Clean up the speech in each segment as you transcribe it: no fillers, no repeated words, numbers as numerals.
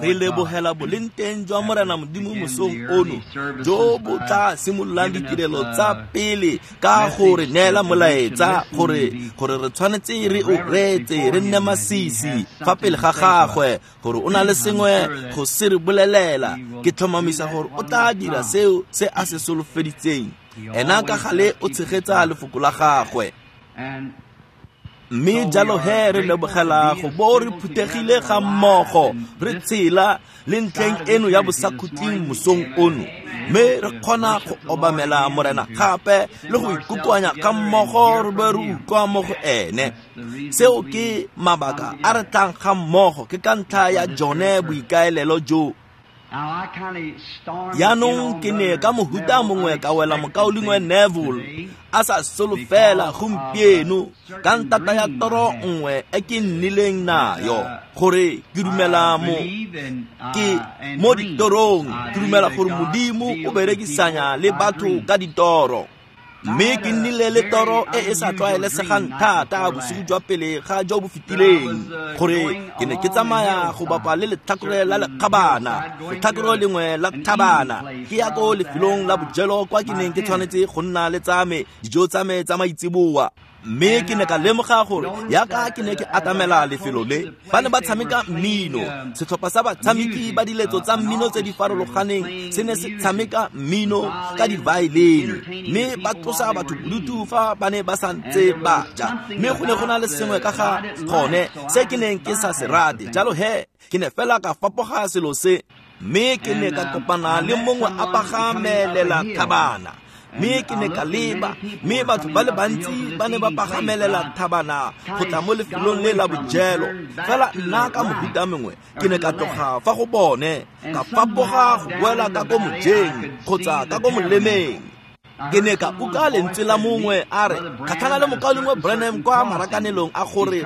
Re lebogela bolengteng jwa Morena Modimo mosong ono jo bo tla simololang ditirelo tsa pele ka go re neela molaetsa gore re tshwanetse re o reetse, re nne masisi fa pele ga gagwe gore o na le sengwe go se re bolelela. Ke tlhomamisa gore o tla dira seo se a se solofeditseng. Ena ka gale o tshegetsa lefoko la gagwe. Mme jalo he re lebogela go bo re phuthegile ga mmogo re tshela le ntlheng eno ya bosakhutleng mosong ono, mme re kgona go obamela Morena gape le go ikokoanya ga mmogo re be re utlwa mo go ene. Seo ke mabaka a re tlang ga mmogo, ke ka ntlha ya jone boikaelelo jo. Jaanong ke ne ka mohuta mongwe ka wela mokaulengwe Neville a sa solofela gompieno ka ntata ya toro nngwe e ke nnileng nayo, gore ke dumela mo ke mo ditorong, ke dumela gore Modimo o berekisanya le batho ka ditoro. Mme ke nnile le toro e e sa tlwaelesegang thata bosigo jwa pele ga jo bo fetileng, gore ke ne ke tsamaya go bapa le letlhakore la lekgabana, letlhakore lengwe la thabana, ke ya ko lefelong la bojelo kwa ke neng ke tshwanetse go nna le tsa me dijo tsa me tsa maitseboa. Mme ke ne ka lemoga gore yaka ke ne ke atamela lefelo le, ba ne ba tshameka mmino. Setlhopha sa batshameki ba diletso tsa mmino tse di farologaneng se ne se tshameka mmino ka divaelene, mme ba tlosa batho bodutu fa ba ne ba sa ntse ba ja. Mme go ne go na le sengwe ka ga gone se ke neng ke sa se rate, jalo he ke ne fela ka fapoga selo se. Mme ke ne ka kopana le mongwe a pagamelela thabana, mme ke ne ka leba, mme batho ba le bantsi ba ne ba pagamelela thabana go tla mo lefelong le la bojelo. Fela nna ka mohuta mongwe ke ne ka tloga fa go bone, ka fapoga go boela ka ko mojeng kgotsa ka ko molemeng. Ke ne ka utlwa lentswe la mongwe a re, kgatlhana le mokaulengwe Branham kwa marakanelong a gore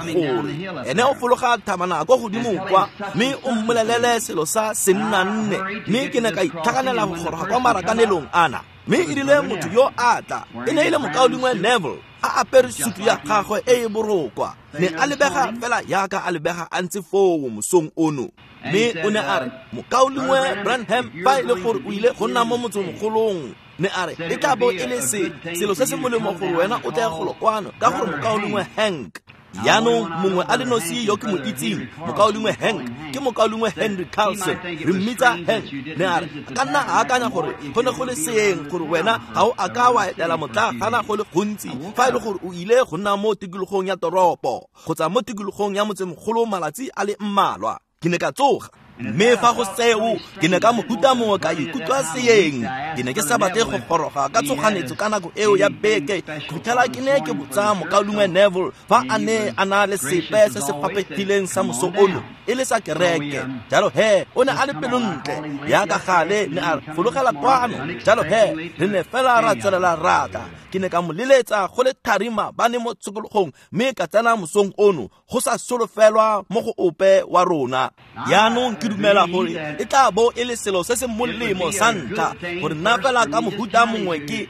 ene o fologa thabana kwa godimo kwa, mme o mmolelele selo sa sennanne. Mme ke ne ka itlhaganela go goroga kwa marakanelong ana. Mme e rile motho yo a tla, e ne e le mokaulengwe Neville a apere sutu ya gagwe e e borokwa, ne a lebega fela yaka a lebega a ntse foo mosong ono. Mme o ne a re, mokaulengwe Branham, fa e le gore o ile go nna mo motsemogolong, ne a re e tla bo e le selo se se molemo gore wena o tle golo kwano, ka gore mokaulengwe Hank. Jaanong mongwe a le nosi yo ke mo itseng, mokaulengwe Hank, ke mokaulengwe Henry Carlson, re mmitsa Hank. Ne a re ka nna a akanya gore go ne go le seeng gore wena ga o a ka wa etela motlagana go le gontsi fa e le gore o ile go nna mo tikologong ya toropo kgotsa mo tikologong ya motsemogolo malatsi a le mmalwa. Ke ne ka tsoga, mme fa go seo ke ne ka mohuta mongwe ka ikutlwa seeng. Ke ne ke sa batle go goroga ka tshoganyetso ka nako eo ya beke, go fitlhela ke ne ke botsa mokaulengwe Neville fa a ne a na le sepe se se faphegileng sa moso ono e le sa kereke. Jalo he o ne a le pelontle yaka gale, ne a fologela kwano. Jalo he re ne fela ra tswelela ra tla. Ke ne ka mo leletsa go le thari maabane mo tshokologong, mme ka tsena mosong ono go sa solofelwa mo go ope wa rona. Jaanong ke dumela gore e tla bo e le selo se se molemo sa ntlha gore nna fela ka mohuta mongwe ke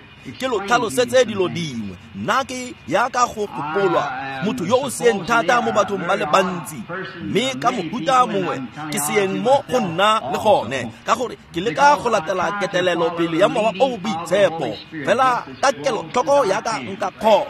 lo tlhalosetse dilo dingwe. Nna ke yaka go gopolwa motho yo o seeng thata mo bathong ba le bantsi, mme ka mohuta mongwe ke seeng mo go nna le gone, ka gore ke leka go latela ketelelo pele ya Mowa o o Boitshepo fela ka kelotlhoko yaka nka kgona.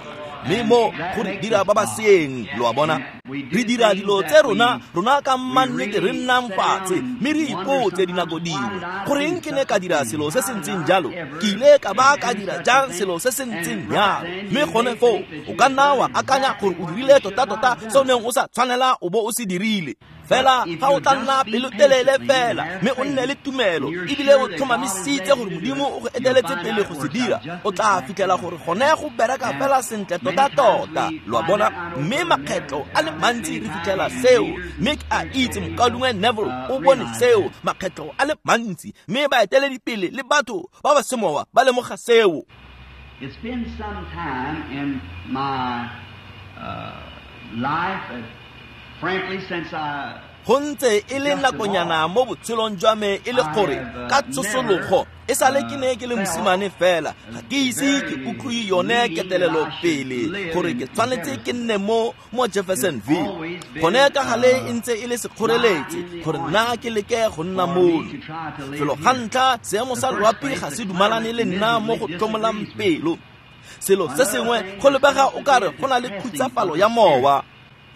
Mme mo go re dira ba ba seeng, lo a bona, re dira dilo tse rona ka mannete re nnang fatshe mme re ipotse dinako dingwe, goreng ke ne ka dira selo se se ntseng jalo, ke ile ka ba ka dira jang selo se se ntseng jalo. Mme gone foo o ka nna wa akanya gore o dirile tota-tota se o neng o sa tshwanela o bo o se dirile. Fela fa o tla nna pelotelele fela mme o nne le tumelo ebile o tlhomamisitse gore Modimo o go eteletse pele go se dira, o tla fitlhela gore gone go bereka fela sentle tota-tota, lo a bona. Mme makgetlo a le mantsi re fitlhela seo, mme ke a itse mokaulengwe Neville o bone seo makgetlo a le mantsi, mme baeteledipele le batho ba ba semowa ba lemoga seo. It's been some time in my life, frankly, since I Go ntse e le nakonyana mo botshelong jwa me e le gore ka tsosologo e sale ke ne ke le mosimane fela, ga ke ise ke utlwe yone ketelelo pele gore ke tshwanetse ke nne mo Jeffersonville. Gone ka gale e ntse e le sekgoreletsi gore nna ke leke go nna mono. Felo ga ntlha, seemo sa loapi ga se dumalane le nna mo go tlhomolang pelo. Selo se sengwe go lebega o kare go na le khutsafalo ya mowa.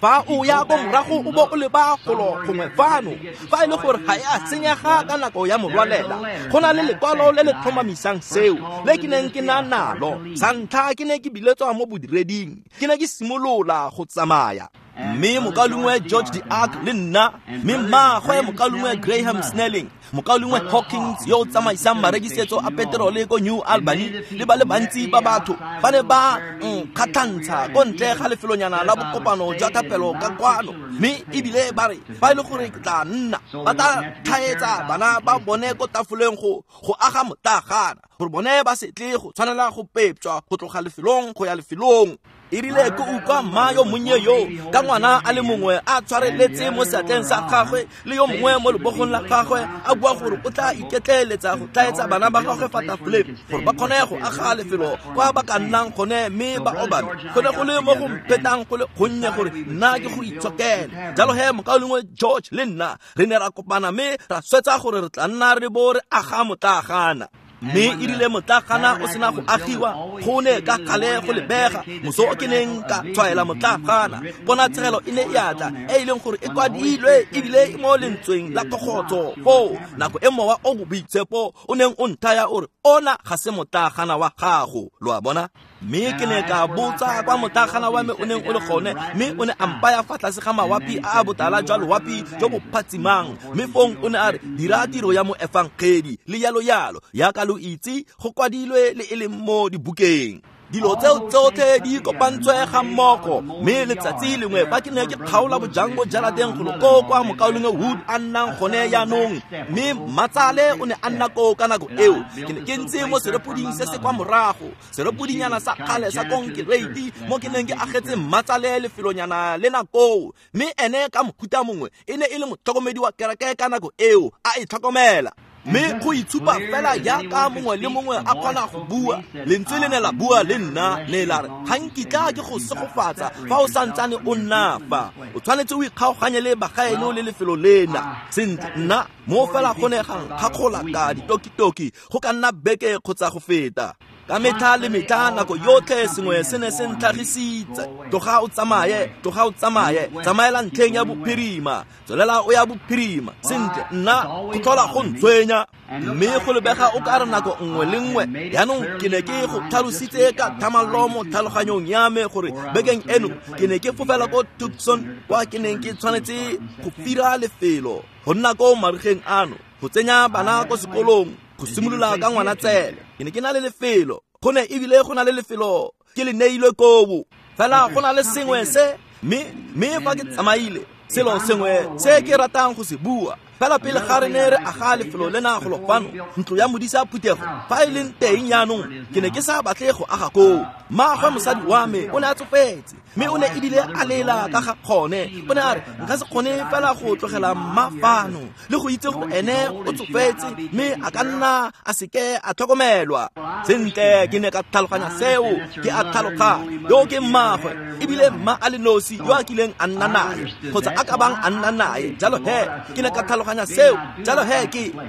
Fa o ya ko morago o bo o leba golo gongwe fano, fa e le gore ga e a senyega ka nako ya morwalela, go na le lekwalo le le tlhomamisang seo le ke neng ke na nalo. Sa ntlha ke ne ke biletswa mo bodireding, ke ne ke simolola go tsamaya. Mme mokaulengwe George de Ark le nna, mme mmaagwe mokaulengwe Graham Snelling, mokaulengwe Hawkins yo o tsamaisang marekisetso a peterole ko New Albany, le ba le bantsi ba batho ba ne ba nkgatlhantsha ko ntle ga lefelonyana la bokopano jwa thapelo ka kwano. Mme ebile ba re fa e le gore ke tla nna, ba tla tlhaetsa bana ba bone ko tafoleng go aga motlagana, gore bone ba se tle go tshwanela go pepjwa go tloga lefelong go ya lefelong. E rile ke utlwa mma yo monnye yo ka ngwana a le mongwe a tshwareletse mo seatleng sa gagwe le yo mongwe mo lebogong la gagwe, a bua gore o tla iketleeletsa go tlaetsa bana ba gagwe fa tafoleng gore ba kgone go aga lefelo kwa ba ka nnang gone mme ba obame. Go ne go le mo go mphetang go le gonnye gore nna ke go itshokele. Jalo he mokaulengwe George le nna re ne ra kopana mme ra swetsa gore re tla nna re bo re aga motlagana. Mme e rile motlagana o sena go agiwa, go ne ka gale go lebega moso o ke neng ka tshwaela motlagana, ponatshegelo e ne e atla e e leng gore e kwadilwe ebile e mo lentsweng la kgotso foo nako e mowa o boitshepo o neng o nthaya o re ona ga se motlagana wa gago, lo a bona. Mme ke ne ka botsa kwa motlagana wa me o neng o le gone, mme o ne a mpaya fa tlase ga mawapi a a botala jwa loapi jo bo phatsimang. Mme fong o ne a re dira tiro ya moefangedi le yalo yalo, yaka lo itse go kwadilwe le e leng mo dibukeng. Dilo tseo tsotlhe di kopantswe ga mmogo. Mme letsatsi lengwe fa ke ne ke kgaola bojang mo jarateng golo koo kwa mokaulengwe Wood a nnang gone jaanong, mme Matsale o ne a nna koo ka nako eo, ke ne ke ntse mo serepoding se se kwa morago, serepodinyana sa kgale sa konkereiti mo ke neng ke agetse Matsale lefelonyana lena koo. Mme ene ka mohuta mongwe e ne e le motlhokomedi wa kereke ka nako eo, a e tlhokomela. Mme go itshupa fela jaaka mongwe le mongwe a kgona go bua, lentswe le ne la bua le nna ne la re ga nkitla ke go segofatsa fa o santsane o nna fa, o tshwanetse o ikgaoganye le bagaeno le lefelo lena. Sentle, nna mo fela go ne ga nkgakgola ka ditokitoki go ka nna beke kgotsa go feta. Ka metlha le metlha nako yotlhe sengwe se ne se ntlhagisitse, tloga o tsamaye, tloga o tsamaye, tsamaela ntlheng ya bophirima, tswelela o ya bophirima. Sentle, nna go tlhola go ntshwenya. Mme go lebega o ka re nako nngwe le nngwe. Jaanong ke ne ke go tlhalositse ka thamallo mo tlhaloganyong ya me gore bekeng eno ke ne ke fofela ko Tucson kwa ke neng ke tshwanetse go fira lefelo go nna ko marigeng ano, go tsenya bana ko sekolong, go simolola ka ngwana tsele. Ke ne ke na le lefelo, go ne ebile go na le lefelo ke le neilwe kobo. Fela go na le sengwe se mme fa ke tsamaile, selo sengwe se ke ratang go se bua. Fela pele ga re ne re aga lefelo lena golo fano, ntlo ya modisa phuthego fa e leng teng jaanong, ke ne ke sa batle go aga koo. Mmaagwe mosadi wa me o ne a tsofetse, mme o ne ebile a lela ka ga kgone. O ne a re nka se kgone fela go tlogela mma fano le go itse gore ene o tsofetse mme a ka nna a seke a tlhokomelwa. Sentle, ke ne ka tlhaloganya seo, ke a tlhaloganya yo ke mmaagwe, ebile mma a le nosi yo a kileng a nna nae kgotsa a ka bang a nna nae. Jalo he ke ne ka tlhaloganya seo. Jalo he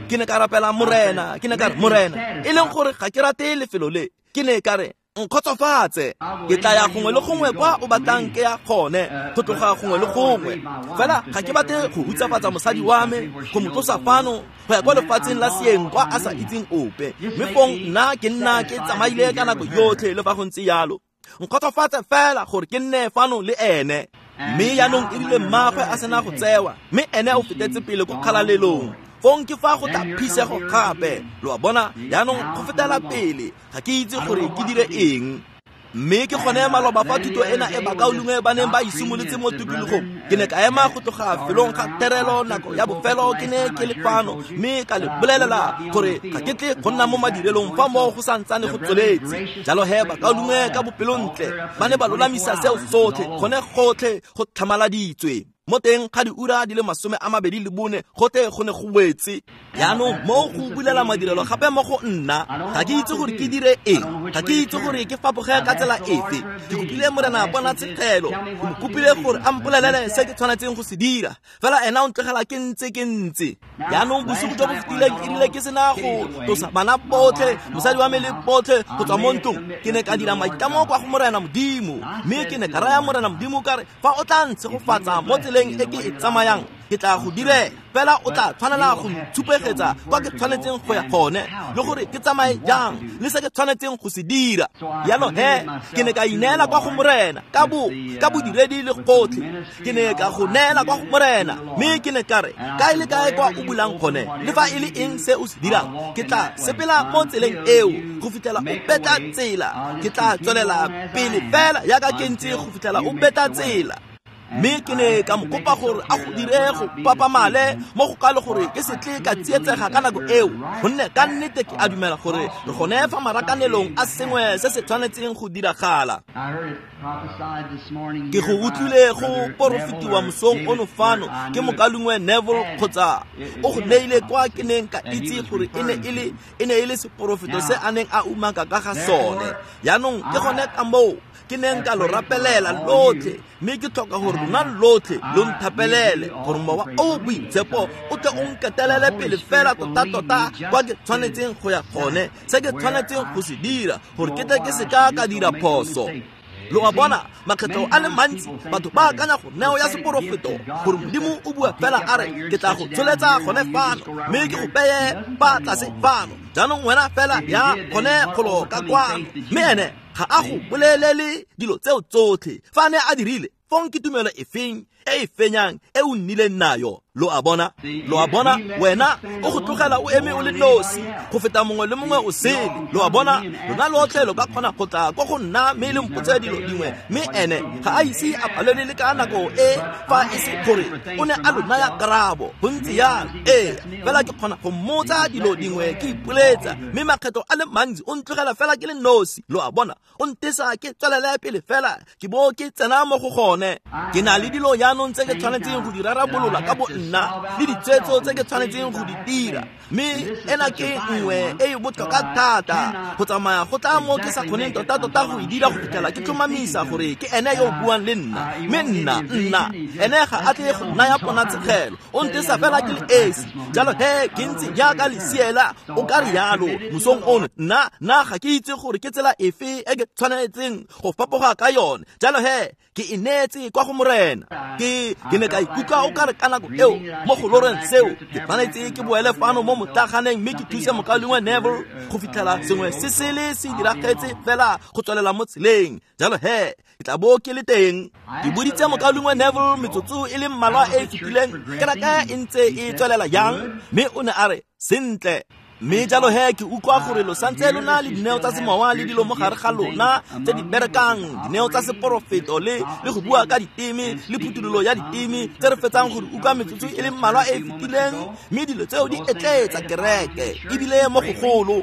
ke ne ka rapela Morena, ke ne ka re Morena, e leng gore ga ke rate lefelo le, ke ne ka re nkgotsofatse, ke tla ya gongwe le gongwe kwa o batlang ke ya gone, go tloga gongwe le gongwe. Fela ga ke batle go hutsafatsa mosadi wa me, go mo tlosa fano go ya kwa lefatsheng la seeng kwa a sa itseng ope. Mme fong nna ke nna ke tsamaile ka nako yotlhe le fa go ntse jalo. Nkgotsofatse fela gore ke nne fano le ene. Mme jaanong e rile mmaagwe a sena go tsewa, mme ene o fetetse pele ko kgalalelong. Fong ke fa go tla phisego gape, lo a bona, jaanong go fetela pele, ga ke itse gore ke dire eng. Mme ke gone maloba fa thuto ena e bakaulengwe ba neng ba e simolotse mo tikologong, ke ne ka ema go tloga felong ga terelo nako ya bofelo ke ne ke le fano, mme ka le bolelela gore ga ke tle go nna mo madirelong fa moo go santsane go tsweletse. Jalo he bakaulengwe ka bopelontle ba ne ba lolamisa seo sotlhe, gone gotlhe go tlhamaladitswe. Mo teng ga diura di le 24 gotlhe go ne go wetse. Jaanong mo go bulela madirelo gape mo go nna, ga ke itse gore ke dire eng, ga ke itse gore ke fapoge ka tsela efe. Ke kopile Morena ponatshegelo, ke mo kopile gore a mpolelele se ke tshwanetseng go se dira, fela ena o ntlogela ke ntse ke ntse. Jaanong bosigo jo bo fetileng e rile ke sena go tlosa bana botlhe, mosadi wa me le botlhe go tswa mo ntlong, ke ne ka dira maitlamo kwa go Morena Modimo, mme ke ne ka raya Morena Modimo ka re, fa o tla ntshegofatsa mo tseleng e ke e tsamayang, ke tla go direla, fela o tla tshwanela go ntshupegetsa kwa ke tshwanetseng go ya gone, le gore ke tsamaye jang, le se ke tshwanetseng go se dira. Jalo he, ke ne ka ineela kwa go Morena ka bodiredi le gotlhe. Ke ne ka go neela kwa go Morena, mme ke ne ka re, kae le kae kwa o bulang gone, le fa e le eng se o se dirang, ke tla sepela mo tseleng eo go fitlhela o betla tsela. Ke tla tswelela pele fela jaaka ke ntse go fitlhela o betla tsela. Mme ke ne ka mo kopa gore a go dire go papamale mo go kalo gore ke se tle ka tsietsega ka nako eo, gonne ka nnete ke a dumela gore re gone fa marakanelong a sengwe se se tshwanetseng go diragala. Ke go utlwile go porofetiwa mosong ono fano ke mokalungwe Neville, kgotsa o go neile kwa ke neng ka itse gore e ne e le seporofeto se a neng a umaka ka ga sone. Jaanong ke gone ka moo ke neng ka lo rapelela lotlhe, mme ke tlhoka gore lona lotlhe lo nthapelele gore mowa o boitshepo o tle o nketelele pele fela tota-tota kwa ke tshwanetseng go ya gone, se ke tshwanetseng go se dira gore ke tle ke se ka ka dira phoso. Lo a bona, makgetlho a le mantsi batho ba akanya go neo ya seporofeto gore Modimo o bua fela a re, ke tla go tsholetsa gone fano, mme ke go beye fa tlase fano, jaanong wena fela ya gone golo ka kwano. Mme ene ga a go bolelele dilo tseo tsotlhe. Fa ne a dirile, fong ke tumelo efeng e e fenyang e o nnileng nayo? Lo a bona, wena o go tlogela o eme o le nosi go feta mongwe le mongwe o sele. Lo a bona, lona lotlhe lo ka kgona go tla kwa go nna mme le mpotse dilo dingwe, mme ene ga a ise a palelwe le ka nako e, fa e se gore o ne a lo naya karabo. Go ntse jalo, ee, fela ke kgona go mmotsa dilo dingwe ke ipoletsa, mme makgetho a le mantsi o ntlogela fela ke le nosi. Lo a bona, o ntesa ke tswelele pele fela ke bo ke tsena mo go gone. Ke na le dilo jaanong tse ke tshwanetseng go di rarabolola ka bo nna, le ditshwetso tse ke tshwanetseng go di dira, mme ena ke nngwe e e botlhokwa thata go tsamaya go tla mo ke sa kgoneng tota-tota go e dira go fitlhela ke tlhomamisa gore ke ene yo o buang le nna. Mme nna ene ga a tle go naya ponatshegelo, o ntesa fela ke le esi. Jalo he, ke ntse jaaka lesiela o ka re yalo mosong ono. Nna ga ke itse gore ke tsela efe e ke tshwanetseng go fapoga ka yone. Jalo he, ke e neetse kwa go Morena. Ke ne ka ikutlwa o ka re ka nako eo mo go loreng seo, ke tshwanetse ke boele fano mo motlaganeng mme ke thuse mokalungwe Neville go fitlhela sengwe se sele se diragetse fela go tswelela mo tseleng. Jalo he, ke tla bo ke le teng. Ke boditse mokalungwe Neville metsotso e le mmalwa e e fetileng kereke e ntse e tswelela jang, mme o ne a re sentle. Mme jalo he, ke utlwa gore lo santse lo na le dineo tsa semowa le dilo mo gare ga lona tse di berekang, dineo tsa seporofeto le go bua ka diteme le phuthololo ya diteme tse re fetsang gore utlwa metsotso e le mmalwa e e fetileng, mme dilo tseo di etleetsa kereke ebile mo gogolo.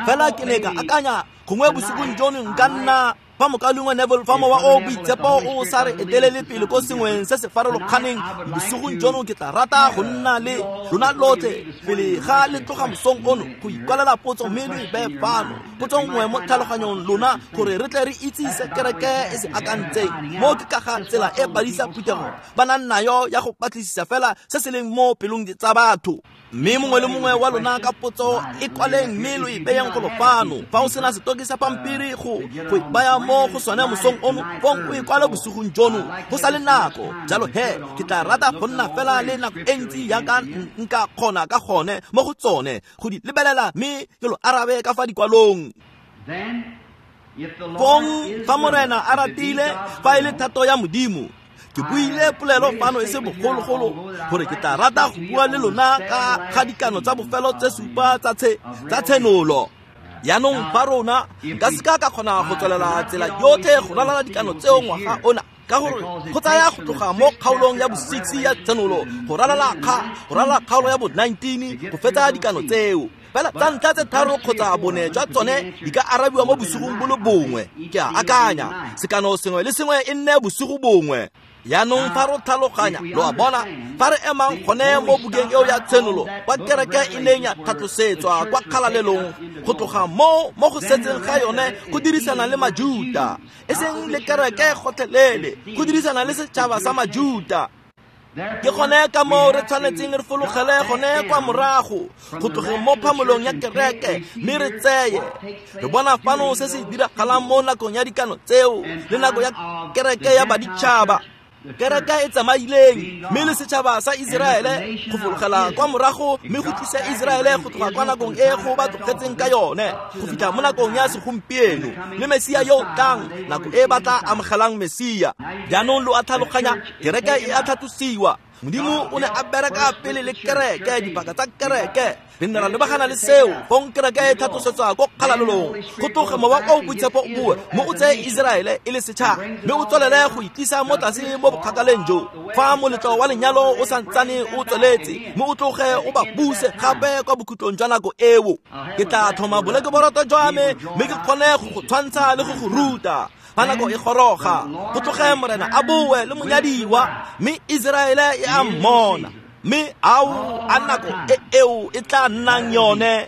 Fela ke ne ka akanya gongwe bosigong jono nka nna fa mokalungwe Neville, fa mowa o boitshepo o sa re etelele pele ko sengweng se se farologaneng bosigong jono, ke tla rata go nna le lona lotlhe pele ga le tloga mosong ono go ikwalela potso mme lo e beye fano, potso nngwe mo tlhaloganyong lona gore re tle re itse se kereke e se akantseng. Mo ke ka ga tsela e badisa phuthego ba nang nayo ya go batlisisa fela se se leng mo pelong tsa batho. Mme mongwe le mongwe wa lona ka potso e kwaleng mme lo e beyeng golo fano. Fa o sena setoki sa pampiri go e baya mo go sone mosong ono, fong o e kwale bosigong jono go sa le nako. Jalo he, ke tla rata go nna fela le nako e ntsi jaaka nka kgona ka gone mo go tsone go di lebelela mme ke lo arabe ka fa dikwalong. Fong fa Morena a ratile, fa e le thato ya Modimo, ke buile polelo fano e se bogologolo gore ke tla rata go bua le lona ka ga dikano tsa bofelo tse supa tsa tshenolo. Jaanong fa rona nka seka ka kgona go tswelela tsela yotlhe go ralala dikano tseo ngwaga ona, ka gore go tsaya go tloga mo kgaolong ya bo-6 ya tshenolo go ralala kgaolo ya bo-19 go fetsa dikano tseo. Fela tsa ntlha tse tharo kgotsa bone jwa tsone di ka arabiwa mo bosigong bo le bongwe. Ke a akanya sekano sengwe le sengwe e nne bosigo bongwe. Jaanong fa re tlhaloganya, lo a bona, fa re emang gone mo bukeng eo ya Tshenolo, kwa kereke e neng ya tlhatlosetswa kwa kgalalelong, go tloga mo go setseng ga yone go dirisana le Majuta, e seng le kereke gotlhelele, go dirisana le setšhaba sa Majuta. Ke gone ka moo re tshwanetseng re fologele gone kwa morago, go tlogeng mo phamolong ya kereke, mme re tseye. Re bona fano se se diragalang mo nakong ya dikano tseo le nako ya kereke ya baditšhaba. Kereke e tsamaileng mme le setšhaba sa Iseraele go fologela kwa morago, mme go tlisa Iseraele go tloga kwa nakong e go ba tlogetseng ka yone go fitlha mo nakong ya segompieno le Mesia yo o tlang, nako e ba tla amogelang Mesia. Jaanong lo a tlhaloganya, kereke e a tlhatlosiwa. Modimo o ne a bereka pele le kereke, dipaka tsa kereke. Re ne ra lebagana le seo, fong kereke e tlhatlosetswa ko kgalalelong. Go tloge mowa o boitshepo o bue, mo o tseye Iseraele e le setšhaba, mme o tswelele go itlisa mo tlase mo bokgakaleng jo. Fa moletlo wa lenyalo o santsane o tsweletse, mme o tloge o ba buse gape kwa bokhutlong jwa nako eo. Ke tla tlhoma bolekeboroto jwa me, mme ke kgone go go tshwantsha le go go ruta. Fa nako e goroga, go tloge Morena a boe le monyadiwa, mme Iseraele e a mmona. Mme ao a nako e eo e tla nnang yone.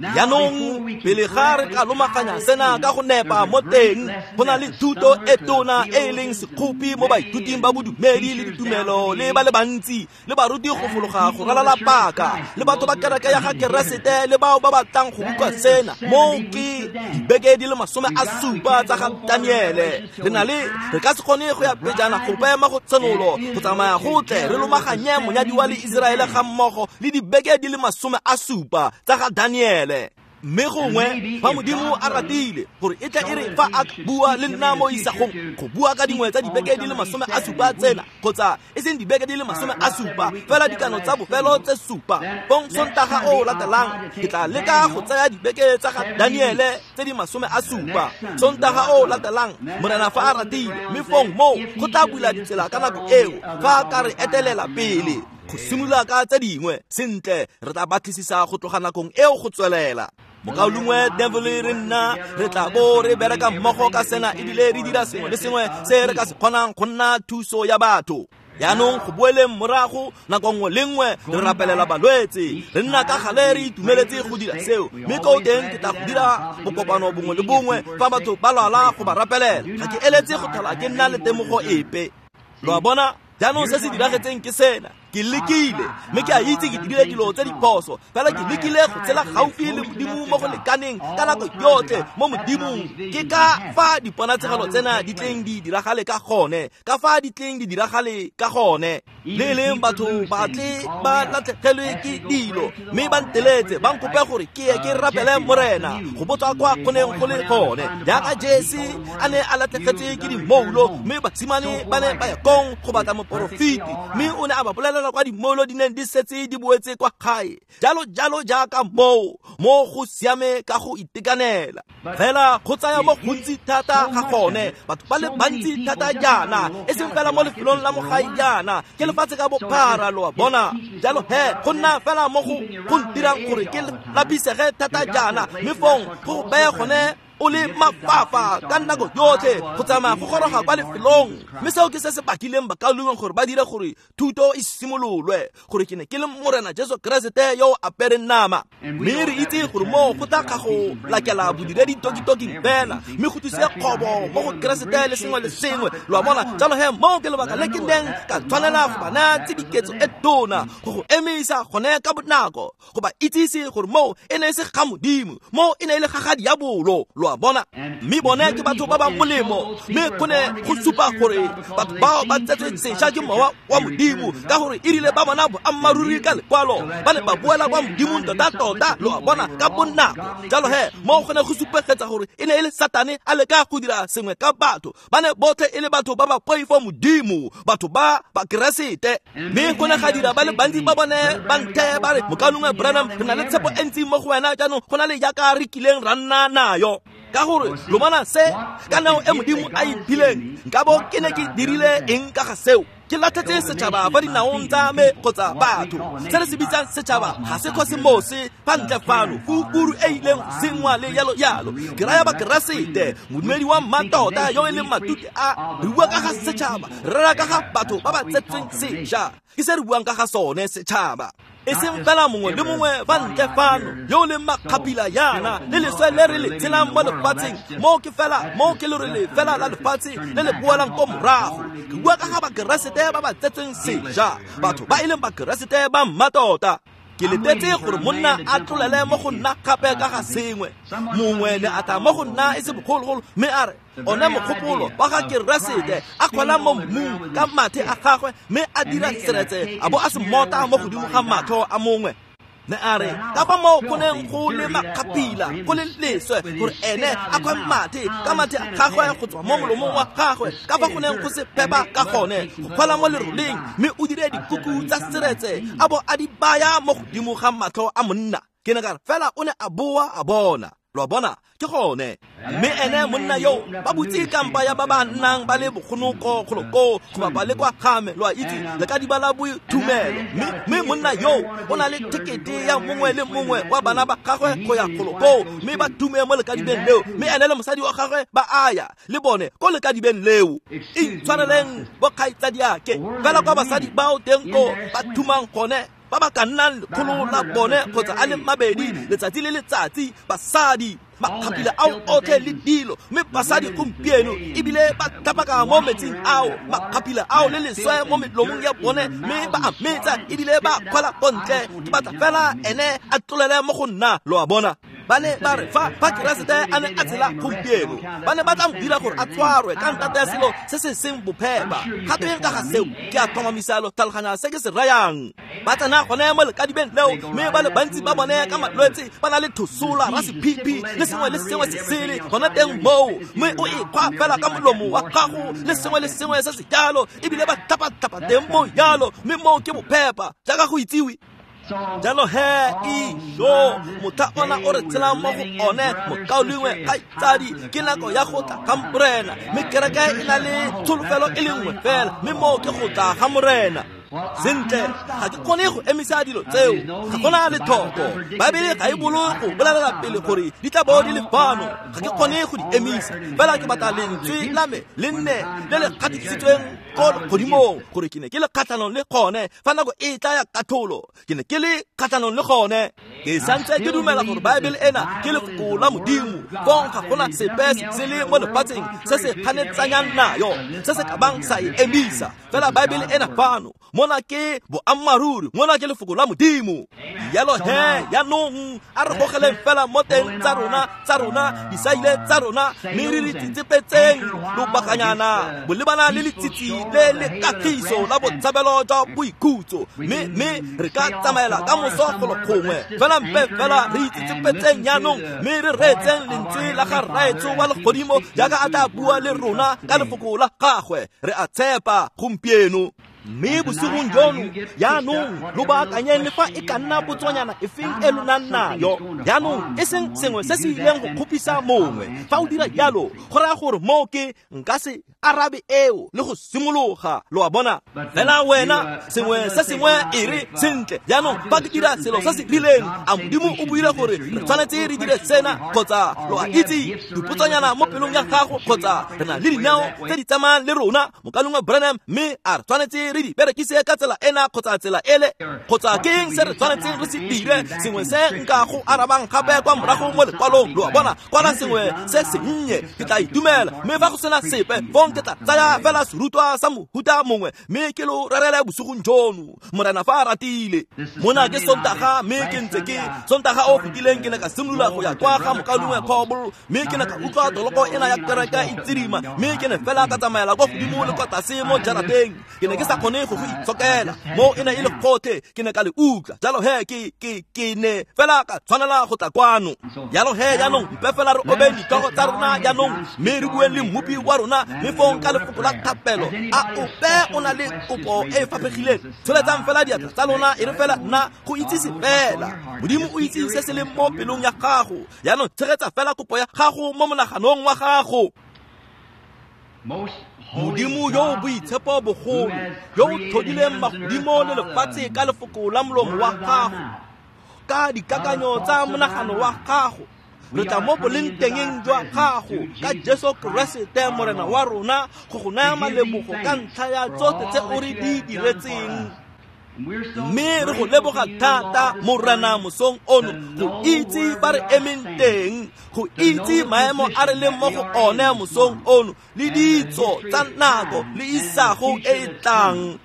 Jaanong pele ga re ka lomaganya sena ka go nepa mo teng, go na le thuto e tona e e leng sekgopi mo baithuting ba bodumedi le ditumelo le ba le bantsi le baruti go fologa go ralala paka le batho ba kereke ya ga Keresete le bao ba batlang go utlwa sena. Moo ke dibeke di le 70 tsa ga Daniele. Re na le re ka se kgone go ya pejana gope mo go Tshenolo go tsamaya gotle re lomaganye monyadiwa le Iseraele ga mmogo le dibeke di le 70 tsa ga Daniele. Mme gongwe fa Modimo a ratile gore e tla e re fa a bua le nna mo isagong go bua ka dingwe tsa dibeke di le 70 tsena, kgotsa e seng dibeke di le 70 fela dikano tsa bofelo tse 7, fong Sontaga o latelang ke tla leka go tsaya dibeke tsa ga Daniele tse di 70. Sontaga o latelang Morena fa a ratile, mme fong moo go tla bula ditsela ka nako eo fa a ka re etelela pele go simolola ka tse dingwe. Sentle, re tla batlisisa go tloga nakong eo go tswelela. Mokaulengwe Neville re nna re tla bo re bereka mmogo ka sena, ebile re dira sengwe le sengwe se re ka se kgonang go nna thuso ya batho. Jaanong go boeleng morago, nako nngwe le nngwe re rapelela balwetse, re nna ka gale re itumeletse go dira seo, mme ko teng ke tla go dira bokopano bongwe le bongwe fa batho ba lwala go ba rapelela. Ga ke eletse go tlhola ke nna le temogo epe. Lo a bona? Jaanong se se diragetseng ke sena. Ke lekile, mme ke a itse ke dirile dilo tse diphoso, fela ke lekile go tsela gaufi le Modimo mo go lekaneng ka nako yotlhe mo Modimong. Ke ka fa diponatshegelo tsena di tleng di diragale ka gone, ka fa di tleng di diragale ka gone. Le e leng batho ba tle ba latlhegelwe ke dilo, mme ba nteletse ba nkope gore ke ye ke rapele Morena go botsa kwa go neng go le gone. Jaaka Jesse a ne a latlhegetse ke dimoulo, mme basimane ba ne ba ya kong go batla moporofeti, mme o ne a ba bolelela kwa dimoulo di neng di setse di boetse kwa gae. Jalo jalo jaaka moo mo go siame ka go itekanela. Fela go tsaya mo gontsi thata ga gone, batho ba le bantsi thata jaana, e seng fela mo lefelong la mogae jaana, ke lefatshe ka bophara, lo a bona. Jalo he go nna fela mo go ntirang gore ke lapisege thata jaana, mme fong go beye gone o le mafafa ka nako yotlhe go tsamaya go goroga kwa lefelong. Mme seo ke se se bakileng bakaulengwe gore ba dire gore thuto e simololwe, gore ke ne ke le Morena Jesu Keresete yo o apereng nama. Mme re itse gore moo go tla ga go lakela bodiredi tokitoking fela, mme go tlise kgobo mo go Keresete le sengwe le sengwe, lo a bona. Jalo he moo ke lebaka le ke neng ka tshwanela go ba naya tshediketso e tona go go emisa gone ka bonako, go ba itsise gore moo e ne e se ga Modimo, moo e ne e le ga ga diabolo, lo a bona. Mme bone ke batho ba ba molemo, mme go ne go supa gore batho bao ba tsetswe sešwa ke mowa wa Modimo, ka gore e rile ba bona boammaaruri ka lekwalo, ba ne ba boela kwa Modimong tota-tota, lo a bona, ka bonako. Jalo he moo go ne go supegetsa gore e ne e le Satane a leka go dira sengwe ka batho, ba ne botlhe e le batho ba ba poifo Modimo, batho ba Bakeresete. Mme go ne ga dira ba le bantsi ba bone ba nthe ba re, Mokaulengwe Branham, re na le tshepo e ntsi mo go wena jaanong go na le jaaka re kileng ra nna nayo. Ka gore lo bona se ka nao e Modimo a e phileng, nkabo ke ne ke dirile eng ka ga seo? Ke latlhetse setšhaba fa dinaong tsa me kgotsa batho. Se re se bitsang setšhaba ga se kosemose fa ntle fano, kukuru e ileng go sengwa le yalo yalo. Ke raya Bakeresete, modumedi wa mmatota yo e leng matute a, re bua ka ga setšhaba, re rera ka ga batho ba ba tsetsweng sešwa. Ke se re buang ka ga sone setšhaba. E seng fela mongwe le mongwe ba ntle fano yo o leng makgapila yana le leswe le re le tshelang mo lefatsheng, moo ke fela, moo ke lerole fela la lefatshe le le boelang ko morago. Ke bua ka ga Bakeresete ba ba tsetsweng sešwa, batho ba e leng Bakeresete ba mmatota. Ke letetse gore monna a tlolele mo go nna gape ka ga sengwe. Mongwe ne a tla mo go nna e se bogologolo, mme a re one mogopolo wa ga Keresete a kgwela mo mmung ka mathe a gagwe, mme a dira seretse a bo a se mota mo godimo ga matlho a mongwe. Ne a re ka fa moo go neng go le makgapila go le leswe gore ene a kgwe mathe ka mathe a gagwe go tswa mo molomong wa gagwe, ka fa go neng go se phepa ka gone go kgwela mo leroleng, mme o dire dikuku tsa seretse a bo a di baya mo godimo ga matlho a monna. Ke ne ka re fela o ne a boa a bona. Lo a bona, ke gone. Mme ene monna yo ba butse kampa ya ba ba nnang ba le bogonoko golo koo go bapa le kwa game, lo a itse, le ka diba la boithumelo. Mme monna yo o na le thekete ya mongwe le mongwe wa bana ba gagwe go ya golo koo, mme ba tume mo lekadibeng leo, mme ene le mosadi wa gagwe ba aya le bone ko lekadibeng leo. Itshwareleng bokgaitsadiake, fela kwa basadi bao teng ko ba thumang gone, ba ba ka nnang lekgolo la bone kgotsa a le mabedi letsatsi le letsatsi, basadi makgapila ao otlhe le dilo. Mme basadi gompieno ebile ba tlhapaka mo metsing ao, makgapila ao le leswe mo melomong ya bone, mme ba a metsa ebile ba kgwela ko ntle. Ke batla fela ene a tlolele mo go nna, lo a bona. Ba ne ba re fa Keresete a ne a tshela gompieno, ba ne ba tla mo dira gore a tshwarwe ka ntata ya selo se se seng bophepa. Gape ka ga seo, ke a tlhomamisa lo tlhaloganya se ke se rayang. Ba tsena gone mo lekadibeng leo, mme ba le bantsi ba bone ka malwetse ba na le thosola, rasephipi le sengwe le sengwe se sele gona teng moo, mme o e kgwa fela ka molomo wa gago le sengwe le sengwe se se jalo, ebile ba tlhapa-tlhapa teng mo jalo, mme moo ke bophepa jaaka go itsiwe. Jalo he ijo motlha ona o re tshelang mo go one, mokaulengwe kgaitsadi, ke nako ya go tla ga Morena, mme kereke e na le tsholofelo e le nngwe fela, mme moo ke go tla ga Morena. Sentle, ga ke kgone go emisa dilo tseo, ga gona letlhoko. Baebele ga e bolo go bolelela pele gore di tla bo di le fano, ga ke kgone go di emisa. Fela ke batla lentswe la me le nne le le gatisitsweng ko legodimong gore ke ne ke le kgatlhanong le gone fa nako e tla ya katlholo, ke ne ke le kgatlhanong le gone. Ke santse ke dumela gore Baebele ena ke lefoko la Modimo, fong ga gona sepe se le mo lefatsheng se se kganetsanyang nayo, se se ka bang sa e emisa. Fela Baebele ena fano, mona ke boammaaruri, mona ke lefoko la Modimo. Jalo he jaanong a re gogeleng fela mo teng tsa rona disaile tsa rona, mme re re tsitsepetseng lobakanyana bolebana le letsitsi le le kagiso la botshabelo jwa boikhutso, mme re ka tsamaela ka moso golo gongwe. Fela mpe fela re itsitsepetseng jaanong, mme re reetseng lentswe la ga Rraetsho wa legodimo jaaka a tla bua le rona ka lefoko la gagwe. Re a tshepa gompieno. Mme bosigong jono jaanong lo baakanyeng le fa e ka nna potsonyana efeng e lo nang nayo. Jaanong e seng sengwe se se ileng go kgopisa mongwe. Fa o dira jalo, go raya gore moo ke nka se arabe eo le go simologa, lo a bona. Fela wena sengwe se sengwe e re sentle, jaanong fa ke dira selo se se rileng, a Modimo o buile gore re tshwanetse re dire sena, kgotsa lo a itse dipotsonyana mo pelong ya gago, kgotsa re na le dinao tse di tsamayang le rona, mokalengwe Branham, mme a re tshwanetse re di berekise ka tsela ena kgotsa tsela ele, kgotsa ke eng se re tshwanetseng re se dire, sengwe se nka go arabang gape kwa morago mo lekwalong, lo a bona. Kwala sengwe se sennye, ke tla itumela. Mme fa go sena sepe, fong ke tla tsaya fela serutwa sa mohuta mongwe, mme ke lo rerele bosigong jono, Morena fa a ratile. Mona ke Sontaga, mme ke ntse ke Sontaga o fetileng ke ne ka simolola go ya kwa ga mokaulengwe Coble, mme ke ne ka utlwa toloko ena ya kereke e tsidima, mme ke ne fela ka tsamaela kwa godimo le kwa tlase mo jarateng. Ke ne ke sa kgone go go itshokela, mo e ne e le gotlhe, ke ne ka le utlwa. Jalo he ke ne fela ka tshwanela go tla kwano. Jalo he jaanong mpe fela re obeng ditlhogo tsa rona jaanong, mme re bueng le mmopi wa rona, mme fong ka lefoko la thapelo. A ope o na le kopo e e faphegileng? Tsholetsang fela diatla tsa lona, e re fela nna go itsise fela. Modimo o itse se se leng mo pelong ya gago. Jaanong tshegetsa fela kopo ya gago mo monaganong wa gago. Modimo yo o boitshepo bogolo, yo o tlhodileng magodimo le lefatshe ka lefoko la molomo wa gago, ka dikakanyo tsa monagano wa gago, re tla mo boleng tengeng jwa gago ka Jesu Keresete Morena wa rona go go naya malebogo ka ntlha ya tsotlhe tse o re di diretseng. Mme re go leboga thata Morena mosong ono go itse ba re emeng teng, go itse maemo a re leng mo go one mosong ono le ditso tsa nako le isago e e tlang.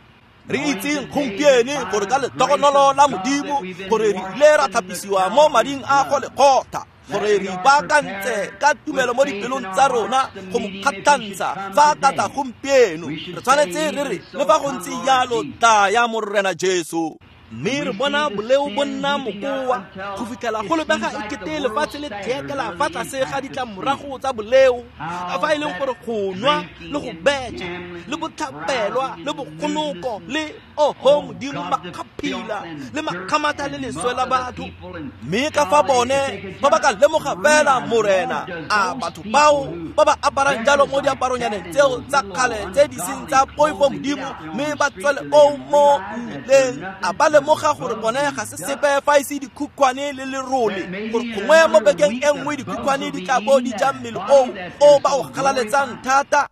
Re itseng gompieno gore ka letogonolo la Modimo gore re ile ra tlhapisiwa mo mading a go lekgotha, gore re ipaakantse ka tumelo mo dipelong tsa rona go mo kgatlhantsha fa a ka tla gompieno. Re tshwanetse re re le fa go ntse jalo tlaya Morena Jesu. Mme re bona boleo bo nna mokoa go fitlhela go lebega ekete lefatshe le tlhekela fa tlase ga ditlamorago tsa boleo, ka fa e leng gore go nwa le go betšha le botlhapelwa le bogonoko le oho Modimo makgaphila le makgamatha le leswe la batho. Mme ka fa bone ba ba ka lemoga fela Morena, a batho bao ba ba aparang jalo mo diaparonyaneng tseo tsa kgale tse di seng tsa poifo Modimo, mme ba tswele koo mo mmileng, a ba lemoga gore bone ga se sepe fa e se dikhukhwane le lerole, gore gongwe mo bekeng e nngwe dikhukhwane di tla bo di ja mmele oo o ba o galaletsang thata.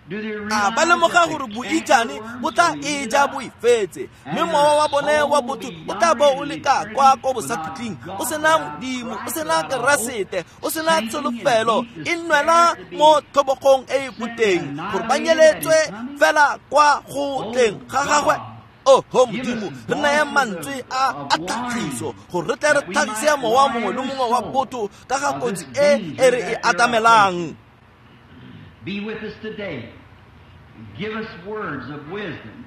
A ba lemoga gore boijane bo tla e ja bo ifetse, mme mowa wa bone wa botho o tla bo o le ka kwa ko bosakhutleng, o sena Modimo, o sena Keresete, o sena tsholofelo, e nwela mo tlhobogong e e boteng, gore ba nyeletswe fela kwa go tleng ga gagwe. Oho Modimo, re naya mantswe a tlhagiso gore re tle re tlhagise mowa mongwe le mongwe wa botho ka ga kotsi e e re e atamelang. Be with us today. Give us words of wisdom.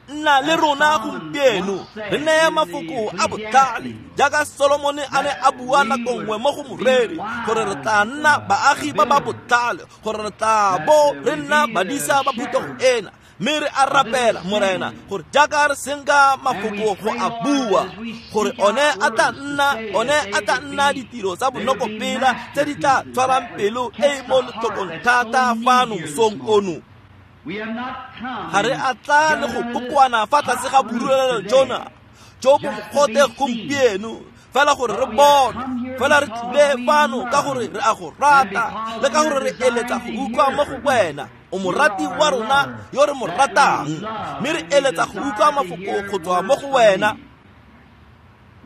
Nna le rona gompieno, re neye mafoko a botlhale jaaka Solomone a ne a bua nako nngwe mo go moreri, gore re tla nna baagi ba ba botlhale, gore re tla bo re nna badisa ba phuthego ena. Mme re a rapela Morena gore jaaka re senka mafoko go a bua, gore one a tla nna ditiro tsa bonokopela tse di tla tshwarang pelo e e mo letlhokong thata fano mosong ono. Ga re a tla le go kokoana fa tlase ga borulelo jona jo bo mogote gompieno fela gore re bone, fela re tlile fano ka gore re a go rata le ka gore re eletsa go utlwa mo go wena. O morati wa rona yo re mo ratang, mme re eletsa go utlwa mafoko go tswa mo go wena.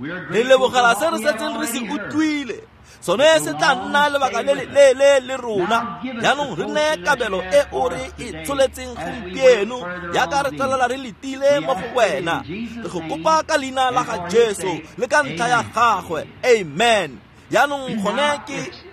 Re lebogela se re setseng re se utlwile, sone se tla nna lebaka le le le rona. Jaanong re neye kabelo e o re e tsholetseng gompieno jaaka re tswelela re letile mo go wena. Re go kopa ka leina la ga Jesu le ka ntlha ya gagwe, amen. Jaanong gone ke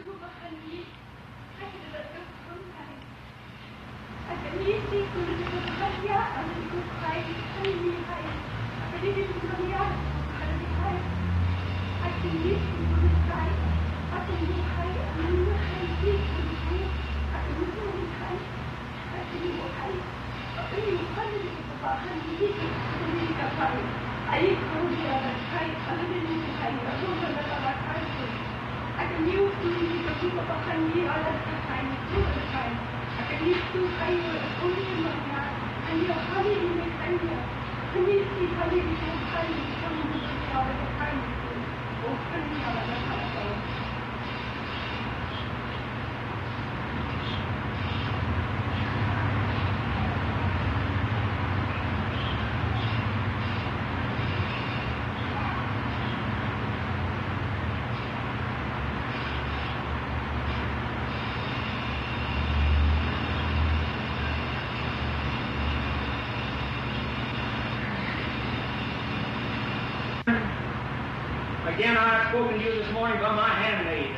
Again, I have spoken to you this morning by my handmaid,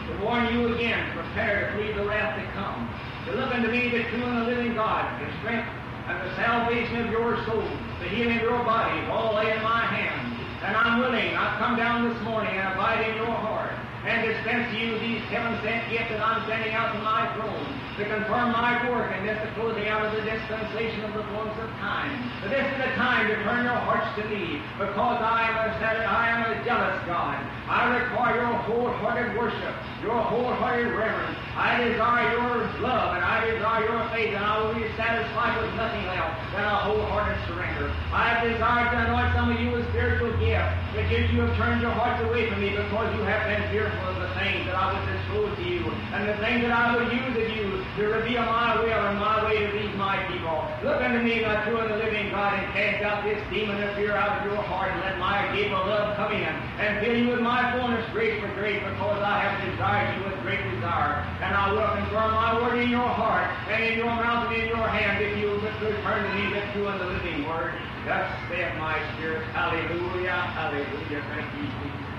to warn you again, prepare to flee the wrath to come, to look unto me, the true and the living God, the strength and the salvation of your soul, the healing of your bodies, all lay in my hand. And I'm willing, I've come down this morning and abide in your heart, and dispense to you these heaven-sent gifts that I'm sending out from my throne, to confirm my work and this the closing out of the dispensation of the fullness of time. But this is the time to turn your hearts to me, because I am a jealous God. I require your wholehearted worship, your wholehearted reverence, I desire your love, and I desire your faith, and I will be satisfied with nothing else than a wholehearted surrender. I have desired to anoint some of you with spiritual gifts, but yet you have turned your hearts away from me because you have been fearful of the things that I would disclose to you, and the things that I would use of you to reveal my will and my way to these my people. Look unto me, my true and the living God, and cast out this demon of fear out of your heart, and let my gift of love come in and fill you with my fullness, grace for grace, because I have desired you with great desire. And I will confirm my word in your heart, and in your mouth, and in your hand, if you will but return to me the true and the living word. Thus saith my spirit. Hallelujah, hallelujah. Thank you, Jesus.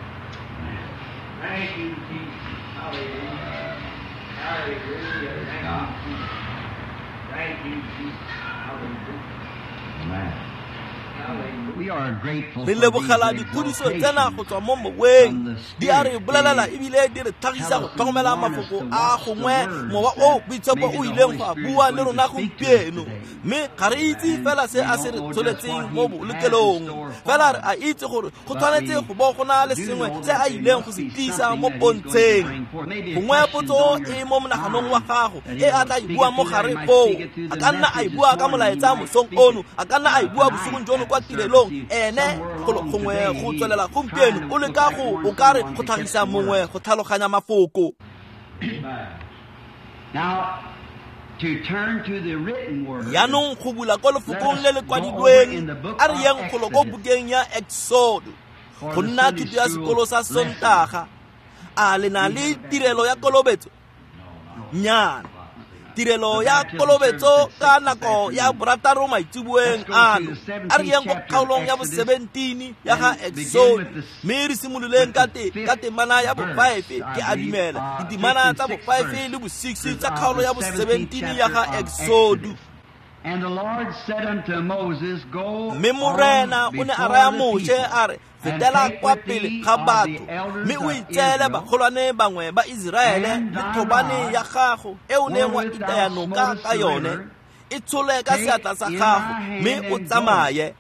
Thank you, Jesus. Hallelujah. Hallelujah. Thank you, Jesus. Thank you, Jesus. Hallelujah. Amen. Re lebogela dikgodiso tsena go tswa mo moweng di a re bolelela ebile di re tlhagisa go tlhokomela mafoko a gongwe mowa o boitshepo o ileng go a bua le rona gompieno mme ga re itse fela se a se re tsholetseng mo bolokelong fela re a itse gore go tshwanetse go bo go na le sengwe se a ileng go se tlisa mo pontsheng gongwe potso e mo monaganong wa gago e a tla e bua mo gare foo a ka nna a e bua ka molaetsa mosong ono a ka nna a e bua bosigong jono kwa tirelong ene gongwe go tswelela gompieno o leka go o ka re go tlhagisa mongwe go tlhaloganya mafoko. Yaanong go bula kwa lefokong le le kwadilweng a re yeng golo ko bukeng ya Exodo go nna thuto ya sekolo sa Sontaga. A le na le tirelo ya kolobetso? Nnyana. Tirelo ya kolobetso ka nako ya borataro maitseboeng ano a re yeng ko kgaolong ya bo-17 ya ga Exodo mme re simololeng ka temana ya bo-5 ke a dumela ditemana tsa bo-5 le bo-6 tsa kgaolo ya bo-17 ya ga Exodo. Mme Morena o ne a raya Moshe a re fetela kwa pele ga batho mme o itseele bagolwane bangwe ba Iseraele le thobane ya gago e o neng wa itaya noka ka yone e tshole ka seatla sa gago mme o tsamaye.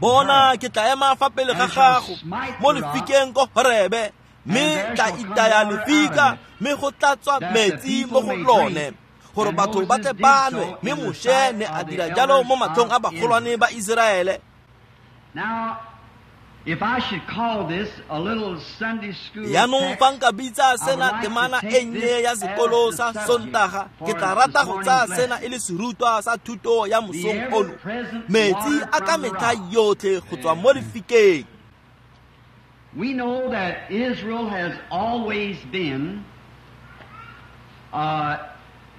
Bona ke tla ema fa pele ga gago mo lefikeng ko Horebe mme tla itaya lefika mme go tla tswa metsi mo go lone gore batho ba tle ba nwe. Mme Moshe ne a dira jalo mo matlhong a bagolwane ba Iseraele. Yaanong fa nka bitsa sena temana e nnye ya sekolo sa Sontaga ke tla rata go tsaya sena e le serutwa sa thuto ya mosong ono, metsi a ka metlha yotlhe go tswa mo lefikeng. We know that Israel has always been a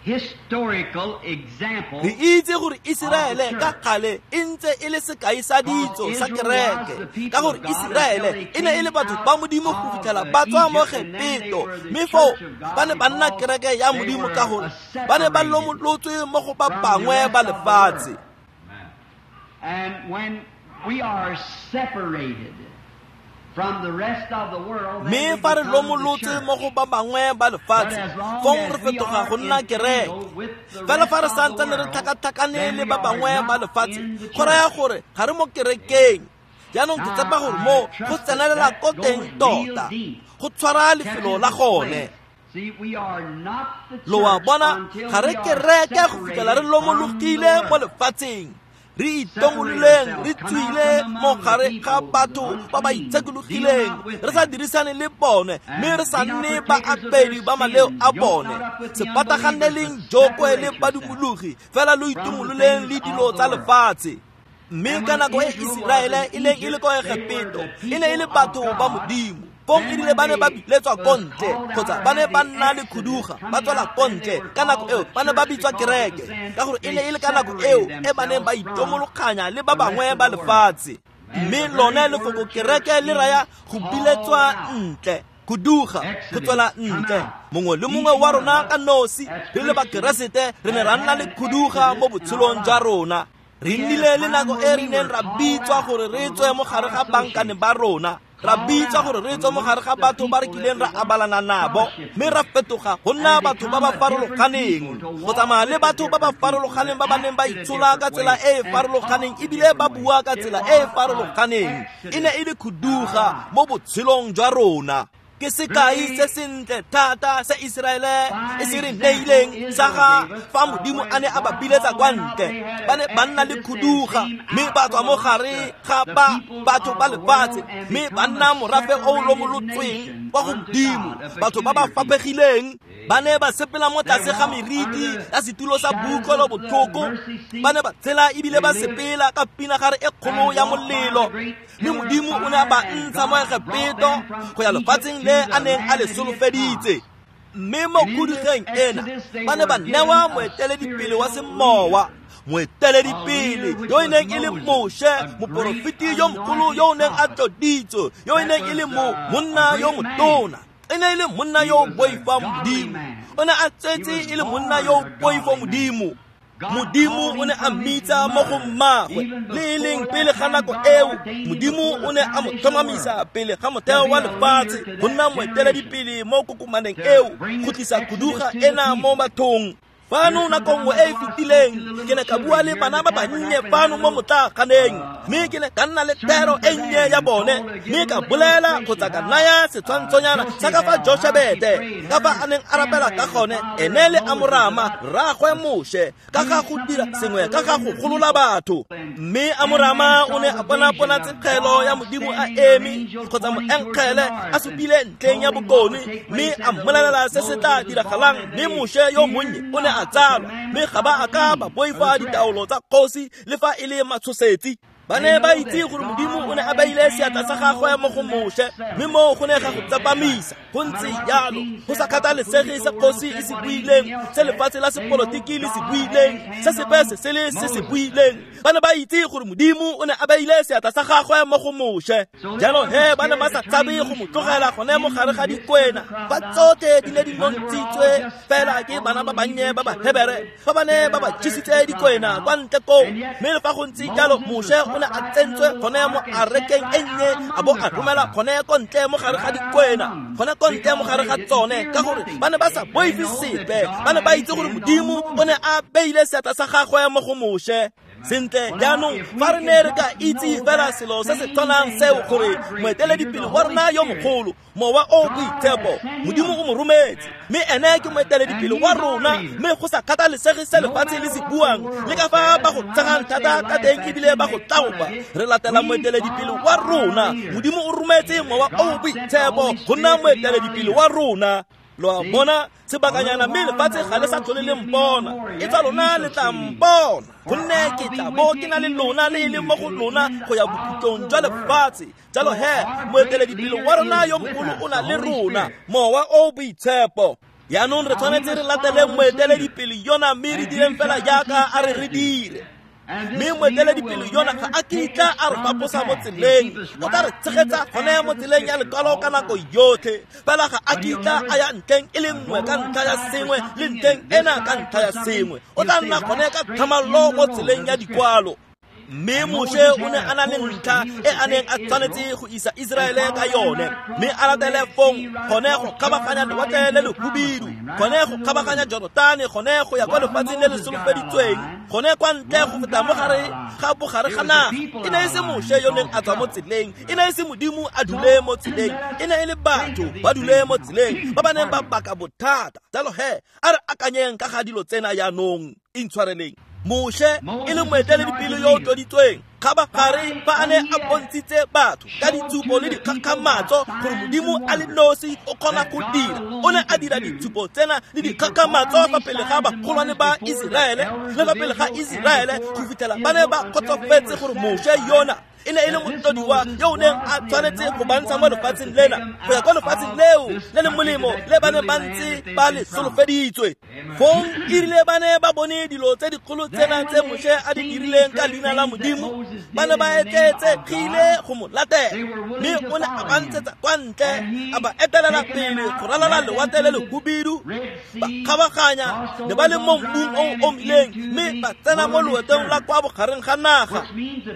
historical example. Re itse gore Iseraele ka kgale e ntse e le sekai sa ditso sa kereke ka gore Iseraele e ne e le batho ba Modimo go fitlhela ba tswa mo Egepto mme foo ba ne ba nna kereke ya Modimo ka gore ba ne ba lomolotswe mo go ba bangwe ba lefatshe. And when we are separated from the rest of the world, mme fa re lomolotse mo go ba bangwe ba lefatshe fong re fetoga go nna kereke. Fela fa re santsane re tlhakatlhakane le ba bangwe ba lefatshe go raya gore ga re mo kerekeng. Jaanong ke tshepa gore mo go tsenelela ko teng tota go tshwara lefelo la gone. Lo a bona ga re kereke go fitlhela re lomologile mo lefatsheng, re itomololeng re tswile mo gare ga batho ba ba itshekologileng re sa dirisane le bone mme re sa nne baapedi ba maleo a bone. Se pataganeleng jokwe le badumologi fela lo itomololeng le dilo tsa lefatshe. Mme ka nako e Iseraele e neng e le ko Egepto e ne e le batho ba Modimo. Fong e rile ba ne ba biletswa ko ntle kgotsa ba ne ba nna le khuduga ba tswela ko ntle ka nako eo ba ne ba bitswa kereke ka gore e ne e le ka nako eo e ba neng ba itomologanya le ba bangwe ba lefatshe. Mme lone lefoko kereke le raya go biletswa ntle, khuduga, go tswela ntle. Mongwe le mongwe wa rona ka nosi re le bakeresete re ne ra nna le khuduga mo botshelong jwa rona. Re nnile le nako e re neng ra bitswa gore re tswe mo gare ga bankane ba rona Ra bitsa gore re tswe mo gare ga batho ba re kileng ra abalana nabo, mme ra fetoga go nna batho ba ba farologaneng, go tsamaya le batho ba ba farologaneng ba ba neng ba itshola ka tsela e e farologaneng ebile ba bua ka tsela e e farologaneng. E ne e le khuduga mo botshelong jwa rona. Ke sekai se sentle thata se Iseraele e se re neileng sa ga fa Modimo a ne a ba biletsa kwa ntle. Ba ne ba nna le khuduga mme ba tswa mo gare ga ba batho ba lefatshe, mme ba nna morafe o o lomolotsweng kwa go Modimo, batho ba ba faphegileng. Ba ne ba sepela mo tlase ga meriti ya setulo sa boutlwelobotlhoko, ba ne ba tshela ebile ba sepela ka pinagare e kgolo ya molelo, mme Modimo o ne a ba ntsha mo Egepeto go ya lefatsheng le a neng a le solofeditse. Mme mo khudugeng ena ba ne ba newa moeteledipele wa semowa, moeteledipele yo e neng e le Moshe, moporofeti yo mogolo yo o neng a tloditswe, yo e neng e le monna yo motona. E ne e le monna yo o boifang Modimo. O ne a tsetse e le monna yo o boifang Modimo. Modimo o ne a mmitsa mo go mmagwe, le e leng pele ga nako eo. Modimo o ne a mo tlhomamisa pele ga motheo wa lefatshe go nna moeteledipele mo kokomaneng eo, go tlisa khuduga ena mo bathong. Fano nako nngwe e e fetileng ke ne ka bua le bana ba bannye fano mo motlaaganeng, mme ke ne ka nna le thero e nnye ya bone, mme ka bolela kgotsa ka naya setshwantshonyana sa ka fa Joshebete ka fa a neng a rapela ka gone, ene le Amorama rraagwe Moshe, ka ga go dira sengwe ka ga go golola batho. Mme Amorama o ne a bona ponatshegelo ya Modimo a eme kgotsa moenkgele a supile ntlheng ya bokone, mme a mmolelela se se tla diragalang. Mme Moshe yo monnye o ne a tsalwa, mme ga ba a ka ba boifa ditaolo tsa kgosi le fa e le matshosetsi. Ba ne ba itse gore Modimo o ne a beile seatla sa gagwe mo go Moshe, mme moo go ne ga go tsepamisa. Go ntse jalo, go sa kgathalesege se kgosi e se buileng, se lefatshe la sepolotiki le se buileng, se sepe se se le se se buileng. Ba ne ba itse gore Modimo o ne a beile seatla sa gagwe mo go Moshe. Jalo he ba ne ba sa tshabe go mo tlogela gone mo gare ga dikwena, fa tsotlhe di ne di nontshitswe fela ke bana ba bannye ba Bahebere, fa ba ne ba ba jesitse dikwena kwa ntle koo. Mme le fa go ntse jalo, Moshe o ne a tsentswe gone mo arekeng e nnye, a bo a romela gone ko ntle mo gare ga dikwena, gone ko ntle mo gare ga tsone, ka gore ba ne ba sa boife sepe. Ba ne ba itse gore Modimo o ne a beile seatla sa gagwe mo go Moshe. Sentle jaanong fa re ne re ka itse fela selo se se tshwanang seo, gore moeteledipele wa rona yo mogolo, Mowa o Boitshepo, Modimo o mo rometse, mme ene ke moeteledipele wa rona, mme go sa kgathalesege se lefatshe le se buang le ka fa ba go tshegang thata ka teng ebile ba go tlaopa, re latela moeteledipele wa rona. Modimo o rometse Mowa o Boitshepo go nna moeteledipele wa rona. Lo a bona sebakanyana, mme lefatshe ga le sa tlhole le mpona, e tsa lona le tla mpona, gonne ke tla bo ke na le lona le e leng mo go lona go ya bokhutlong jwa lefatshe. Jalo he moeteledipele wa rona yo mogolo o na le rona, Mowa o Boitshepo. Jaanong re tshwanetse re latele moeteledipele yona, mme re direng fela jaaka a re re dire. Mme moeteledipele yona ga a kitla a re faposa mo tseleng, o tla re tshegetsa gone mo tseleng ya lekwalo ka nako yotlhe. Fela ga a kitla a ya ntlheng e le nngwe ka ntlha ya sengwe le ntlheng ena ka ntlha ya sengwe, o tla nna gone ka tlhamallo mo tseleng ya dikwalo. Mme Moshe o ne a na le ntlha e a neng a tshwanetse go isa Iseraele ka yone, mme a latele fong gone go kgabaganya lewatle le lehubidu, gone go kgabaganya Jorotane, gone go ya kwa lefatsheng le le solofeditsweng, gone kwa ntle go feta mo gare ga bogare ga naga. E ne e se Moshe yo neng a tswa mo tseleng, e ne e se Modimo a dule mo tseleng, e ne e le batho ba dule mo tseleng ba ba neng ba baka bothata. Jalo he a re akanyeng ka ga dilo tsena jaanong. Intshwareleng. Moshe e le moeteledipele yo o tloditsweng, kgabagare fa a ne a bontshitse batho ka ditshupo le dikgakgamatso gore Modimo a le nosi o kgona go dira, o ne a dira ditshupo tsena le dikgakgamatso fa pele ga bagolwane ba Iseraele le fa pele ga Iseraele, go fitlhela ba ne ba kgotsofetse gore Moshe yona e ne e le motlodiwa yo o neng a tshwanetse go ba ntsha mo lefatsheng lena go ya kwa lefatsheng leo le le molemo le ba ne ba ntse ba le solofeditswe. Fong e rile ba ne ba bone dilo tse dikgolo tsena tse Moshe a di dirileng ka leina la Modimo, ba ne ba etleetsegile go mo latela, mme o ne a ba ntshetsa kwa ntle, a ba etelela pele go ralala lewatle le lehubidu, ba kgabaganya ne ba le mo mmung o o omileng, mme ba tsena mo loetong la kwa bogareng ga naga,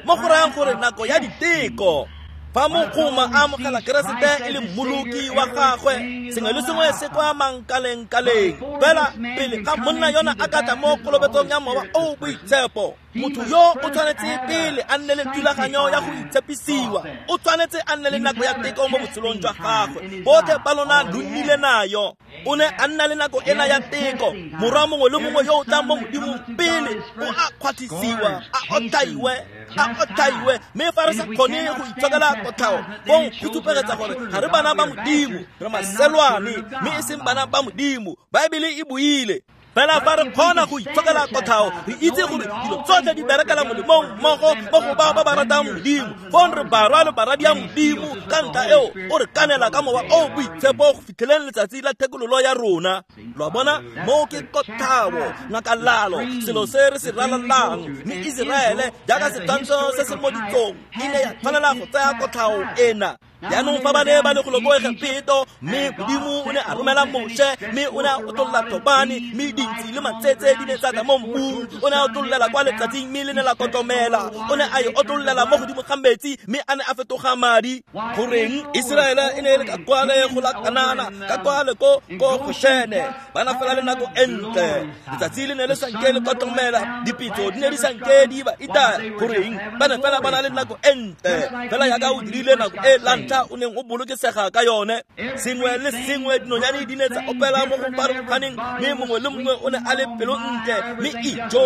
mo go rayang gore nako ya diteko. Fa mogoma a amogela Keresete e le mmoloki wa gagwe, sengwe le sengwe se kwa mankaleng-kaleng. Fela pele ga monna yona a ka tla mo kolobetsong ya Mowa o o Boitshepo, motho yo o tshwanetse pele a nne le thulaganyo ya go itshepisiwa. O tshwanetse a nne le nako ya teko mo botshelong jwa gagwe. Botlhe ba lona lo nnile nayo. O ne a nna le nako ena ya teko. Morwa mongwe le mongwe yo o tlang mo Modimong pele o a kgwathisiwa, a otlhaiwe. Mme fa re sa kgone go itshokela kotlhao, fong go supegetsa gore ga re bana ba Modimo, re maselwane, mme e seng bana ba Modimo. Baebele e buile. Fela fa re kgona go itshokela kotlhao, re itse gore dilo tsotlhe di berekela molemong mmogo mo go bao ba ba ratang Modimo. Fong re barwa le baradi ya Modimo. Ka ntlha eo o re kanela ka Mowa o o Boitshepo go fitlheleng letsatsi la thekololo ya rona. Lo a bona, moo ke kotlhao, ngakalalo, selo se re se ralalang. Mme Iseraele jaaka setshwantsho se se mo ditsong e ne ya tshwanela go tsaya kotlhao ena. Jaanong fa ba ne ba le golo ko Egepeto, mme Modimo o ne a romela Moshe, mme o ne a otlolla thobane, mme dintsi le matsetse di ne tsa tla mo mmung. O ne a otlollela kwa letsatsing, mme le ne la kotlomela. O ne a e otlollela mo godimo ga metsi, mme a ne a fetoga madi. Goreng Iseraele e ne e le ka kwale go la Kanana, ka kwale ko Goshene, ba na fela le nako e ntle. Letsatsi le ne le sa nke le kotlomela, dipitso di ne di sa nke di ba itaya. Goreng ba ne fela ba na le nako e ntle, fela jaaka o dirile nako e la ntlha o neng o bolokesega ka yone. Sengwe le sengwe dinonyane di ne tsa opela mo go farologaneng, mme mongwe le mongwe o ne a le pelo ntle. Mme ijo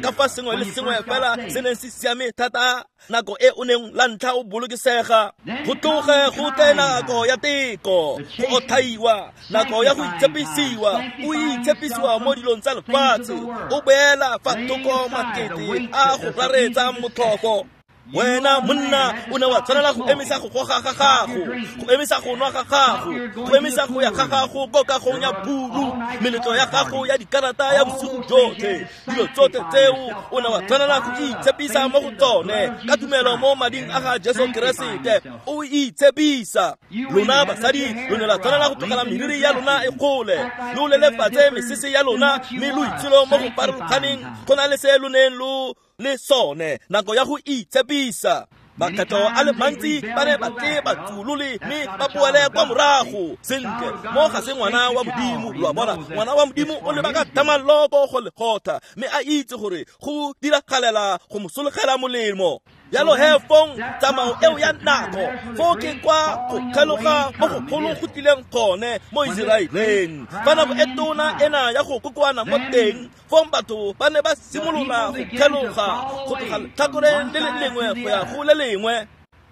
ka fa sengwe le sengwe fela se neng se siame thata nako e o neng la ntlha o bolokesega. Go tloge go tle nako ya teko, go otlhaiwa, nako ya go itshepisiwa. O itshepisiwa mo dilong tsa lefatshe, o beela fa thoko makete a go raretsa motlhofo. Wena monna o ne wa tshwanela go emisa go goga ga gago, go emisa go nwa ga gago, go emisa go ya ga gago ko kagong ya buru, meletlo ya gago ya dikarata ya bosigo jotlhe, dilo tsotlhe tseo o ne wa tshwanela go itshepisa mo go tsone ka tumelo mo mading a ga Jesu Keresete. O itshepisa. Lona basadi lo ne la tshwanela go tlogela meriri ya lona e gole, lo lelefatse mesese ya lona, mme lo itsholo mo go farologaneng go na le se lo neng lo le sone. Nako ya go itshepisa. Makgetho a le mantsi ba ne ba tle ba tsulole mme ba boele kwa morago. Sentle, mo ga se ngwana wa Modimo. Lo a bona, ngwana wa Modimo o leba ka thamaloko go lekgotla, mme a itse gore go diragalela go mo sologela molemo. Jalo he fong tsamao eo ya nako, foo ke kwa go kgeloga mo go golo go tlileng gone mo Iseraeleng. Fa nako e tona ena ya go kokoana mo teng, fong batho ba ne ba simolola go kgeloga go tloga letlhakoreng le le lengwe go ya go le lengwe.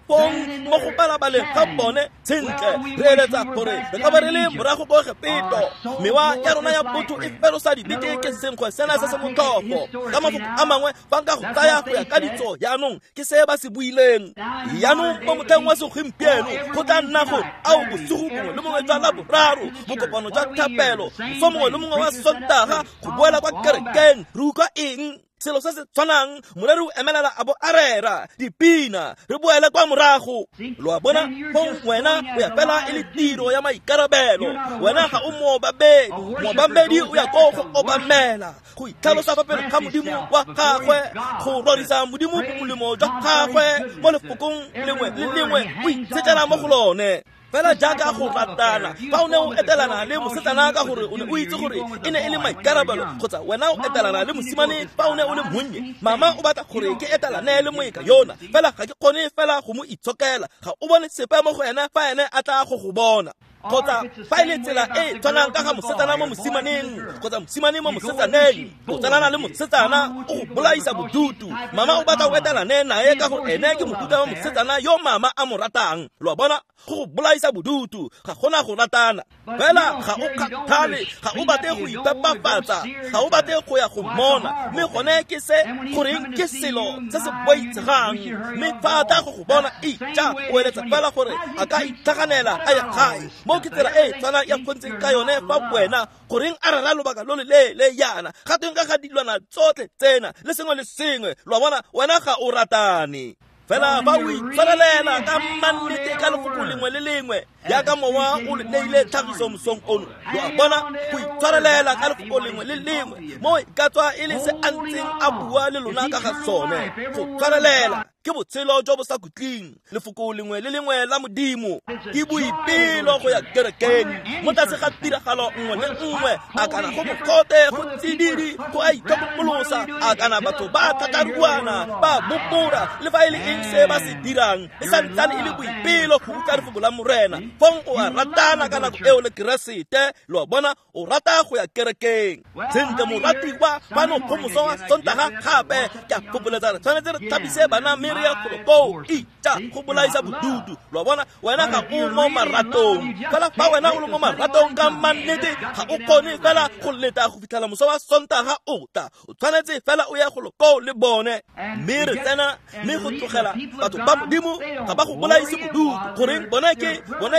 Fong mo go balabaleng ga bone, sentle re eletsa gore re ka ba re le morago ko Egepeto. Mewa ya rona ya botho e ferosa dibete ke senkgwe sena se se motlhofo. Ka mafoko a mangwe, fa nka go tsaya go ya ka ditso jaanong ke se ba se buileng. Jaanong mo motlheng wa segompieno go tla nna gore ao bosigo bongwe le bongwe jwa Laboraro, bokopano jwa thapelo, moso mongwe le mongwe wa Sontaga, go boela kwa kerekeng. Re utlwa eng? Selo se se tshwanang, moreri o emelela a bo a rera dipina, re boele kwa morago. Lo a bona, fong wena o ya fela e le tiro ya maikarabelo. Wena ga o moobamedi. Moobamedi o ya ko go obamela, go itlhalosa fa pele ga Modimo wa gagwe, go rorisa Modimo bomolemo jwa gagwe mo lefokong lengwe le lengwe, o itshetlela mo go lone. Fela jaaka go ratana, fa o ne o etelana le mosetsana ka gore o ne o itse gore e ne e le maikarabelo, kgotsa wena o etelana le mosimane fa o ne o le monnye, mama o batla gore ke etelane le moeka yona, fela ga ke kgone fela go mo itshokela. Ga o bone sepe mo go ena fa ene a tla go go bona. Kgotsa fa e le tsela e tshwanang ka ga mosetsana mo mosimaneng, kgotsa mosimane mo mosetsaneng, o tsalana le mosetsana o go bolaisa bodutu. Mama o batla o etelane nae ka gore ene ke mofuta wa mosetsana yo mama a mo ratang. Lo a bona, go go bolaisa bodutu, ga gona go ratana. Fela ga o kgathale, ga o batle go ipepafatsa, ga o batle go ya go mmona. Mme gone ke se goreng ke selo se se boitshegang. Mme fa a tla go go bona, ija o eletsa fela gore a ka itlhaganela a ya gae. Mo ke tsela e tshwana ya kgontseng ka yone fa wena goreng a rera lobaka lo le leele yana, ga teng ka ga dilwana tsotlhe tsena le sengwe le sengwe. Lo a bona, wena ga o ratane. Fela fa o itshwarelela ka mannete ka lefoko lengwe le lengwe jaaka mowa o le neile tlhagiso mosong ono. Lo a bona, go itshwarelela ka lefoko lengwe le lengwe mo e ka tswa e le se a ntseng a bua le lona ka ga sone. Go tshwarelela. Ke botshelo jo bo sa khutleng, lefoko lengwe le lengwe la Modimo. Ke boipelo go ya kerekeng mo tlase ga tiragalo nngwe le nngwe, a kana go mogote, go tsididi, go a itlhokomolosa, a kana batho ba thataruana, ba bopora, le fa e le eng se ba se dirang, e santsane e le boipelo go utlwa lefoko la Morena. Fong o a ratana ka nako eo le Keresete, lo a bona, o rata go ya kerekeng. Sentle moratiwa, fano go moso wa Sontaga gape, ke a fopholetsa re tshwanetse re thapise bana mme re ye golo koo, itja go bolaisa bodutu. Lo a bona, wena ga o mo maratong. Fela fa wena o le mo maratong ka mannete, ga o kgone fela go leta go fitlhela moso wa Sontaga o tla. O tshwanetse fela o ye golo koo le bone. Mme re tsena, mme go tlogela batho ba Modimo ga ba go bolaise bodutu. Goreng bone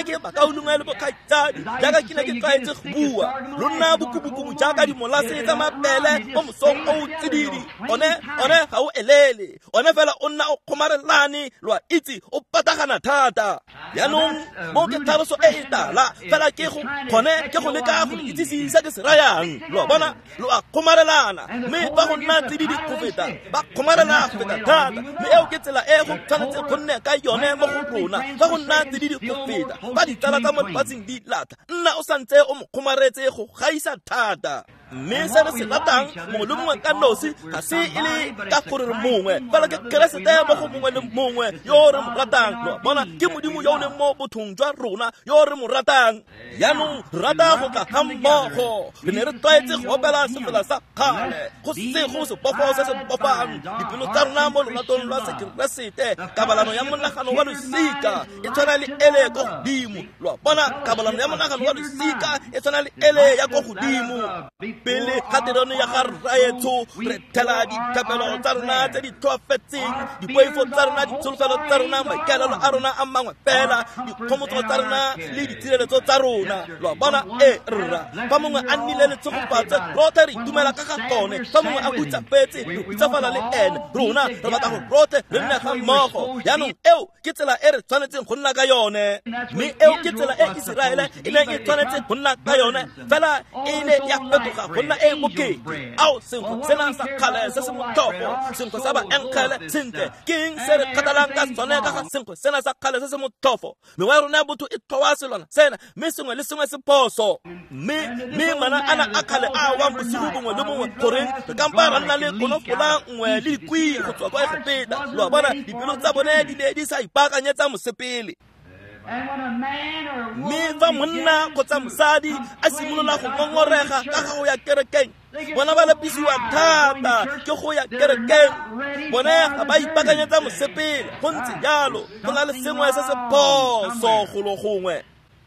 ke bakaulengwe le bokgaitsadi, jaaka ke ne ke tlwaetse go bua. Lo nna bokubukubu jaaka dimolase tsa mabele mo mosong o o tsididi. One ga o elele, one fela o nna o kgomarelane, lo a itse, o patagana thata. Jaanong mo ke tlhaloso e e tala, fela ke go kgone ke go leka go itsise se ke se rayang. Lo a bona, lo a kgomarelana, mme fa go nna tsididi go feta, ba kgomarela go feta thata. Mme eo ke tsela e go tshwanetse go nne ka yone mo go rona. Fa go nna tsididi go feta, fa ditsala tsa mo lefatsheng di latlha, nna o santse o mo kgomaretse go gaisa thata. Mme se re se ratang mongwe le mongwe ka nosi ga se e le ka gore re mongwe, fela ke Keresete mo go mongwe le mongwe yo re mo ratang. Lo a bona, ke Modimo yo o leng mo bothong jwa rona yo re mo ratang. Jaanong re rata go tla ga mmogo. Re ne re tlwaetse go opela sefela sa kgale, go sego sebofo se se bofang dipelo tsa rona mo loratong lwa Sekeresete. Kabalano ya monagano wa losika e tshwana le ele ko godimo. Lo a bona, kabalano ya monagano wa losika e tshwana le ele ya ko godimo. Pele ga terone ya ga Rraetsho re thela dithapelo tsa rona tse di tlhoafetseng, dipoifo tsa rona, ditsholofelo tsa rona, maikaelelo a rona a mangwe fela, dikgomotso tsa rona le ditshireletso tsa rona. Lo a bona, e rra, fa mongwe a nnile le tshegofatso, rotlhe re itumela ka ga gone. Fa mongwe a hutsafetse, re hutsafala le ene. Rona re batla gore rotlhe re nne ga mmogo. Jaanong eo ke tsela e re tshwanetseng go nna ka yone, mme eo ke tsela e Iseraele e neng e tshwanetse go nna ka yone, fela e ne ya fetoga go nna e bokete. Ao, senkgwe sena sa kgale se se motlhofo, senkgwe sa baenkgele. Sentle, ke eng se re kgathalang ka sone ka ga senkgwe sena sa kgale se se motlhofo? Mewa ya rona ya botho e tlhoa selwana sena, mme sengwe le sengwe se phoso. Mme mana ana a kgale a wang bosigo bongwe le bongwe, goreng re kampa ra nna le konofola nngwe le dikwii go tswa kwa Egepeta. Lo a bona, dipelo tsa bone di ne di sa ipaakanyetsa mosepele. Mme fa monna kgotsa mosadi a simolola go ngongorega ka ga go ya kerekeng, bona ba lapisiwa thata ke go ya kerekeng. Bone ga ba ipaakanyetsa mosepele. Go ntse jalo, go na le sengwe se se phoso golo gongwe.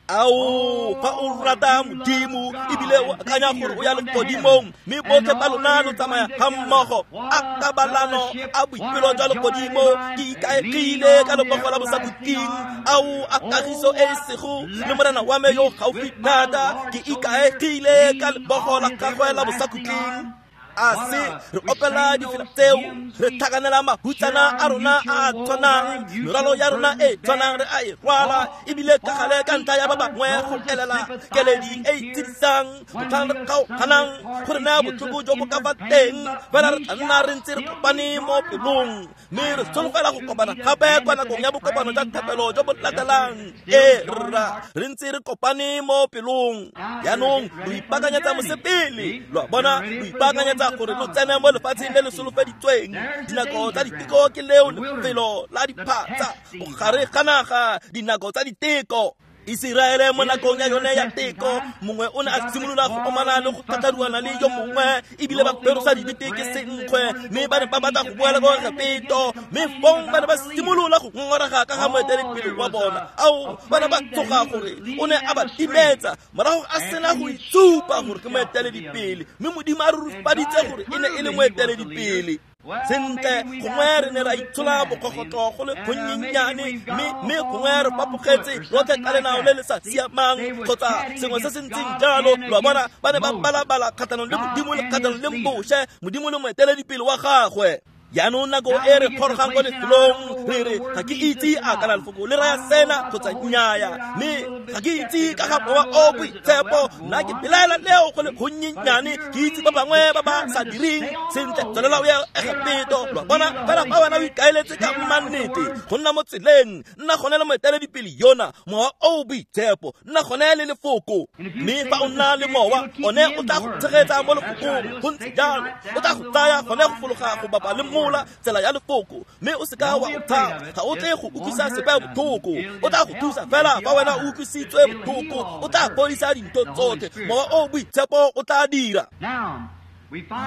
Ao, fa o rata Modimo ebile o akanya gore o ya legodimong, mme botlhe ba lona lo tsamaya ga mmogo, a kabalano a boipelo jwa legodimo, ke ikaegile ka lebogo la bosakhutleng. Ao, a kagiso e e sego le Morena wa me yo gaufi thata, ke ikaegile ka lebogo la gagwe la bosakhutleng. A se re opela difela tseo, re tlhakanela mahutsana a rona a a tshwanang, merwalo ya rona e tshwanang re a e rwala, ebile ka gale ka ntlha ya ba bangwe go elela keledi e e tsidisang, motlhang re kgaoganang go re naya botlhoko jo bo ka fa teng, fela re tla nna re ntse re kopane mo pelong, mme re solofela go kopana gape kwa nakong ya bokopano jwa thapelo jo bo latelang. E rra, re ntse re kopane mo pelong. Jaanong lo ipaakanyetsa mosepele. Lo a bona, lo ipaakanyetsa gore lo tsene mo lefatsheng le le solofeditsweng. Dinako tsa diteko ke leo lefelo la diphatsa, bogare ga naga, dinako tsa diteko. Iseraele mo nakong ya yone ya teko, mongwe o ne a simolola go omana le go tlhatlharuana le yo mongwe, ebile ba ferosa dibete ke senkgwe, mme ba ne ba batla go boela kwa Egepeto. Mme fong ba ne ba simolola go ngongorega ka ga moeteledipele wa bona. Ao, ba ne ba tsoga gore o ne a ba timetsa morago a sena go itsupa gore ke moeteledipele, mme Modimo a rurifaditse gore e ne e le moeteledipele. Sentle, gongwe re ne ra itshola bokgogotlo go le gonnyenyane, mme gongwe re fapogetse rotlhe ka lenao le le sa siamang kgotsa sengwe se se ntseng jalo. Lo a bona, ba ne ba balabala kgatlhanong le Modimo le kgatlhanong le Moshe, Modimo le moeteledipele wa gagwe. Jaanong nako e re gorogang kwa lefelong, re re ga ke itse a kana lefoko le raya sena kgotsa nnyaya, mme Ga ke itse ka ga mowa o boitshepo, nna ke belaela leo go le gonnyenyane, ke itse ba bangwe ba ba sa direng sentle. Tswelela o ye Egepeto. Lo a bona? Fela fa wena o ikaeletse ka mmannete go nna mo tseleng, nna gone le moeteledipele yona, mowa o boitshepo, nna gone le lefoko. Mme fa o nna le mowa, one o tla go tshegetsa mo lefokong. Go ntse jalo, o tla go tsaya gone go fologa go bapa le mola tsela ya lefoko, mme o seka wa o tshaba. Ga o tle go utlwisa sepe botlhoko, o tla go thusa fela fa wena o utlwisitswe botlhoko. O tla fodisa dintho tsotlhe, mowa o boitshepo o tla dira.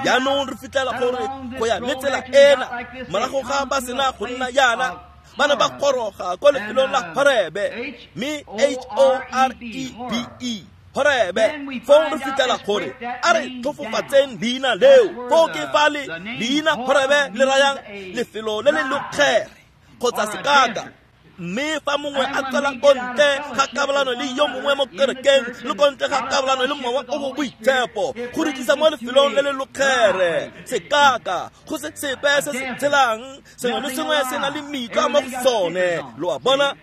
Jaanong re fitlhela gore go ya le tsela ena, morago ga ba sena go nna jaana, ba ne ba goroga ko lefelong la Horebe, mme H-O-R-E-B-E, Horebe. Foo re fitlhela gore a re tlhofofatseng leina leo. Foo ke fa le leina Horebe le rayang lefelo le le lokgere kgotsa sekaka. Mme fa mongwe a tswela ko ntle ga kabalano le yo mongwe mo kerekeng, le ko ntle ga kabalano le mowa o o boitshepo, go re tlisa mo lefelong le le lokgere, sekaka, go se sepe se se tshelang, sengwe le sengwe se na le mitlwa mo go sone. Lo a bona?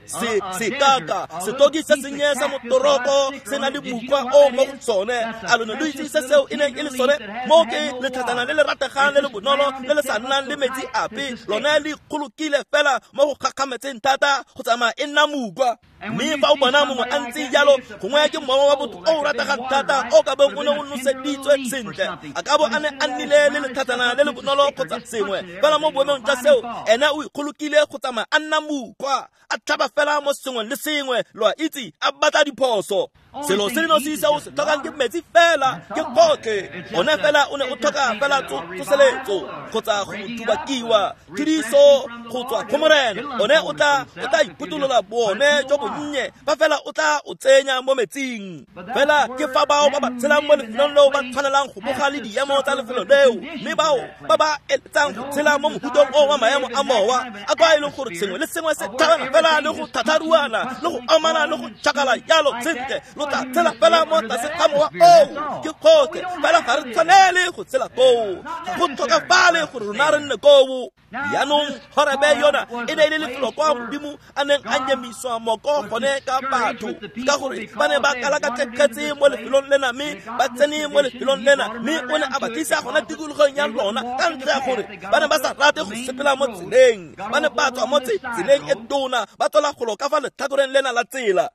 Se sekaka, setoki se sennye sa motoroko se na le mokgwa o mo go sone. A lo ne lo itse se seo e neng e le sone? Mo ke letlhatsana le le rategang le le bonolo le le sa nnang le metsi ape, lone le ikgolokile fela mo go gakgametseng thata go tsamaya e nna mokgwa. Mme fa o bona mongwe a ntse jalo, gongwe ke mowa wa botho o o rategang thata o ka bong o ne o noseditswe sentle, a ka bo a ne a nnile le letlhatsana le le bonolo kgotsa sengwe. Fela mo boemong jwa seo, ene o ikgolokile go tsamaya a nna mokgwa, a tlhaba fela mo sengwe le sengwe, lo a itse, a batla diphoso. Selo se le nosi se o se tlhokang ke metsi fela, ke gotlhe. One fela o ne o tlhoka fela tsoseletso kgotsa go thubakiwa, phediso go tswa go Morena. One o tla iphutolola bone jo bonnye, fa fela o tla o tsenya mo metsing. Fela ke fa bao ba ba tshelang mo lefelong leo ba tshwanelang go boga le diemo tsa lefelo leo, mme bao ba ba eletsang go tshela mo mohutong o wa maemo a mowa, a kwa e leng gore sengwe le sengwe se tlhabana fela le go thatharuana le go amana le go tšhakala jalo sentle, lo tla tshela fela mo tlase ga mowa oo. Ke gotlhe fela, ga re tshwanele go tshela koo, ga go tlhokafale gore rona re nne koo. Jaanong Horebe yona e ne e le lefelo kwa Modimo a neng a nyemiswa moko gone ka batho, ka gore ba ne ba kalakatlekgetse mo lefelong lena, mme ba tsene mo lefelong lena, mme o ne a ba tlisa gona tikologong ya lona ka ntlha ya gore ba ne ba sa rate go sepela mo tseleng. Ba ne ba tswa mo tseleng e tona, ba tswela golo ka fa letlhakoreng lena la tsela.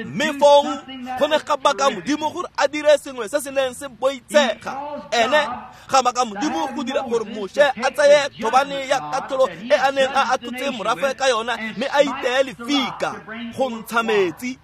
Mme fong go ne ga baka Modimo gore a dire sengwe se se neng se boitshega. Ene ga baka Modimo go dira gore Moshe a tseye thobane ya katlholo e a neng a atlhotse morafe ka yona, mme a iteye lefika go ntsha metsi.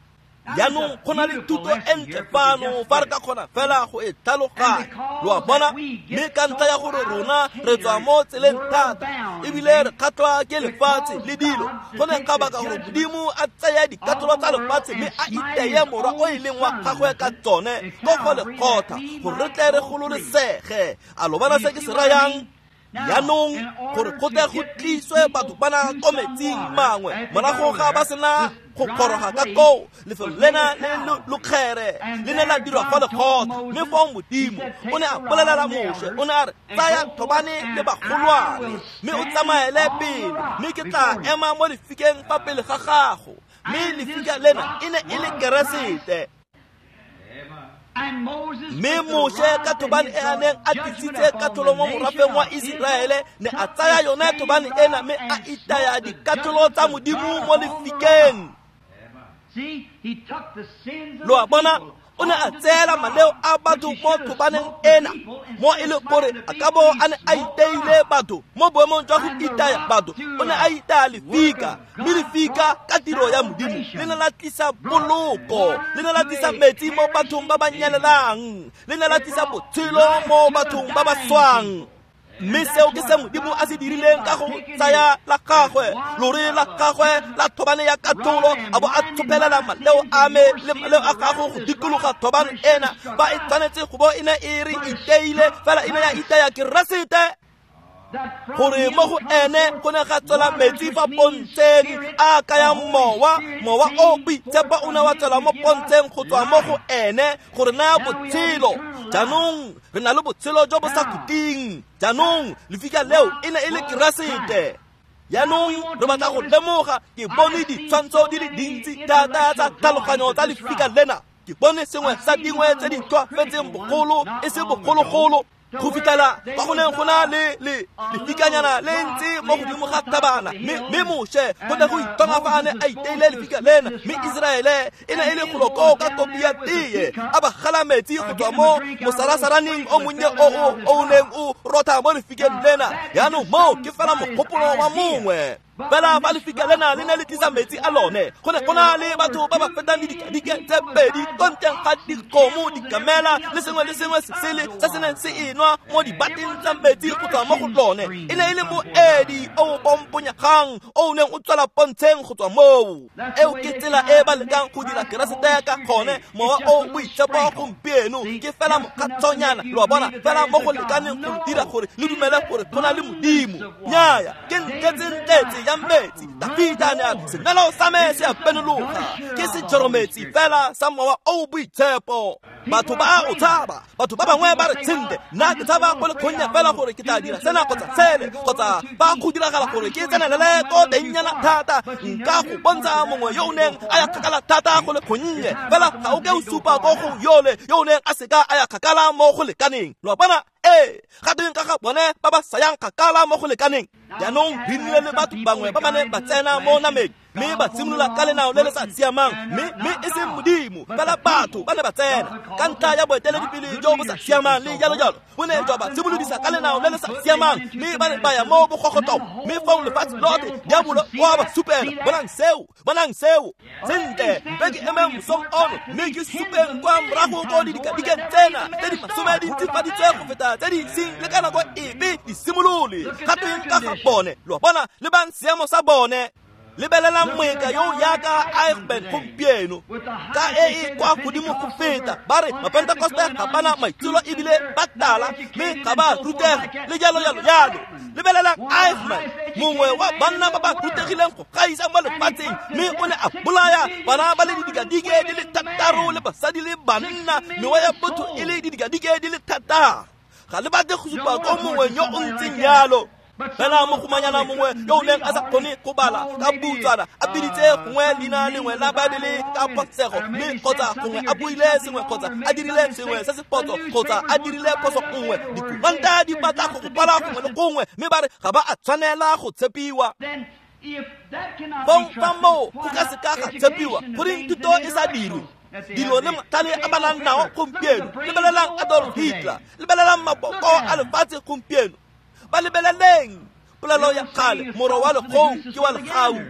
Jaanong go na le thuto e ntle fano fa re ka kgona fela go e tlhaloganya. Lo a bona? Mme ka ntlha ya gore rona re tswa mo tseleng thata, ebile re kgatlhwa ke lefatshe le dilo, go ne ga baka gore Modimo a tseye dikatlholo tsa lefatshe mme a iteye morwa o e leng wa gagwe ka tsone ko go lekgotha, gore re tle re gololesege. A lo bona se ke se rayang? Jaanong gore go tle go tliswe batho bana ko metsing mangwe, morago ga ba sena go goroga ka koo, lefelo lena le lokgere le ne la dirwa fa lekgotha. Mme foo Modimo o ne a bolelela Moshe, o ne a re, tsaya thobane le bagolwane, mme o tsamaele pele, mme ke tla ema mo lefikeng fa pele ga gago. Mme lefika lena e ne e le Keresete. Mme Moshe ka thobane e a neng a tlisitse katlholo mo morafeng wa Iseraele, ne a tsaya yone thobane ena mme a itaya dikatlholo tsa Modimo mo lefikeng. Lo a bona? O ne a tseela maleo a batho mo thobaneng ena, mo e leng gore a ka bo a ne a iteile batho mo boemong jwa go itaya batho, o ne a itaya lefika. Mme lefika ka tiro ya Modimo le ne la tlisa poloko, le ne la tlisa metsi mo bathong ba ba nyelelang, le ne la tlisa botshelo mo bathong ba ba swang. Mme seo ke se Modimo a se dirileng ka go tsaya la gagwe, lore la gagwe la thobane ya katlholo, a bo a tshopelela maleo a me le maleo a gago go dikologa thobane ena. Ba e tshwanetse go bo e ne e re iteile, fela e ne ya itaya Keresete, gore mo go ene go ne ga tswela metsi fa pontsheng a kayang mowa. Mowa o boitshepo o ne wa tswela mo pontsheng go tswa mo go ene gore naya botshelo. Jaanong re na le botshelo jo bo sa khutleng. Jaanong lefika leo e ne e le Keresete. Jaanong re batla go lemoga ke bone ditshwantsho di le dintsi thata tsa tlhaloganyo tsa lefika lena. Ke bone sengwe sa dingwe tse di tlhwaafetseng bogolo e se bogologolo go fitlhela kwa go neng go na le lefikanyana le ntse mo godimo ga thabana, mme Moshe go ne go itonga fa a ne a iteile lefika lena, mme Iseraele e ne e le golo koo ka kopi ya teye a ba gala metsi go tswa mo mosarasaraneng o monnye o neng o rotha mo lefikeng lena. Jaanong moo ke fela mogopolo wa mongwe. Fela fa lefika lena le ne le tlisa metsi a lone, go ne go na le batho ba ba fetang didikadike tse pedi ko ntleng ga dikgomo, dikamela le sengwe le sengwe se sele se se neng se enwa mo dibateng tsa metsi go tswa mo go lone. E ne e le moedi o o pomponyegang o o neng o tswela pontsheng go tswa moo. Eo ke tsela e ba lekang go dira Keresete ka gone. Mowa o boitshepo gompieno ke fela mokgatshonyana, lo a bona, fela mo go lekaneng go dira gore le dumele gore go na le Modimo. Nnyaya, ke ntletse-ntletse ya metsi. Dafita ne a re senwelo sa me se a penologa, ke sejorometsi fela sa mowa o boitshepo. Batho ba o tshaba, batho ba bangwe ba re tshente, nna ke tshaba go le kgonya fela gore ke tla dira sena kgotsa sele, kgotsa ba go diragala gore ke tsenelele ko tengnyana thata. Nka go bontsha mongwe yo o neng a ya kgakala thata go le kgonnye, fela ga o ke o supa ko go yole yo o neng a seka a ya kgakala mo go lekaneng. Lo a bona? Ee, ga tweng ka ga bone ba ba sa yang kgakala mo go lekaneng. Jaanong re nnile le batho bangwe ba ba neng ba tsena mo nameng mme ba simolola ka lenao le le sa siamang, mme e seng Modimo, fela batho ba ne ba tsena ka ntlha ya boeteledipele jo bo sa siamang le jalo jalo. Bo ne jwa ba simolodisa ka lenao le le sa siamang, mme ba ne ba ya mo bogogotong, mme fong lefatshe lotlhe diabolo o a ba supela. Bonang seo, bonang seo. Sentle, mpe ke emeng mosong ono mme ke supeng kwa morago ko didikadikeng tsena tse di masome di ntsifaditswe go feta tse di iseng le ka nako epe di simolole. Ga tweng ka ga bone? Lo a bona, lebang seemo sa bone. Lebelelang moeka yo yaka Eichmann gompieno ka e e kwa godimo go feta. Ba re Mapentekoste ga bana maitsholo ebile ba tala, mme ga ba rutega le jalo jalo jalo. Lebelelang Eichmann, mongwe wa banna ba ba rutegileng go gaisa mo lefatsheng, mme o ne a bolaya bana ba le didikadike di le 6 le basadi le banna, mewa ya botho e le didikadike di le 6. Ga le batle go supa ko mongwe yo o ntseng jalo. Fela mogomanyana mongwe yo o neng a sa kgone go bala ka butswana a biditse gongwe leina lengwe la Baebele ka phosego, mme kgotsa gongwe a buile sengwe kgotsa a dirile sengwe se se phoso kgotsa a dirile phoso nngwe. Dikuranta di batla go go kwala gongwe le gongwe, mme ba re ga ba a tshwanela go tshepiwa. Fong fa moo go ka seka ga tshepiwa goreng thuto e sa dirwe. Dilo le matlhale a ba nang nao gompieno. Lebelelang Adolf Hitler, lebelelang maboko a lefatshe gompieno. Ba lebeleleng polelo ya kgale, moro wa lekgong ke wa legau.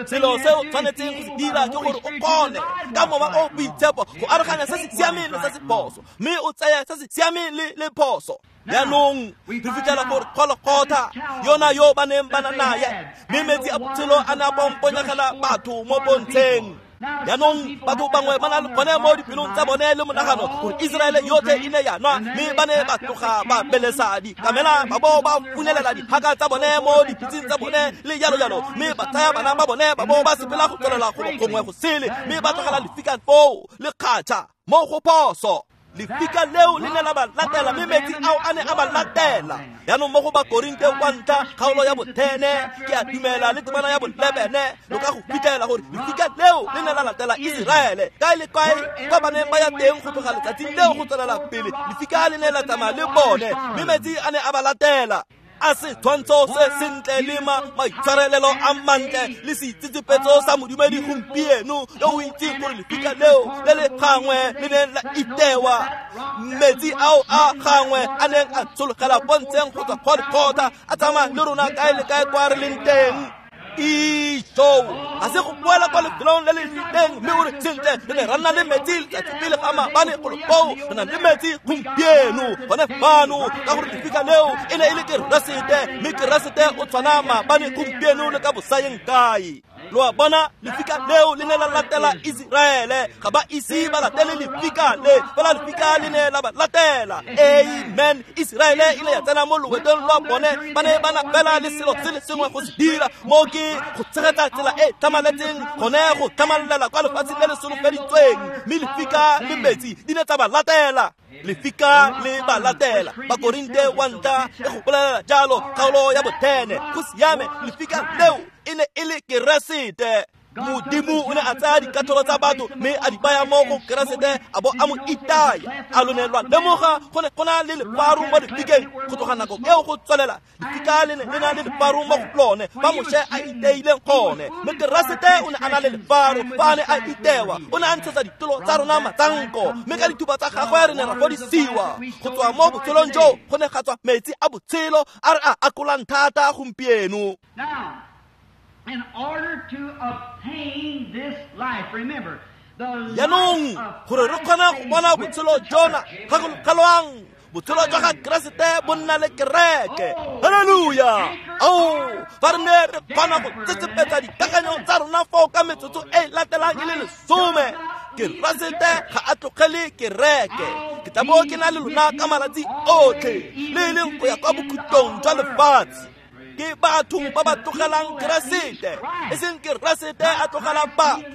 Selo se o tshwanetseng go se dira ke gore o kgone ka mowa o boitshepo go aroganya se se siameng le se se phoso, mme o tseye se se siameng le phoso. Jaanong re fitlhela gore Golgotha yona yo ba neng ba na naye, mme metsi a botshelo a ne a pomponyegela batho mo pontsheng. Jaanong batho bangwe ba na le gone mo dipelong tsa bone le monagano gore Iseraele yotlhe e ne ya nwa, mme ba ne ba tloga ba belesa dikamela ba bo ba funelela diphaka tsa bone mo dipitseng tsa bone le jalo jalo, mme ba tsaya bana ba bone ba bo ba sepela go tswelela golo gongwe go sele, mme ba tlogela lefika foo le kgatšha mo go phoso. Lefika leo le ne la ba latela, mme metsi ao a ne a ba latela. Jaanong mo go Bakorinte kwa ntlha kgaolo ya bo-10, ke a dumela le temana ya bo-11, lo ka go fitlhela gore lefika leo le ne la latela Iseraele kae le kae kwa ba neng ba ya teng go tloga letsatsing leo go tswelela pele. Lefika le ne la tsamaya le bone, mme metsi a ne a ba latela. A setshwantsho se sentle le maitshwarelelo a mantle le seitsetsepetso sa modumedi gompieno yo o itseng gore lefika leo le le gangwe le neng la itewa, metsi ao a gangwe a neng a tshologela pontsheng go tswa Golgotha a tsamaya le rona kae le kae kwa re leng teng. Ijo, ga se go boela kwa lefelong le le rileng mme o re sentle re ne ra nna le metsi letsatsi pele ga maabane golo koo, re na le metsi gompieno gone fano, ka gore lefika leo e ne e le Keresete, mme Keresete o tshwana maabane gompieno le ka bosayeng kae. Lo a bona, lefika leo le ne la latela Iseraele, ga ba ise ba latele lefika le, fela lefika le ne la ba latela. Amen. Iseraele e ile ya tsena mo loetong lwa bone, ba ne ba na fela le selo se le sengwe go se dira, mo ke go tshegetsa tsela e tlhamaletseng gone go tlhamalela kwa lefatsheng le le solofeditsweng, mme lefika le metsi di ne tsa ba latela. Lefika le ba latela. Bakorinte wa ntlha e go bolelela jalo kgaolo ya bothene. Go siame, lefika leo e ne e le Keresete. Modimo o ne a tsaya dikatlholo tsa batho mme a di baya mo go Keresete a bo a mo itaya. A lo ne lwa lemoga go ne go na le lefaru mo lefikeng go tloga nako eo go tswelela. Lefika le ne le na le lefaru mo go lone fa Moshe a iteileng gone. Mme Keresete o ne a na le lefaru fa a ne a itewa. O ne a ntshetsa ditolo tsa rona matsanko, mme ka dithupa tsa gagwe re ne ra fodisiwa. Go tswa mo botshelong joo go ne ga tswa metsi a botshelo a re a akolang thata gompieno. In order to obtain this life, remember, the Jaanong gore re kgone go bona botshelo jona, gakologelwang botshelo jwa ga Keresete bo nna le kereke. Haleluya! Ao, fa re ne re kgona go tsetsepetsa dikakanyo tsa rona foo ka metsotso e latelang e le 10, Keresete ga a tlogele kereke. Ke tla bo ke na le lona ka malatsi otlhe, le e leng go ya kwa bokhutlong jwa lefatshe. Ke batho ba ba tlogelang Keresete, e seng Keresete a tlogela batho.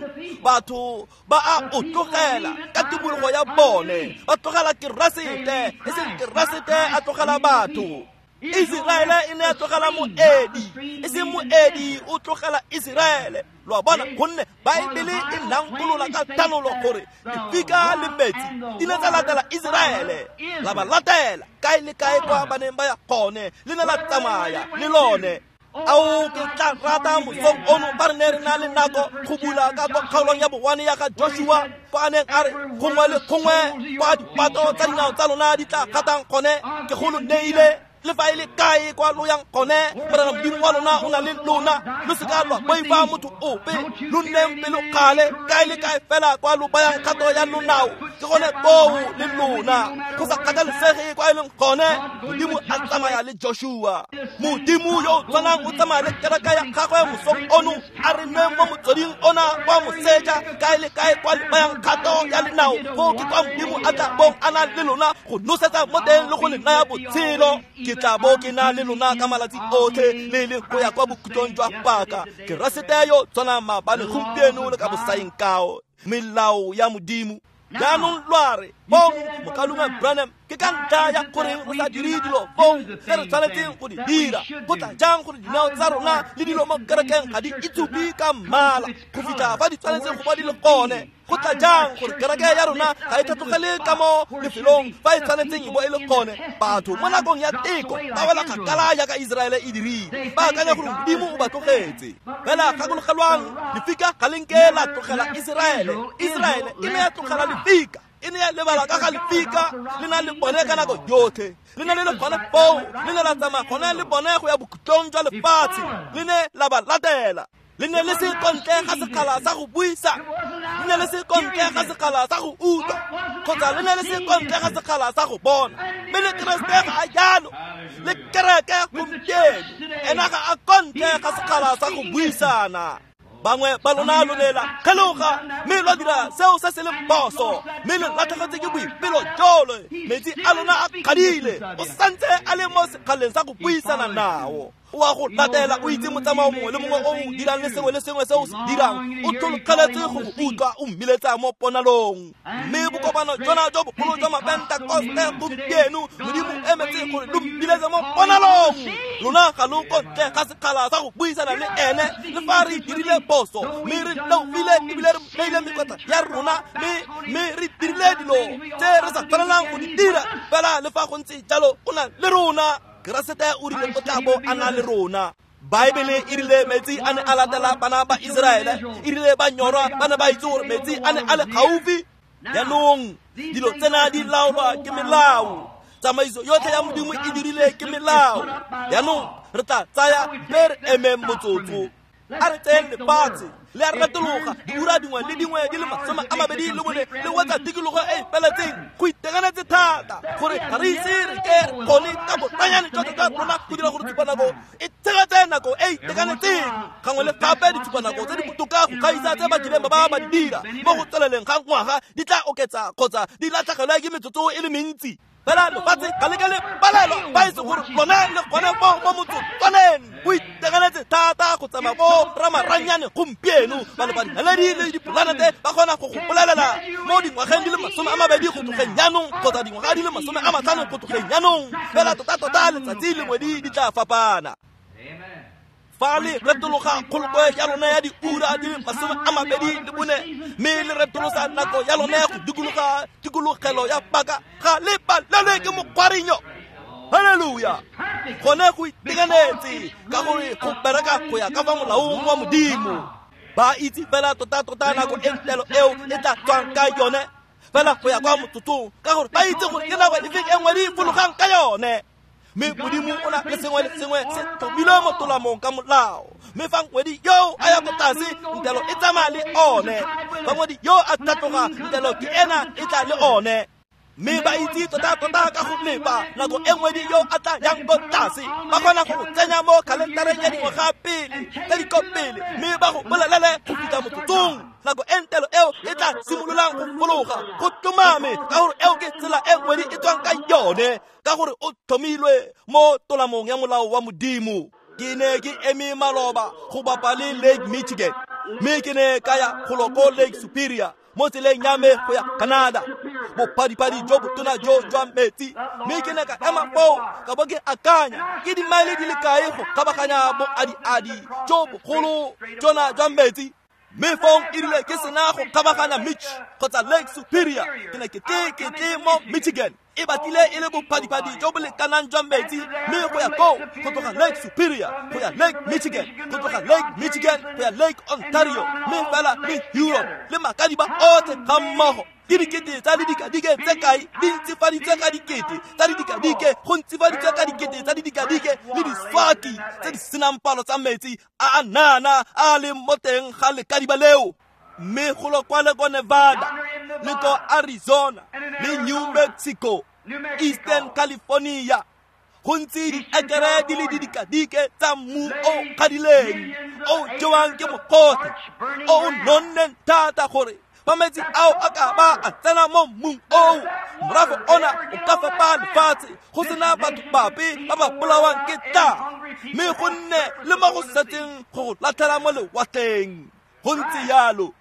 Batho ba a o tlogela ka tumologo ya bone, ba tlogela Keresete, e seng Keresete a tlogela batho. Iseraele e ne ya tlogela moedi, e seng moedi o tlogela Iseraele. Lo a bona, gonne Baebele e nankolola ka thanolo gore lefika le metsi di ne tsa latela Iseraele, la ba latela kae le kae kwa ba neng ba ya gone, le ne la tsamaya le lone. Ao, ke tla rata mosong ono ba re ne re na le nako go bula ka kwa kgaolong ya bowane ya ga Joshua, fa a neng a re gongwe le gongwe kwa dipato tsa dinao tsa lona di tla gatang gone, ke go lo neile. Le fa e le kae kwa lo yang gone, Morena Modimo wa lona o na le lona. Lo seka lwa boifa motho ope, lo nneng pelokgale kae le kae fela kwa lo bayang kgato ya lonao, ke gone koo le lona. Go sa kgathalesege kwa e leng gone, Modimo a tsamaya le Joshua. Modimo yo o tshwanang o tsamaya le kereke ya gagwe mosong ono, a re nweng mo motsweding ona kwa moseja, kae le kae kwa le bayang kgato ya lenao, foo ke kwa Modimo a tla bong a na le lona go nosetsa mo teng le go le naya botshelo. Ke tla bo ke na le lona ka malatsi otlhe, le le go ya kwa bokhutlong jwa paka. Keresete yo tshwanang maabane, gompieno le ka bosaeng kao. Melao ya Modimo. Jaanong lwa re, bong mokaulengwe Branham, ke ka ntlha ya gore re sa dire dilo fong tse re tshwanetseng go di dira. Go tla jang gore dinao tsa rona le dilo mo kerekeng ga di itshupe ka mmala go fitlha fa di tshwanetseng go ba di le gone? Go tla jang gore kereke ya rona ga e tlhatlogele ka mo lefelong fa e tshwanetseng e bo e le gone? Batho mo nakong ya teko ba wela kgakala jaaka Iseraele e dirile, ba akanya gore Modimo o ba tlogetse. Fela gakologelwang, lefika ga le nke la tlogela Iseraele. Iseraele e ne ya tlogela lefika, e ne ya lebala ka ga lefika, le na le bone ka nako yotlhe. Le ne le le gone foo, le ne la tsamaya gone le bone go ya bokhutlong jwa lefatshe, le ne la ba latela. Le ne le se kontle ga sekgala sa go buisa, le ne le se kontle ga sekgala sa go utlwa, kgotsa le ne le se kontle ga sekgala sa go bona. Mme le Keresete ga a jalo, le kereke gompieno ena ga a kontle ga sekgala sa go buisana. Bangwe ba lona lo ne la kgeloga mme lwa dira seo se se leng phoso, mme le latlhegetse ke boipelo jole. Metsi a lona a kgadile, o santse a le mo sekgaleng sa go buisana nao. O a go latela, o itse motsamao mongwe le mongwe o o dirang le sengwe le sengwe se o se dirang, o tlhologeletse go go utlwa o mmiletsa mo ponalong. Mme bokopano jona jo bogolo jwa Mapentekoste gompieno, Modimo emetse gore lo mbiletse mo ponalong. Lona ga lo kontle ga sekgala sa go buisana le ene, le fa re dirile phoso, mme re leofile ebile re neile mekotla ya rona, mme re dirile dilo tse re sa tshwanelang go di dira. Fela le fa go ntse jalo, o na le rona. Keresete o rile o tla bo a na le rona. Baebele e rile metsi a ne a latela bana ba Iseraele, e rile ba nyorwa ba ne ba itse gore metsi a ne a le gaufi. Jaanong dilo tsena di laolwa ke melao. Tsamaiso yotlhe ya Modimo e dirile ke melao. Jaanong re tla tsaya mme re emeng motsotso. A re tseyeng lefatshe le a retologa diura dingwe le dingwe di le 24 le wetsa tikologo e e feletseng. Go itekanetse thata gore ga re ise re ke re kgone ka botlanyane jwa tota rona go dira gore tshupanako e tshegetse nako e itekanetseng. Gangwe le gape ditshupanako tse di botoka go gaisa tse ba kileng ba ba di dira mo go tsweleleng ga ngwaga di tla oketsa kgotsa di latlhegelwe ke metsotso e le mentsi. Fela lefatshe ga le ke le palelwa fa e se gore lone le gone mo motsotswaneng. Go itekanetse thata go tsamaya bo ramaranyane gompieno ba le badinaledi le dipolanete ba kgona go go bolelela mo dingwageng di le 20 go tlogeng jaanong kgotsa dingwaga di le 50 go tlogeng jaanong, fela tota-tota letsatsi le ngwedi di tla fapana. Fa le retologa kgolokwe ya lone ya diura di le 24 mme le retolosa nako ya lone go dikologa tikologelo ya paka, ga le palelwe ke mokgwarinyo. Haleluya! Gone go itekanetse ka gore go bereka go ya ka fa molaong wa Modimo. Ba itse fela tota-tota nako e ntelo eo e tla tswang ka yone, fela go ya kwa motsotsong, ka gore ba itse gore ke nako efe e nngwe di fologang ka yone. Mme Modimo o na le sengwe le sengwe se tlhomilwe mo tolamong ka molao. Mme fa ngwedi yo a ya ko tlase, ntelo e tsamaya le one. Fa ngwedi yo a tlhatloga, ntelo ke ena e tla le one. Mme ba itse tota-tota ka go lepa nako e ngwedi yo a tla yang ko tlase, ba kgona go tsenya mo kalentareng ya dingwaga pele tse di ko pele, mme ba go bolelele go fitlha motsotsong nako e ntelo eo e tla simololang go fologa. Go tlhomame, ka gore eo ke tsela e ngwedi e tswang ka yone, ka gore o tlhomilwe mo tolamong ya molao wa Modimo. Ke ne ke eme maloba go bapa le Lake Michigan, mme ke ne ka ya golo ko Lake Superior mo tseleng ya me go ya Canada, bophadiphadi jo botona jo jwa metsi. Mme ke ne ka ema foo ka bo ke akanya ke dimaele di le kae go kgabaganya boadiadi jo bogolo jona jwa metsi. Mme fong e rile ke sena go kgabaganya Mitch kgotsa Lake Superior, ke ne ke tle mo Michigan. E batlile e le bophadiphadi jo bo lekanang jwa metsi, mme go ya koo go tloga Lake Superior go ya Lake Michigan, go tloga Lake Michigan go ya Lake Ontario, mme fela le Europe le makadiba otlhe ga mmogo. Ke dikete tsa didikadike tse kae di ntsifaditswe ka dikete tsa didikadike, go ntsifaditswe ka dikete tsa didikadike le diswaki tse di senang palo tsa metsi a a nana a leng mo teng ga lekadiba leo. Mme golo kwa le ko Nevada le ko Arizona le New Mexico, Eastern California, go ntse diekere di le didikadike tsa mmu o kgadileng o jewang ke mogote o nonneng thata gore fa metsi ao a ka ba a tsena mo mmung oo, morago ona o ka fepa lefatshe go sena batho bape ba ba bolawang ke tlala, mme go nne le mo go setseng go go latlhela mo lewatleng. Go ntse yalo.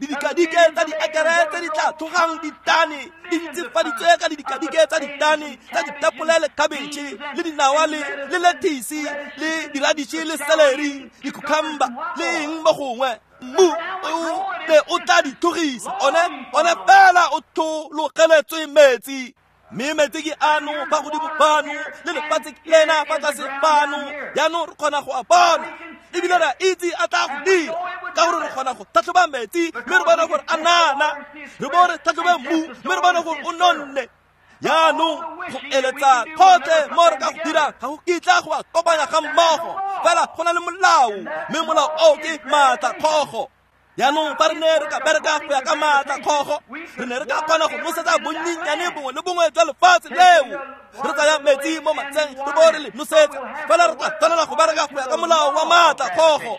Didikadike tsa diekere tse di tla tlogang ditane di ntsifaditswe ka didikadike tsa ditane tsa ditapole le khabetšhe le dinawa le lettuce le diraditšhe le celery, di-cucumber le eng mo gongwe. Mmu o ne o tla di tlhogisa, one fela o thologeletswe metsi. Mme metsi ke ano fa godimo fano le lefatshe ke lena fa tlase fano, jaanong re kgona go a bona ebile re a itse a tla go dira, ka gore re kgona go tlhatlhoba metsi mme re bone gore a nana, re bo re tlhatlhobe mmu mme re bone gore o nonne. Jaanong go eletsa kgotlhe mo re ka go dirang ga go kitla go a kopanya ga mmogo, fela go na le molao, mme molao oo ke maatla kgogo. Jaanong fa re ne re ka bereka go ya ka maatla kgogo, re ne re ka kgona go nosetsa bonnyenyane bongwe le bongwe jwa lefatshe leo. Re tsaya metsi mo matsheng re bo re le nosetsa, fela re tla tshwanela go bereka go ya ka molao wa maatla kgogo.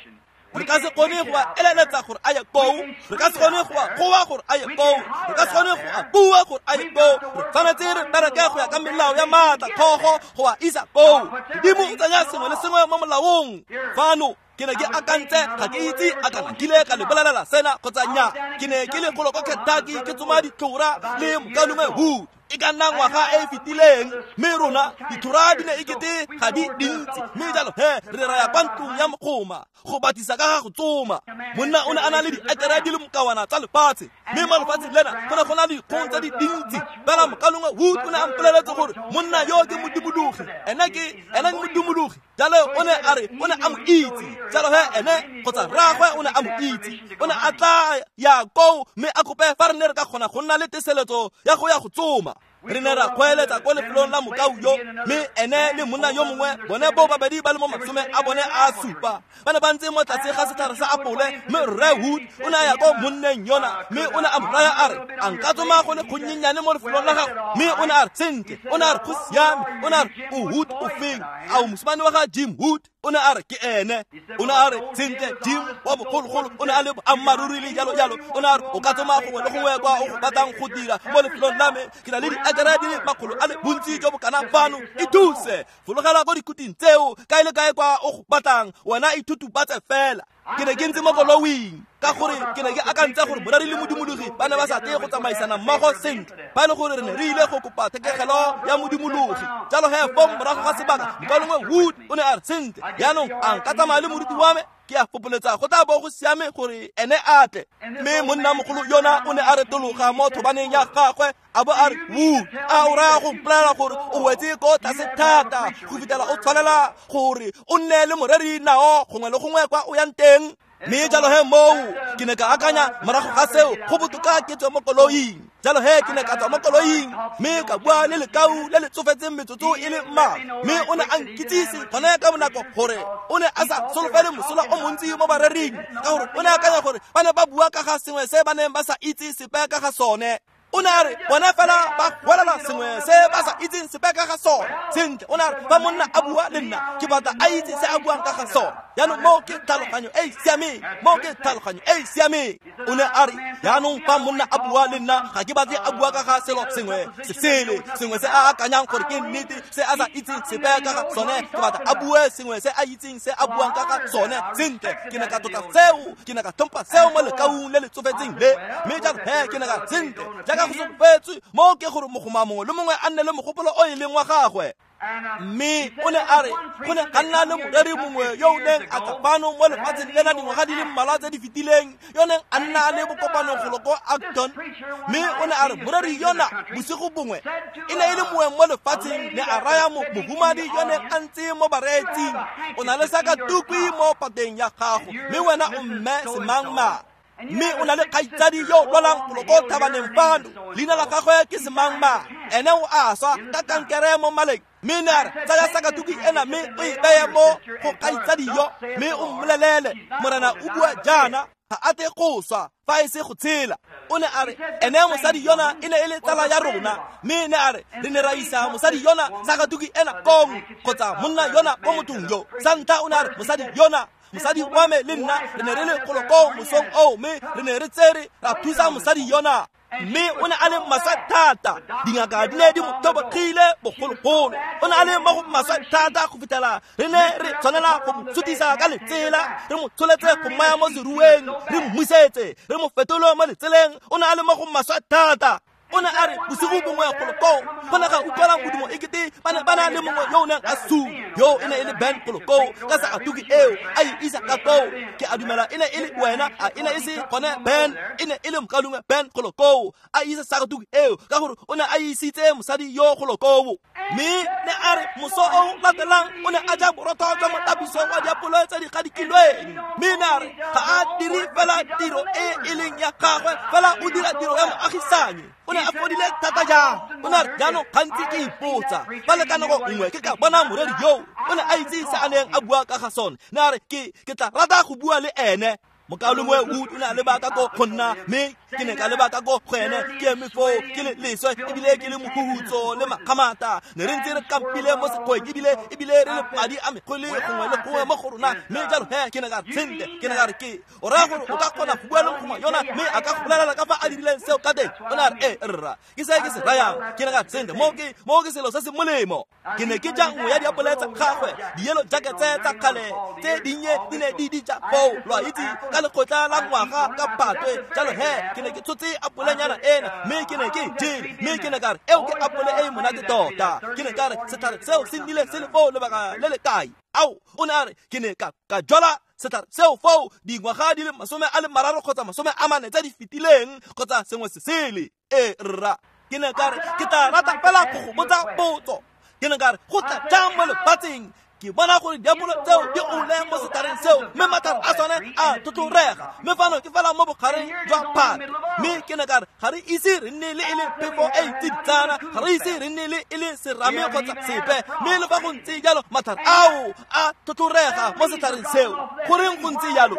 Re ka se kgone go a eleletsa gore a ye koo, re ka se kgone go a goa gore a ye koo, re ka se kgone go a bua gore a ye koo. Re tshwanetse re bereke go ya ka melao ya maatla kgogo go a isa koo. Modimo o tsenya sengwe le sengwe mo molaong. Fano ke ne ke akantse, ga ke itse a kana kile ka le bolelela sena kgotsa nya. Ke ne ke le golo ko Kentucky ke tsoma ditlhora le mokaulengwe Wood e ka nna ngwaga e e fetileng, mme rona ditlhora di ne ekete ga di dintsi, mme jalo he re raya kwa ntlong ya mogoma go batisa ka ga go tsoma. Monna o ne a na le diekere di le mokawana tsa lefatshe, mme mo lefatsheng lena go ne go na le dikgong tse di dintsi. Fela mokaulengwe Wood o ne a mpoleletse gore monna yo ke modumologi, ene ke modumologi. Jalo o ne a re o ne a mo itse, jalo he ene kgotsa rraagwe o ne a mo itse. O ne a tla ya koo mme a kope fa re ne re ka kgona go nna le teseletso ya go ya go tsoma. Re ne ra kgweeletsa ko lefelong la mokau yo, mme ene le monna yo mongwe bone bo babedi ba le mo masome a bone a supa ba ne ba ntse mo tlase ga setlhare sa apole. Mme Rre Wood o ne a ya ko monneng yona, mme o ne a mo raya a re, a nka tsoma go le gonnyenyane mo lefelong la gago? Mme o ne a re sentle, o ne a re go siame. O ne a re o Wood o feng? A o mosimane wa ga Jim Wood? O ne a re ke ene. O ne a re sentle Jim wa bogologolo o ne a le boammaaruri le jalo jalo. O ne a re o ka tsoma gongwe le gongwe kwa o go batlang go dira mo lefelong la me, ke na le diakara di le makgolo a le bontsi jo bo kana fano, ithuse fologela ko dikuting tseo kae le kae kwa o go batlang, wena ithutubatse fela. Ke ne ke ntse mo koloing ka gore ke ne ke akantse gore moreri le modumologi ba ne ba sa tle go tsamaisana mmogo sentle, ba e le gore re ne re ile go kopa thekegelo ya modumologi. Jalo he fong morago ga sebaka mokaulengwe Wood o ne a re sentle jaanong a nka tsamaya le moruti wa me, ke a fopoletsa go tla bo go siame gore ene a tle. Mme monnamogolo yona o ne a retologa mo thobaneng ya gagwe a bo a re, Wood, a o raya go mpolelela gore o wetse ko tlase thata go fitlhela o tshwanela gore o nne le moreri nao gongwe le gongwe kwa o yang teng? Mme jalo he moo ke ne ka akanya morago ga seo go botoka ke tswe mo koloing. Jalo he ke ne ka tswa mo koloing mme ka bua le lekau le le tsofetseng metsotso e le mmalwa, mme o ne a nkitsise gone ka bonako gore o ne a sa solofele mosola o montsi mo barering, ka gore o ne akanya gore ba ne ba bua ka ga sengwe se ba neng ba sa itse sepe ka ga sone. O ne a re bona fela ba gwelela sengwe se ba sa itseng sepe ka ga sone. Sentle, o ne a re fa monna a bua le nna ke batla a itse se a buang ka ga sone. Jaanong moo ke tlhaloganyo e e siameng, moo ke tlhaloganyo e e siameng. O ne a re jaanong fa monna a bua le nna ga ke batle a bua ka ga selo sengwe se sele, sengwe se a akanyang gore ke nnete se a sa itseng sepe ka ga sone, ke batla a bue sengwe se a itseng se a buang ka ga sone. Sentle, ke ne ka tlotla seo, ke ne ka tlhompha seo mo lekaung le le tsofetseng le. Mme jalo he ke ne ka sentle jaaka go solofetswe moo ke gore mogoma mongwe le mongwe a nne le mogopolo o e leng wa gagwe. Mme o ne a re go ne ga nna le moreri mongwe yo o neng a tla fano mo lefatsheng lena dingwaga di le mmalwa tse di fetileng, yo neng a nna le bokopano golo ko Acton. Mme o ne a re moreri yona bosigo bongwe e ne e le moeng mo lefatsheng, ne a raya mohumadi yo neng a ntse mo bareetsing, o na le sakatukwi mo pateng ya gago, mme wena o mme semangmang, mme o na le kgaitsadi yo lwalang golo ko thabaneng fano, leina la gagwe ke semangmang, ene o a swa ka kankere mo maleng. Mme ne a re tsaya sakatuki ena mme o e beye mo go kgaitsadi yo, mme o mmolelele morena o bua jaana, ga a tle go swa fa e se go tshela. O ne a re ene mosadi yona e ne e le tsala ya rona, mme ne a re re ne ra isa mosadi yona sakatuki ena kong kgotsa monna yona ko mothong yo. Sa ntlha o ne a re mosadi yona, mosadi wa me le nna re ne re le golo ko mosong oo, mme re ne re tsere ra thusa mosadi yona. Mme o ne a le maswe thata, dingaka di ne di mo tlhobogile bogologolo. O ne a le mo go maswe thata go fitlhela re ne re tshwanela go mo sutisa ka letsela, re mo tsholetse go mmaya mo serueng, re mmusetse, re mo fetole mo letseleng. O ne a le mo go maswe thata. O ne a re bosigo bongwe golo koo go ne ga utlwala modumo ekete ba ne ba na le mongwe yo o neng a suma, yo e ne e le Ben golo koo ka sakatuki eo a e isa ka koo. Ke a dumela e ne e le wena, a e ne e se gone Ben, e ne e le mokaulengwe Ben golo koo a isa sakatuki eo ka gore o ne a isitse mosadi yo golo koo. Mme ne a re moso o latelang o ne a ja borotho jwa motapiso wa diapole tse di gadikilweng. Mme ne a re ga a dire fela tiro e e leng ya gagwe, fela o dira tiro ya moagisanyi. O ne a fodile thata jang. O ne a re jaanong gantsi ke ipotsa fa le ka nako nngwe ke ka bona moreri yo o ne a itse se a neng a bua ka ga sone. Ne a re ke tla rata go bua le ene. Mokaulengwe Wood o ne a leba ka ko go nna, mme ke ne ka leba ka ko go ene, ke eme foo ke le leswe ebile ke le mohuhutso le makgamata. Ne re ntse re kampile mo sekgweng ebile re le madi a megole gongwe le gongwe mo go rona. Mme jalo he ke ne ka re sentle, ke ne ka re ke o raya gore o ka kgona go bua le mogoma yona mme a ka go bolelela ka fa a dirileng seo ka teng. O ne a re ee rra, ke se ke se rayang. Ke ne ka re sentle, moo ke selo se se molemo. Ke ne ke ja nngwe ya diapole tsa gagwe, di-yellow jackets tsa kgale tse dinnye di ne di di ja foo, lo a itse, ka lekgotla la ngwaga ka patwe. Jalo he ke ne ke tshotse apolenyana ena mme ke ne ke e jele, mme ke ne ka re eo ke apole e e monate tota. Ke ne ka re setlhare seo se nnile se le foo lebaka le le kae? Ao, o ne a re ke ne ka jwala setlhare seo foo dingwaga di le 30 kgotsa 40 tse di fetileng kgotsa sengwe se sele. Ee rra, ke ne ka re ke tla rata fela go go botsa potso. Ke ne ka re go tla jang mo lefatsheng ke bona gore diapole tseo di ole mo setlhareng seo, mme matlhare a sone a tlhotlhorega, mme fano ke fela mo bogareng jwa phate. Mme ke ne ka re ga re ise re nne le e le phefo e e tsiditsana, ga re ise re nne le e le serame kgotsa sepe, mme le fa go ntse jalo matlhare ao a tlhotlhorega mo setlhareng seo. Goreng go ntse jalo?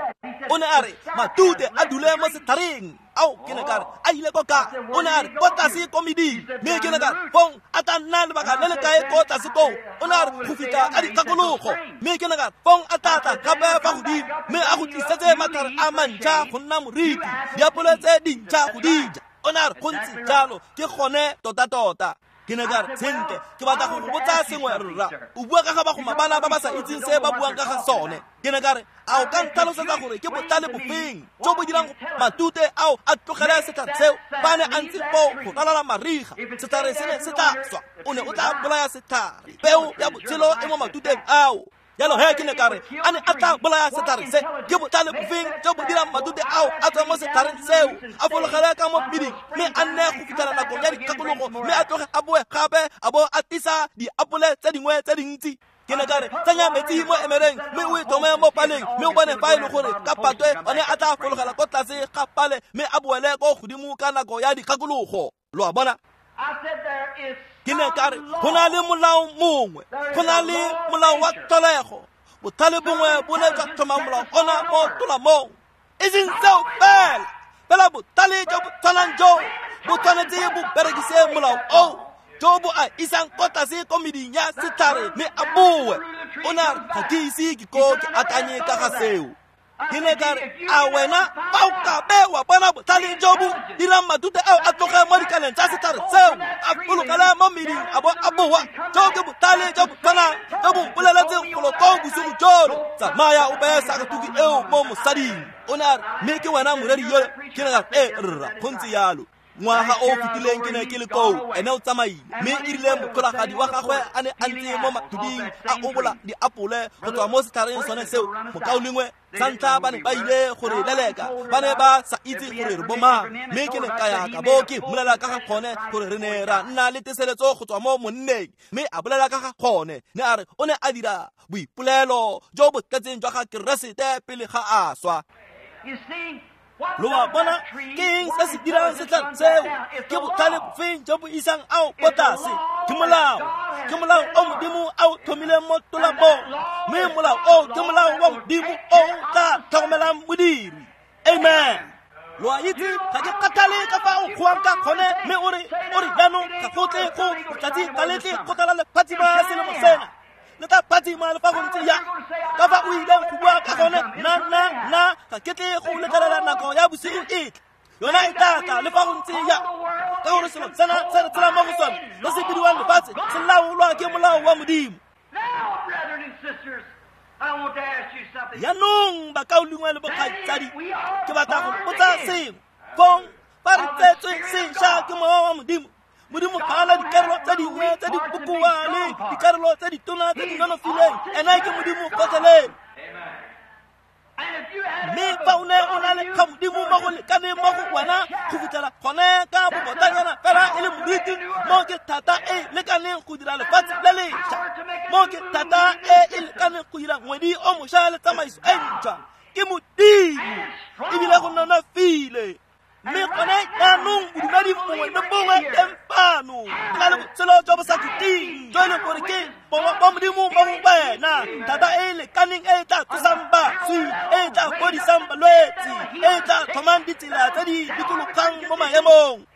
O ne a re matute a dule mo setlhareng, Ao, ke ne ka re a ile ko kae? O ne a re ko tlase ko meding. Mme ke ne ka re fong a tla nna lebaka le le kae ko tlase koo? O ne a re go fitlha ka dikgakologo. Mme ke ne ka re fong a tla tla gape fa godimo mme a go tlisetse matlhare a mantšha go nna moriti, diapole tse dintšha go di ja. O ne a re go ntse jalo, ke gone tota-tota. Ke ne ka re sentle, ke batla go go botsa sengwe rra. O bua ka ga bagoma bana ba ba sa itseng se ba buang ka ga sone. Ke ne ka re a o ka ntlhalosetsa gore ke botlhale bofeng jo bo dirang matute ao a tlogele setlhare seo fa ne a ntse foo go ralala mariga? Setlhare se ne se tla swa, o ne o tla bolaya setlhare. Peo ya botshelo e mo matuteng ao. Jalo he ke ne ka re a ne a tla bolaya setlhare se, ke botlhale bofeng jo bo dirang matute ao a tswa mo setlhareng seo, a fologele ka mo mmiding mme a nne go fitlhela nakong ya dikgakologo, mme a tloge a boe gape a bo a tlisa diapole tse dingwe tse dintsi. Ke ne ka re tsenya metsi mo emereng mme o e tlhome mo paleng, mme o bone fa e le gore ka patwe one a tla fologela ko tlase ga pale mme a boele ko godimo ka nako ya dikgakologo. Lo a bona? Ke ne ka re go na le molao mongwe, go na le molao wa tlholego. Botlhale bongwe bo ne jwa tlhoma molao ona mo tolamong. E seng seo fela, fela botlhale jo bo tshwanang jo bo tshwanetse bo berekise molao oo jo bo a isang ko tlase ko meding ya setlhare mme a boe. O ne a re ga ke ise ke ko ke akanye ka ga seo. Ke ne ka re a wena fa o ka be wa bona botlhale jo bo dirang matute ao a tloge mo dikaleng tsa setlhare seo, a fologele mo meding a bo a boa, jo ke botlhale jo bo tshwanang jo bo mpoleletseng golo koo bosigo jono, tsamaya o beye sakatuku eo mo mosading. O ne a re mme ke wena moreri yole? Ke ne ka re ee rra, go ntse jalo. Ngwaga o fetileng ke ne ke le koo, ene o tsamaile, mme e rile motlholagadi wa gagwe a ne a ntse mo mathuding a obola diapole go tswa mo setlhareng sone seo. Mokaulengwe, sa ntlha ba ne ba ile go re leleka, ba ne ba sa itse gore re bomang. Mme ke ne ka ya ka bo ke mmolela ka ga gone gore re ne ra nna le teseletso go tswa mo monneng, mme a bolela ka ga gone. Ne a re o ne a dira boipolelo jo bo tletseng jwa ga Keresete pele ga a swa. Lo a bona? Ke eng se se dirang setlhare seo? Ke botlhale bofeng jo bo isang ao ko tlase? Ke molao, ke molao o Modimo a o tlhomileng mo tolamong, mme molao o ke molao wa Modimo o tla tlhokomelang modiri. Amen. Lo a itse, ga ke kgathale ka fa o kgowang ka gone, mme o re jaanong ga go tle go letsatsi ga le tle go tlala lefatshe selemo sena, le tla phatsima le fa go ntse yang. Ka fa o ileng go bua ka gone, nna ga ke tle go letlelela nako ya bosigo e tle, yona e tla tla le fa go ntse yang, ka gore selo sena se re tshelang mo go sone se se bidiwang lefatshe se laolwa ke molao wa Modimo. Jaanong bakaulengwe le bokgaitsadi, ke batla go botsa sengwe. Fong fa re tsetswe sešwa ke mowa wa Modimo, Modimo ga a na dikarolo tse dingwe tse di bokoa le dikarolo tse ditona tse di nonofileng, ena ke Modimo gotlhelele. Mme fa o ne o na le ga Modimo mo go lekaneng mo go wena go fitlhela gone ka bobotanyana fela e le moriti, mo ke thata e lekaneng go dira lefatshe le lešwa, mo ke thata e e lekaneng go dira ngwedi o mošwa le tsamaiso e ntšhwa, ke Modimo ebile go nonofile. Mme gone jaanong bodumedi bongwe le bongwe teng fano bo na le botshelo jo bo sa khutleng, jo e leng gore ke bongwe ba Modimo mo go wena, thata e e lekaneng e e tla tsosang baswi, e e tla fodisang balwetse, e e tla tlhomang ditsela tse di dikologang mo maemong.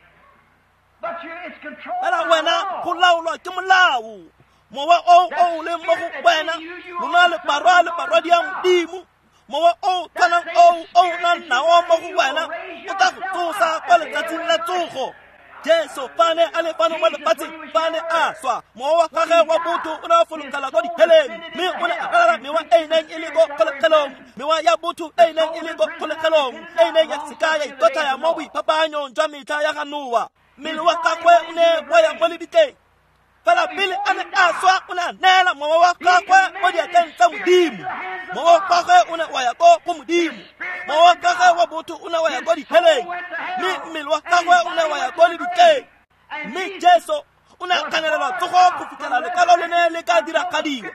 Fela wena go laolwa ke molao, mowa o o leng mo go wena, lona le barwa le barwadi ya Modimo. Mowa o tshwanang o o nang nao mo go wena o tla go tsosa kwa letsatsing la tsogo. Jesu fa ne a le fano mo lefatsheng, fa ne a swa, mowa wa gagwe wa botho o ne a fologela ko diheleng, mme o ne a ralala mewa e e neng e le ko kgolegelong, mewa ya botho e e neng e le ko kgolegelong, e e neng ya seka ya ikotlhaya mo boiphapanyong jwa metlha ya ga Noa. Mmele wa gagwe o ne wa ya mo lebitleng. Fela pele a ne a swa, o ne a neela mowa wa gagwe mo diatleng tsa Modimo. Mowa wa gagwe o ne wa ya ko go Modimo. Mowa wa gagwe wa botho o ne wa ya ko diheleng, mme mmele wa gagwe o ne wa ya ko lebitleng. Mme Jesu o ne a kganelelwa tsogo go fitlhela lekwalo le ne le ka diragadiwa.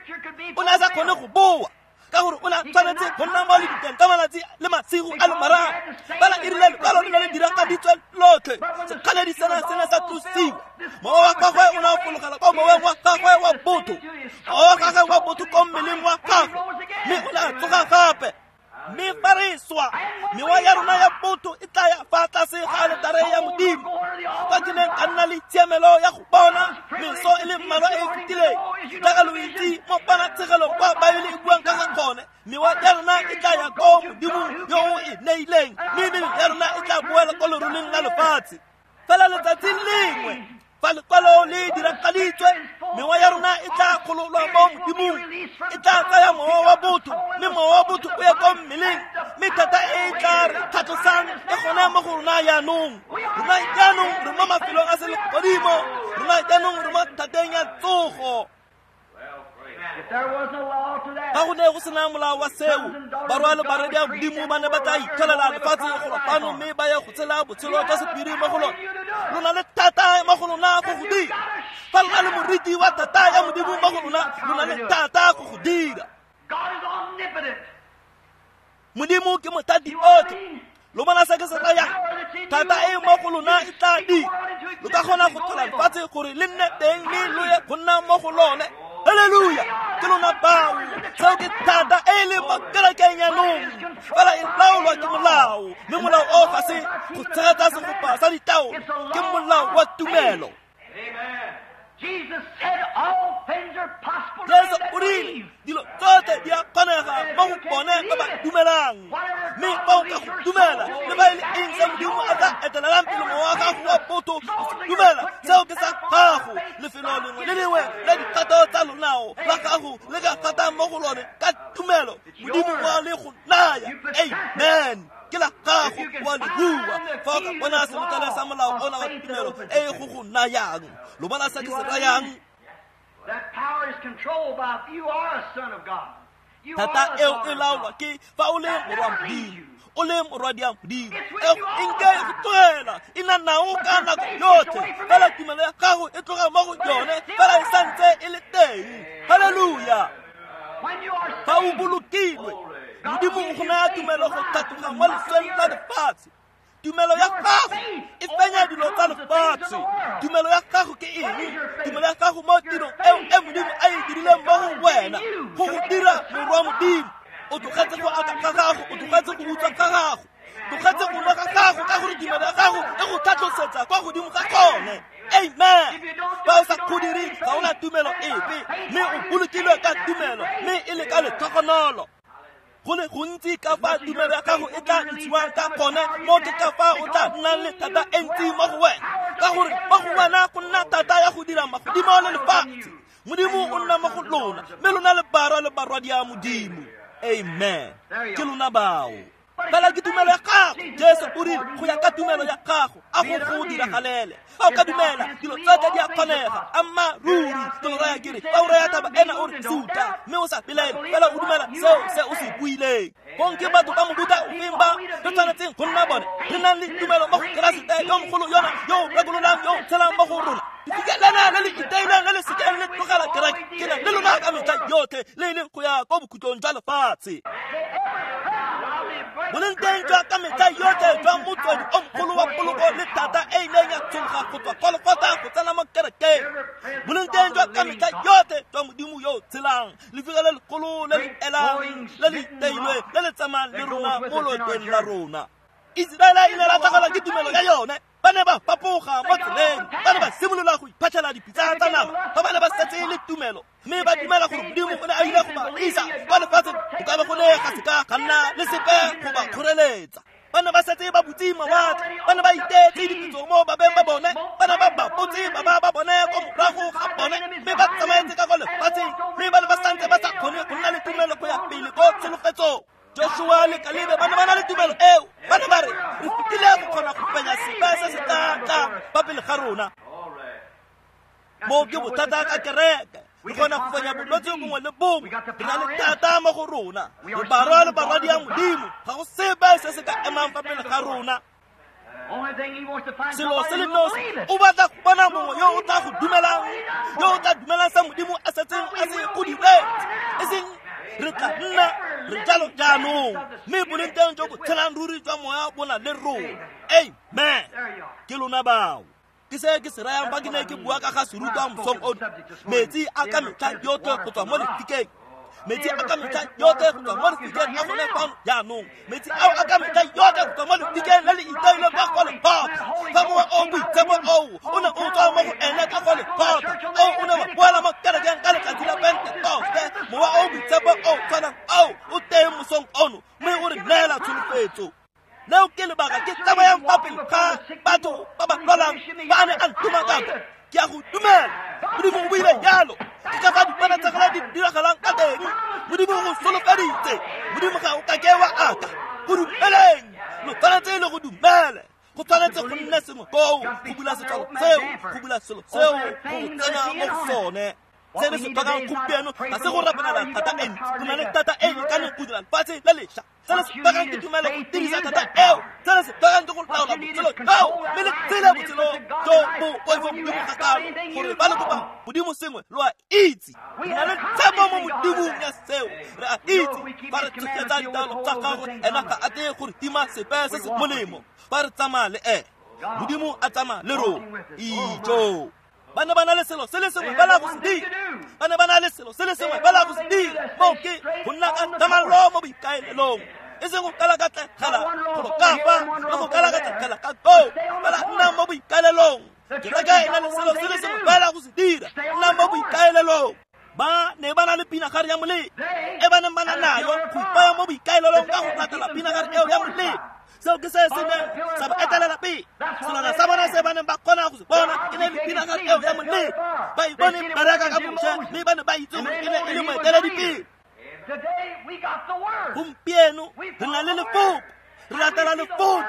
O ne a sa kgone go boa, ka gore o ne a tshwanetse go nna mo lebitleng ka malatsi le masigo a le mararo. Fela e rile lekwalo le ne le diragaditswe lotlhe, sekgaledi sena se ne sa tlosiwa. Mowa wa gagwe o ne a fologela ko moweng wa gagwe wa botho, mowa wa gagwe wa botho ko mmeleng wa gagwe, mme o ne a tsoga gape. Mme fa re swa, wa, mewa ya rona ya botho e tla ya fa tlase ga aletare ya Modimo. Fa ke neng ka nna le tshiamelo ya go bona meso e le mmalwa e e fetileng, jaaka lo itse mo ponatshegelong kwa Baebele e buang ka ga gone, mewa ya rona e tla ya ko Modimong yo o e neileng, mme mebele ya rona e tla boela ko leroleng la lefatshe. Fela letsatsi lengwe fa lekwalo le diragaditswe, mewa ya rona e tla kgololwa mo Modimong, e tla tsaya mowa wa botho, mme mowa wa botho o ye ko mmeleng, mme thata e e tla re tlhatlosang e gone mo go rona jaanong. Rona jaanong re mo mafelong a selegodimo, rona jaanong re mo thateng ya tsogo. Fa go ne go sena molao wa seo, barwa le barwedi a Modimo ba ne ba tla itlholela lefatshe go fano mme ba ye go tshela botshelo jwa sephiri mo go lona. Lona le thata mo go lona go go dira. Fa lona le moriti wa thata ya Modimo mo go lona, lona le thata go go dira. Modimo ke mothati otlhe. Lo bona se ke se rayang? Thata e mo go lona e tla dira. Lo ka kgona go tlhola lefatshe gore le nne teng mme lo ye go nna mo go lone. Hallelujah! Ke lona bao. Seo ke thata e leng mo kerekeng jaanong. Fela e laolwa ke molao, mme molao o ga se go tshegetsa segopa sa ditaolo, ke molao wa tumelo. Jesu o rile dilo tsotlhe di a kgonega mo go bone ba ba dumelang, mme fa o ka go dumela le ba e le eng se Modimo a tla etelelang pele mowa wa gago wa botho go se dumela, seo ke sa gago. Lefelo lengwe le lengwe la dikgato tsa lonao la gago le ka gatang mo go lone ka tumelo, Modimo wa le go naya. Amen. Ke la gago wa le bua. Fa o ka bona senotlele sa molao ona wa tumelo e go go nayang, lo bona se ke se rayang? Thata eo e laolwa ke fa o le morwa Modimo, o le morwadi ya Modimo. E nke e go tlogela, e nna nao ka nako yotlhe, fela tumelo ya gago e tloga mo go yone, fela e santse e le teng. Hallelujah! Fa o bolokilwe, Modimo o go naya tumelo go tlhatloga mo lesweng la lefatshe. Tumelo ya gago e fenya dilo tsa lefatshe. Tumelo ya gago ke eng? Tumelo ya gago mo tirong eo e Modimo a e dirileng mo go wena, go go dira morwa Modimo. O tlogetse go aka ga gago, o tlogetse go utswa ga gago, tlogetse go nwa ga gago, ka gore tumelo ya gago e go tlhatlosetsa kwa godimo ga gone. Amen. Fa o sa go dire, ga o na tumelo epe, mme o bolokilwe ka tumelo, mme e le ka letlhogonolo. Go le gontsi ka fa tumelo ya gago e tla ntshiwang ka gone, mo ke ka fa o tla nnang le thata e ntsi mo go wena, ka gore mo go wena go nna thata ya go dira magodimo le lefatshe. Modimo o nna mo go lona, mme lona le barwa le barwadi ya Modimo. Amen. Ke lona bao. Fela ke tumelo ya gago. Jesu o rile go ya ka tumelo ya gago a go go diragalele. Fa o ka dumela, dilo tsotlhe di a kgonega. Amma ruri ke lo raya ke re, fa o raya taba ena o re suta, mme o sa belaele, fela o dumela seo se o se buileng. Kong ke batho ba mofuta ofeng ba re tshwanetseng go nna bone? Re nang le tumelo mo go Keresete yo mogolo yona, yo o rekololang, yo o tshelang mo go rona. Lefika lena le le iteileng le le sekeng le tlogela kereke, ke na le lona ka metlha yotlhe, le e leng go ya ko bokhutlong jwa lefatshe. Boleng teng jwa ka metlha yotlhe jwa motswedi o mogolo wa poloko le thata e ileng ya tshologa go tswa Golgotha go tsena mo kerekeng. Boleng teng jwa ka metlha yotlhe jwa Modimo yo o tshelang, lefika le legolo le le elang, le le iteilweng, le le tsamayang le rona mo loetong la rona. Iseraele e ile ya latlhegelwa ke tumelo ya yone. Ba ne ba fapoga mo tseleng, ba ne ba simolola go iphatlhela dipitsa tsa nama fa ba ne ba setse le tumelo, mme ba dumela gore Modimo o ne a ile go ba isa kwa lefatsheng, go ka be go ne ga seka ga nna le sepe go ba kgoreletsa. Ba ne ba setse ba butse mawatle, ba ne ba iteetse dipitso mo babeng ba bone, ba ne ba bapotse baba ba bone ko morago ga bone, mme ba tsamaetse ka kwa lefatsheng, mme ba ne ba santse ba sa kgone go nna le tumelo go ya pele ko tsholofetsong. Joshua le Kalebe ba ne ba na le tumelo eo. Ba ne ba re, re fetile go kgona go fenya sepe se se tla tlang fa pele ga rona. Mo ke bothata ka kereke. Re kgona go fenya bolwetse bongwe le bongwe. Re na le thata mo go rona. Re barwa le barwadi ya Modimo. Ga go sepe se se ka emang fa pele ga rona. Selo se le nosi, o batla go bona mongwe yo o tla go dumelang, yo o tla dumelang sa Modimo a setseng a se go diretse. E seng re tla nna re jalo jaanong, mme boleng teng jo bo tshelang ruri jwa moya bo na le rona. Amen. Ke lona bao. Ke se ke se rayang fa ke ne ke bua ka ga serutwa mosong ono. Metsi a ka metlha yotlhe go tswa mo lefikeng. Metsi a ka metlha yotlhe go tswa mo lefikeng a gone fano jaanong. Metsi ao a ka metlha yotlhe go tswa mo lefikeng le le iteileng kwa Golgotha. Fa Mowa o Boitshepo oo o ne o tswa mo go ene ka Golgotha, oo o ne wa boela mo kerekeng ka letsatsi la Pentekoste. Mowa o Boitshepo o tshwanang ao o teng mosong ono, mme o re neela tsholofetso. Leo ke lebaka ke tsamayang fa pele ga batho ba ba lwalang ba ne a ntoma ka ke a go dumela. Modimo o buile jalo. Ke ka fa dipana tsa gala di diragalang ka teng. Modimo o go solofeditse. Modimo ga o ka ke wa aka. Go dumeleng. Lo tshwanetse le go dumele. Go tshwanetse go nne sengwe koo, go bula setswalo seo, go bula selo seo, go tsena mo go sone. Se re se tlhokang gompieno ga se go rapelela thata e ntsi. Go na le thata e lekaneng go dira lefatshe le lešwa. Se re se tlhokang ke tumelo go dirisa thata eo. Se re se tlhokang ke go laola botshelo joo, mme le tshele botshelo jo bo poifo Modimo ga kalo, gore ba le kopa Modimo sengwe lo a itse. Re na le tshepo mo Modimong ya seo. Re a itse fa re tshegetsa ditaelo tsa gagwe, ena ga a tle go re tima sepe se se molemo. Fa re tsamaya le ene, Modimo a tsamaya le rona. Ijo. Ba ne ba na le selo se le sengwe fela go se dira. Ba ne ba na le selo se le sengwe fela go se dira. Moo ke go nna ka thamallo mo boikaelelong. E seng go kalakatlegela golo ka fa le go kalakatlegela ka koo. Fela nna mo boikaelelong. Kereke e na le selo se le sengwe fela go se dira. Nna mo boikaelelong. Ba ne ba na le pinagare ya molelo e ba neng ba na nayo go ipaya mo boikaelelong ka go latela pinagare eo ya molelo. Seo ke se se neng sa ba etelela pele. Selwana sa bona se ba neng ba kgona go se bona e ne le pinagare eo ya molelo. Ba e bone bereka ka Moshe, mme ba ne ba itse gore e ne e le moeteledipele. Gompieno re na le lefoko. Re latela lefoko,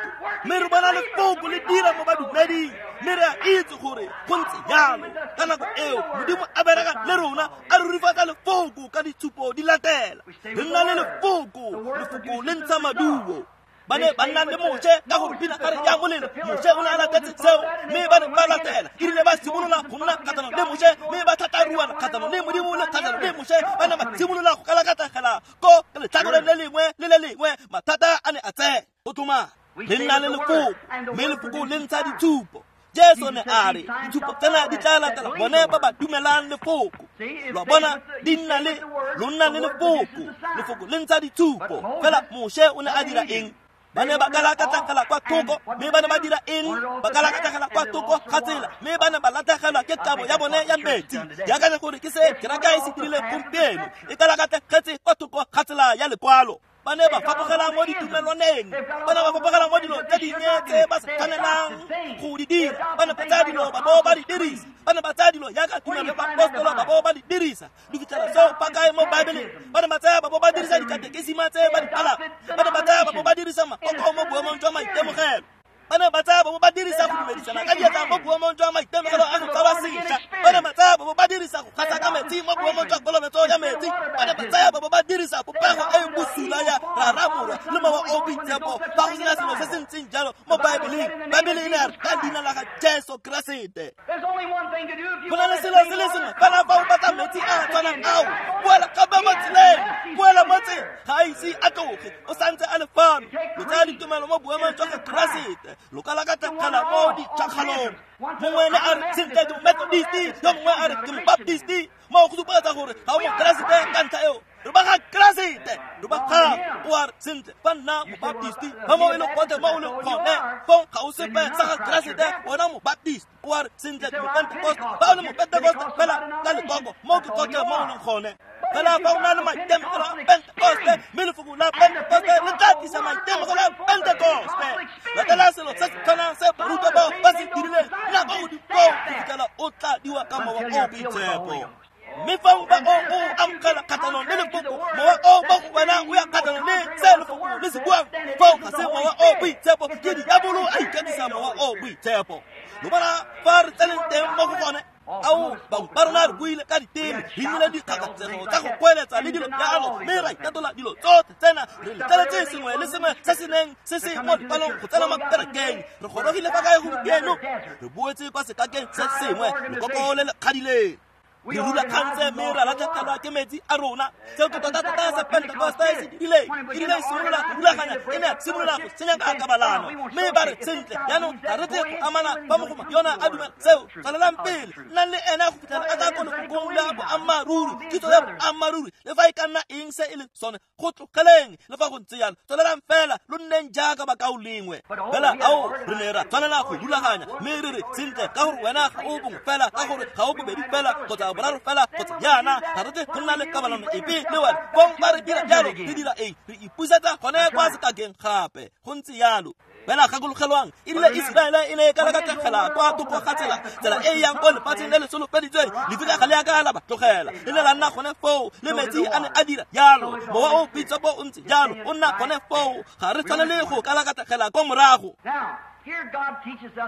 mme re bona lefoko le dira mo badumeding, mme re a itse gore go ntse jalo. Ka nako eo Modimo a bereka le rona, a rurifatsa lefoko ka ditshupo di latela. Re nna le lefoko, lefoko le ntsha maduo. Ba ne ba nna le Moshe ka gore pinagare ya molelo. Moshe o ne a latetse seo, mme ba ne ba latela. E rile ba simolola go nna kgatlhanong le Moshe, mme ba thatharuana kgatlhanong le Modimo le kgatlhanong le Moshe. Ba ne ba simolola go kalakatlegela ko letlhakoreng le lengwe le le lengwe. Mathata a ne a tsena. Go tlhoma le nna le lefoko, mme lefoko le ntsha ditshupo. Jesu ne a re ditshupo tsena di tla latela bone ba ba dumelang lefoko. Lo bona di nna le lo nna le lefoko, lefoko le ntsha ditshupo. Fela Moshe o ne a dira eng? Ba ne ba kalakatlegela kwa thoko, mme ba ne ba dira eng? Ba kalakatlegela kwa thoko ga tsela, mme ba ne ba latlhegelwa ke kabo ya bone ya metsi. Ke akanya gore ke se kereke e se dirileng gompieno, e kalakatlegetse kwa thoko ga tsela ya lekwalo. Ba ne ba fapogela mo ditumelwaneng, ba ne ba fapogela mo dilo tse dingwe tse ba sa tshwanelang go di dira. Ba ne ba tsaya dilo ba bo ba di dirisa, ba ne ba tsaya dilo jaaka tumelo ya baapostolo ba bo ba di dirisa. Di fitlhela seo fa kae mo Baebeleng? Ba ne ba tsaya ba bo ba dirisa dikatekesima tse ba di balang. Ba ne ba tsaya ba bo ba dirisa makoko mo boemong jwa maitemogelo. Ba ne ba tsaya ba bo ba dirisa go dumedisana ka diatla mo boemong jwa maitemogelo a go tsalwa sešwa. Ba ne ba tsaya ba bo ba dirisa go gasa ka metsi mo boemong jwa kolobetso ya metsi. Ba ne ba tsaya ba bo ba dirisa popego e e bosula ya Rara, Morwa le Mowa o Boitshepo. Fa go sena selo se se ntseng jalo mo Baebeleng, Baebele e ne ya re ka leina la ga Jesu Keresete. Go na le selo se le sengwe fela fa o batla metsi a a tshwanang ao, boela gape mo tseleng, boela mo tseleng. Ga a ise a tloge, o santse a le fano. Lo tsaya ditumelo mo boemong jwa ga Keresete, lo kalakatlegela mo ditšhakgalong. Mongwe ne a re sentle ke Momethodist, yo mongwe a re ke Mobaptist. Moo go supegetsa gore ga o Mokeresete ka ntlha eo. Re ba ga Keresete, re ba gago. O a re sentle fa nna Mobaptist, fa mo e le gotlhe mo o leng gone, fong ga o sepe sa ga Keresete, wena Mobaptist. O a re sentle ke Mopentekoste, fa o le Mopentekoste fela ka lekoko, mo ke gotlhe mo o leng gone. Fela fa o na le maitemogelo a Pentekoste, mme lefoko la Pentekoste le tla tlisa maitemogelo a Pentekoste. Latela selo se se tshwanang se barutwa bao ba se dirileng nako go dikoo go fitlhela o tladiwa ka Mowa o Boitshepo. Mme fa o ba o amogela kgatlhanong le lefoko, mowa o mo go wena o ya kgatlhanong le se lefoko le se buang. Foo ga se Mowa o Boitshepo, ke diabolo a ikatisa Mowa o Boitshepo. Lo bona fa re tseneng teng mo go gone? Ao, bangwe ba rona re buile ka diteme, re nnile dikgakatsego tsa go goeletsa le dilo jalo, mme ra itatola dilo tsotlhe tsena. Re letleletse sengwe le sengwe se se neng se se mo lekwalong go tsena mo kerekeng. Re gorogile fa kae gompieno? Re boetse kwa sekakeng se sengwe, lekoko le le kgadileng. Re rulagantse mme ra latlhegelwa ke metsi a rona. Seo ke tota-tota se Pentekoste se dirileng. E rile e simolola go rulaganya, e ne ya simolola go senya ka kabalano. Mme ba re, sentle, jaanong ga re tle go amana fa mogoma yona a dumela seo. Tswelelang pele, nnang le ena go fitlhela a tla ko lefokong la boammaaruri, kitso ya boammaaruri, le fa e ka nna eng se e leng sone, go tlogeleng. Le fa go ntse jalo, tswelelang fela, lo nneng jaaka bakaulengwe. Fela ao re ne ra tshwanela go rulaganya, mme re re, sentle, ka gore wena ga o bongwe fela, ka gore ga o bobedi fela, kgotsa boraro fela, kgotsa jaana, ga re tle go nna le kabalano epe le wena. Fong ba re dira jalo, re dira eng? Re ipusetsa gone kwa sekakeng gape. Go ntse jalo. Fela gakologelwang, e rile Iseraele e ne e kalakatlhegela kwa thoko ga tsela, tsela e e yang ko lefatsheng le le solofeditsweng, lefika ga le a ka la ba tlogela, le ne la nna gone foo, le metsi a ne a dira jalo. Mowa o boitshepo o ntse jalo, o nna gone foo. Ga re tshwanele go kalakatlhegela kwa morago.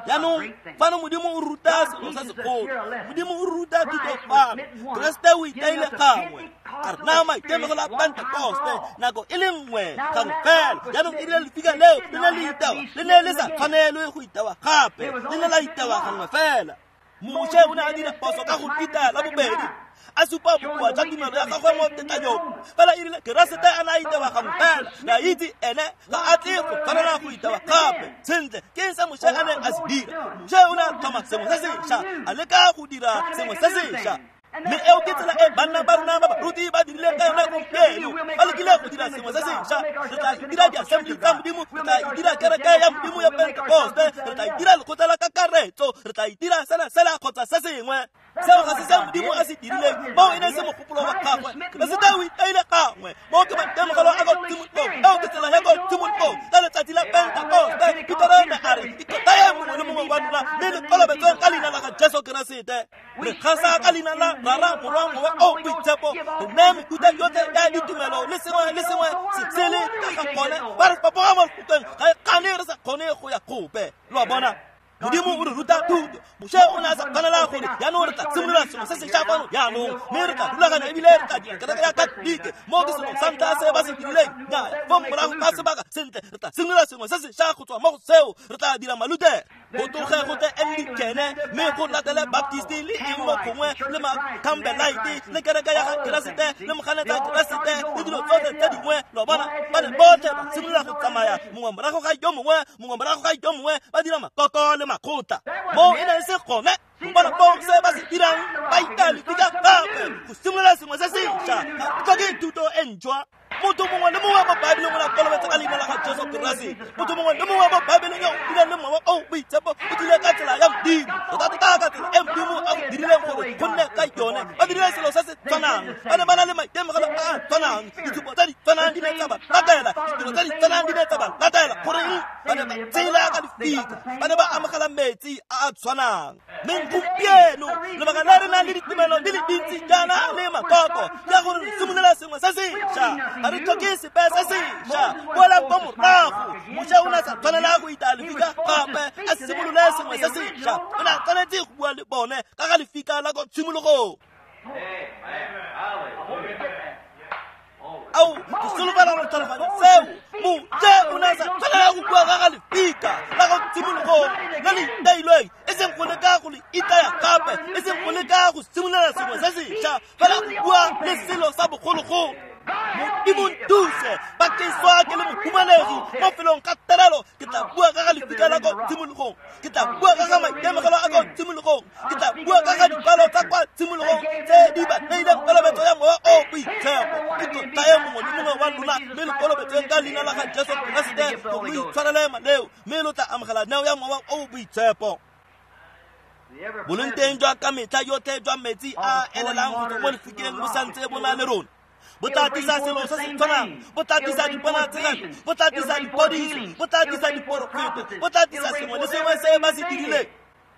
Jaanong fano Modimo o ruta selo se segolo. Modimo o ruta thuto fano. Keresete o itaile gangwe, a re naya maitemogelo a Pentekoste nako e le nngwe gangwe fela. Jaanong e rile lefika leo le ne le itewa, le ne le sa tshwanelwe go itewa gape, le ne la itewa gangwe fela. Moshe o ne a dira phoso ka go itaya la bobedi, a supa bokoa jwa tumelo ya gagwe mo tetlanyong. Fela e rile Keresete a ne a itewa gangwe fela, re a itse ene ga a tle go tshwanela go itewa gape. Sentle, ke eng se Moshe a neng a se dira? Moshe o ne a tlhoma sengwe se sešwa, a leka go dira sengwe se sešwa. Mme eo ke tsela e banna ba rona ba baruti ba dirileng ka yone gompieno. Ba lekile go dira sengwe se sešwa. Re tla itira di-assembly tsa Modimo, re tla itira kereke ya Modimo ya Pentekoste, re tla itira lekgotla la kakaretso, re tla itira sena sela kgotsa se sengwe. Seo ga se se Modimo a se dirileng, moo e ne se mogopolo wa gagwe. Keresete o itaile gangwe, moo ke maitemogelo a ko tshimologong. Eo ke tsela ya ko tshimologong. Ka letsatsi la Pentekoste, Petero ne a re, ikotlayeng mongwe le mongwe wa lona, mme le kolobetsweng ka leina la ga Jesu Keresete. Re gasa ka leina la Rara, Morwa, Mowa o Boitshepo, re neye mefuta yotlhe ya ditumelo le sengwe le sengwe se sele ka ga gone. Ba re fapoga mo lefokong, ga e kgane re sa kgone go ya gope. Lo a bona? Modimo o re ruta thuto. Moshe o ne a sa tshwanela gore jaanong re tla simolola sengwe se sešwa fano jaanong, mme re tla rulaganya ebile re tla dira kereke ya Katolike. Moo ke selo sa ntlha se ba se dirileng. Nnyaya, fong morago ga sebaka, sentle, re tla simolola sengwe se sešwa go tswa mo go seo, re tla dira Malutere. Go tloge go tle Anglicane, mme go latele Baptiste le eng mo gongwe, le Macampbellite, le kereke ya ga Keresete, le moganetsa Keresete, le dilo tsotlhe tse dingwe. Lo bona, ba ne botlhe ba simolola go tsamaya mongwe morago ga yo mongwe, mongwe morago ga yo mongwe, ba dira makoko le makgotla. Moo e ne e se gone. Bona foo se ba se dirang, ba itaya lefika gape go simolola sengwe se sešwa. Ga go tlhoke thuto e ntšhwa. Motho mongwe le mongwe mo Baebeleng o ne a kolobetsa ka leina la ga Jesu Keresete. Motho mongwe le mongwe mo Baebeleng yo o bileng le Mowa o Boitshepo o tlile ka tsela ya Modimo, tota-tota ka tsela e Modimo a go dirileng gore go nne ka yone. Ba dirile selo se se tshwanang, ba ne ba na le maitemogelo a a tshwanang, ditshupo tse di tshwanang di ne tsa ba latela, ditiro tse di tshwanang di ne tsa ba latela. Goreng? Ba ne ba tshela ka lefika, ba ne ba amogela metsi a a tshwanang. Mme gompieno lebaka le re nang le ditumelo di le dintsi jaana le makoko ke gore re simolola sengwe se sešwa. Ga re tlhoke sepe se sešwa. Boelang kwa morago. Moshe o ne a sa tshwanela go itaya lefika gape a simolole sengwe se sešwa. O ne a tshwanetse go bua le bone ka ga lefika la ko tshimologong. Ao, ke solofela gore tlhaloganya seo. Moshe o ne a sa tshwanela go bua ka ga lefika la ko tshimologong le le itailweng, e seng go leka go le itaya gape, e seng go leka go simolola sengwe se sešwa, fela go bua le selo sa bogologolo. Modimo nthuse, ba ke swa ke le mohumanegi mo felong ga terelo, ke tla bua ka ga lefika la ko tshimologong, ke tla bua ka ga maitemogelo a ko tshimologong, ke tla bua ka ga dikwalo tsa kwa tshimologong tse di ba neileng kolobetso ya Mowa o Boitshepo. Ke tlotlae mongwe le mongwe wa lona, mme le kolobetsweng ka leina la ga Jesu Keresete gore lo itshwarele maleo, mme lo tla amogela neo ya Mowa o Boitshepo. Boleng teng jwa ka metlha yotlhe jwa metsi a elelang go tswa mo lefikeng bo santse bo na le rona. Bo tla tlisa selo se se tshwanang, bo tla tlisa diponatshegelo, bo tla tlisa dipodiso, bo tla tlisa diporofeto, bo tla tlisa sengwe le sengwe se ba se dirileng.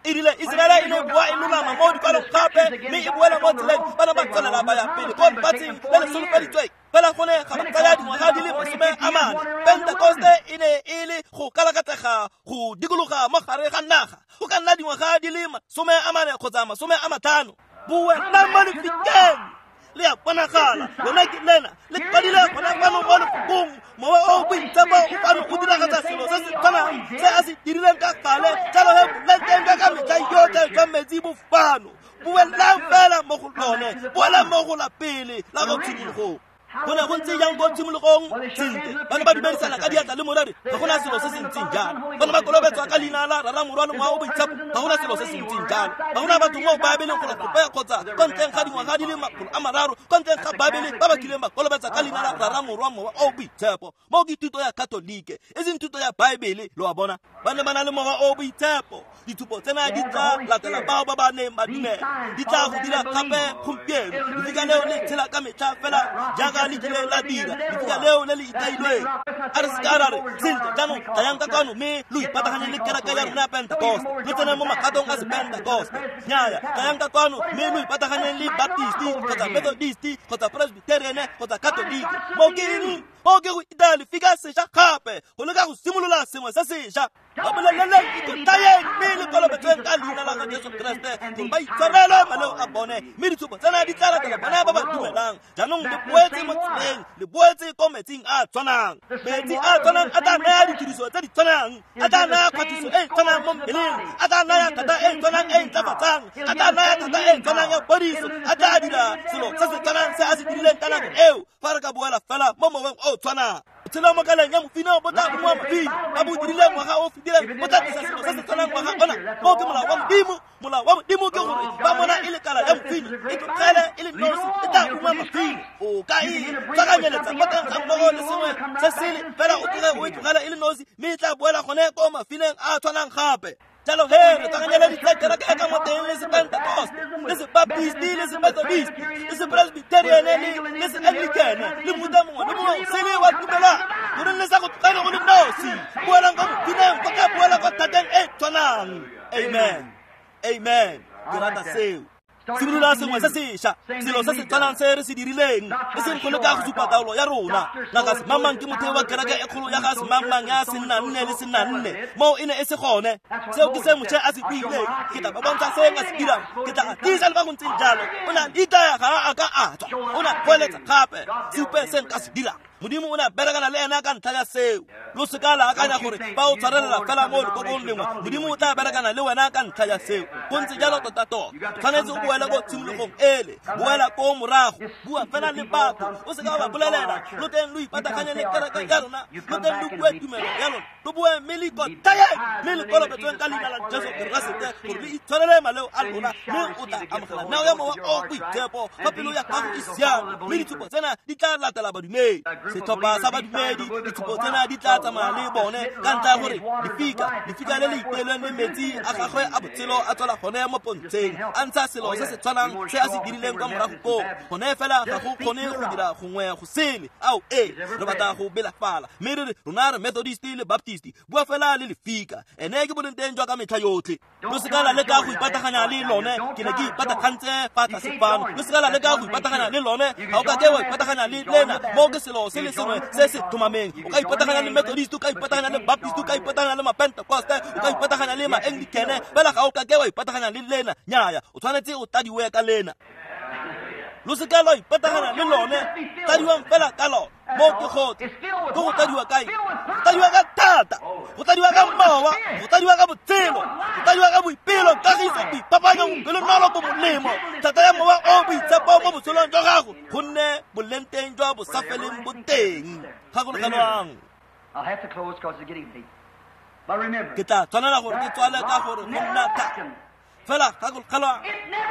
E rile Iseraele e ne e boa e lolama mo dikwalong gape, mme e boela mo tseleng, ba ne ba tswelela ba ya pele ko lefatsheng le le solofeditsweng. Fela go ne ga ba tsaya dingwaga di le 40. Pentekoste e ne e le go kalakatega go dikologa mo gare ga naga, go ka nna dingwaga di le 40 kgotsa 50. Boelang mo lefikeng, le a bonagala, lona ke lena, le kwadile gona fano mo lefokong. Mowa o Boitshepo o fano o diragatsa selo se se tshwanang se a se dirileng ka gale. Jalo he boleng teng jwa ka metlha yotlhe jwa metsi bo fano. Boelang fela mo go lone. la pele la go tshimologong. Go ne go ntse jang ko tshimologong? Sentle, ba ne ba dumedisana ka diatla le moreri, ga gona selo se se ntseng jalo. Ba ne ba kolobetswa ka leina la Rara, Morwa le Mowa o Boitshepo, ga gona selo se se ntseng jalo. Ga gona batho mo Baebeleng go gope kgotsa ko ntleng ga dingwaga di le 300 ko ntleng ga Baebele ba ba kileng ba kolobetsa ka leina la Rara, Morwa, Mowa o Boitshepo. Moo ke thuto ya Katolike, e seng thuto ya Baebele, lo a bona. Ba ne ba na le Mowa o Boitshepo. Dithupo tsena di tla latela bao ba ba neng ba dumela, di tla go dira gape gompieno. Lefika leo le tshela ka metlha fela jaaka le kile la dira, lefika leo le le itailweng. A re seka ra re sentle jaanong tlayang ka kwano mme lo ipataganye le kereke ya rona ya Pentecost, lo tsene mo magatong a sepentecost. Nnyaya, tlayang ka kwano mme lo ipataganyeng le Baptist kgotsa Methodist kgotsa Presbyterian kgotsa Catholic. Moo ke eng? Moo ke go itaya lefika sešwa gape, go leka go simolola sengwe se sešwa. Ba boleleleng ikotlayeng mme le kolobetsweng ka leina la ga Jesu Keresete gore ba itshwarelwe maleo a bone, mme ditshupo tsena di tla latela bone ba ba dumelang. Jaanong le boetse mo tseleng, le boetse ko metsing a tshwanang. Metsi a tshwanang a tla naya ditiriso tse di tshwanang, a tla naya kgwathiso e e tshwanang mo mmeleng, a tla naya thata e e tshwanang e e ntlafatsang, a tla naya thata e e tshwanang ya phodiso, a tla dira selo se se tshwanang se a se dirileng ka nako eo. Fa re ka boela fela mo moweng o tshwanang. Botshelo mo kaleng ya mofine bo tla ungwa mofine, ba bo dirile ngwaga o fetileng bo tla tlisa selo se se tshwanang ngwaga ona. Moo ke molao wa Modimo. Molao wa Modimo ke gore ba mona e le kala ya mofine, e tlogele e le nosi, e tla ungwa mofine. O ka e tlhakanyeletsa mo teng ga mmogo le sengwe se sele, fela o tloge o e tlogele e le nosi, mme e tla boela gone ko mafineng a tshwanang gape. Jalo he re tlhakanyeleditse kereke ka mo teng le sepentecost, le sebaptist, le semethodist, le sepresbyterian, le seanglican, le mofuta mongwe le mongwe o sele wa tumelwang. Goreng le sa go tlogele go le nosi? Boelang kwa mofineng, go tla boela kwa thateng e tshwanang. Amen, amen. Ke rata seo. Simolola sengwe se sešwa, selo se se tshwanang se re se dirileng, e seng go leka go supa taolo ya rona. Ngaka semangmang ke motheo wa kereke e kgolo ya ga semangmang ya senna-nne le senna-nne. Moo e ne e se gone. Seo ke se Moshe a se buileng. Ke tla ba bontsha se nka se dirang, ke tla tiisa le ba go ntseng jalo. O ne a itaya, ga a ka a tswa. O ne a goeletsa gape, supe se nka se dirang. Modimo o ne a berekana le ena ka ntlha ya seo. Lo seka la akanya gore ba o tshwarelela fela mo lekokong lengwe, Modimo o tla berekana le wena ka ntlha ya seo. Go ntse jalo tota-tota. Tshwanetse o boele ko tshimologong ele, boela ko morago, bua fela le batho, o seka wa ba bolelela lo teng lo ipataganye le kereke ya lona, lo teng lo bue tumelo ya lona, lo bue mme le ikotlayeng mme le kolobetsweng ka leina la Jesu Keresete gore le itshwarele maleo a lona, mme o tla amogela neo ya Mowa o Boitshepo fa pelo ya gago e siame, mme ditshupo tsena di tla latela badumedi. Setlhopha sa badumedi, ditshupo tsena di tla tsamaya le bone ka ntlha ya gore lefika le le iteilweng le metsi a gagwe a botshelo a tswela gone mo pontsheng, a ntsha selo se se tshwanang se a se dirileng kwa morago koo. Gone fela ga go kgone go dira gongwe go sele. Ao ee, re batla go belafala mme re re rona re Methodist le Baptist. Bua fela le lefika, ene ke boleng teng jwa ka metlha yotlhe. Lo seka la leka go ipataganya le lone. Ke ne ke ipatagantse fa tlase fano. Lo seka la leka go ipataganya le lone. Ga o ka ke wa ipataganya le lena. Moo ke selo se le sengwe se se tlhomameng. O ka ipataganya le Methodist, o ka ipataganya le Baptist, o ka ipataganya le Mapentecoste, o ka ipataganya le Maanglicane, fela ga o ka ke wa ipataganya le lena. Nnyaya, o tshwanetse o tadiwe ka lena. Lo seka lwa ipataganya le lone, tadiwang fela ka lone. Moo ke gotlhe. Ke go tadiwa kae? Go tadiwa ka thata, go tadiwa ka mowa, go tadiwa ka botshelo, go tadiwa ka boipelo, kagiso, boipapanyo, bopelonolo, bo molemo, thata ya Mowa o Boitshepo mo botshelong jwa gago, gonne boleng teng jwa bosafeleng bo teng. Gakologelwang. Ke tla tshwanela gore ke tswale ka gore go nna thata. Fela gakologelwang,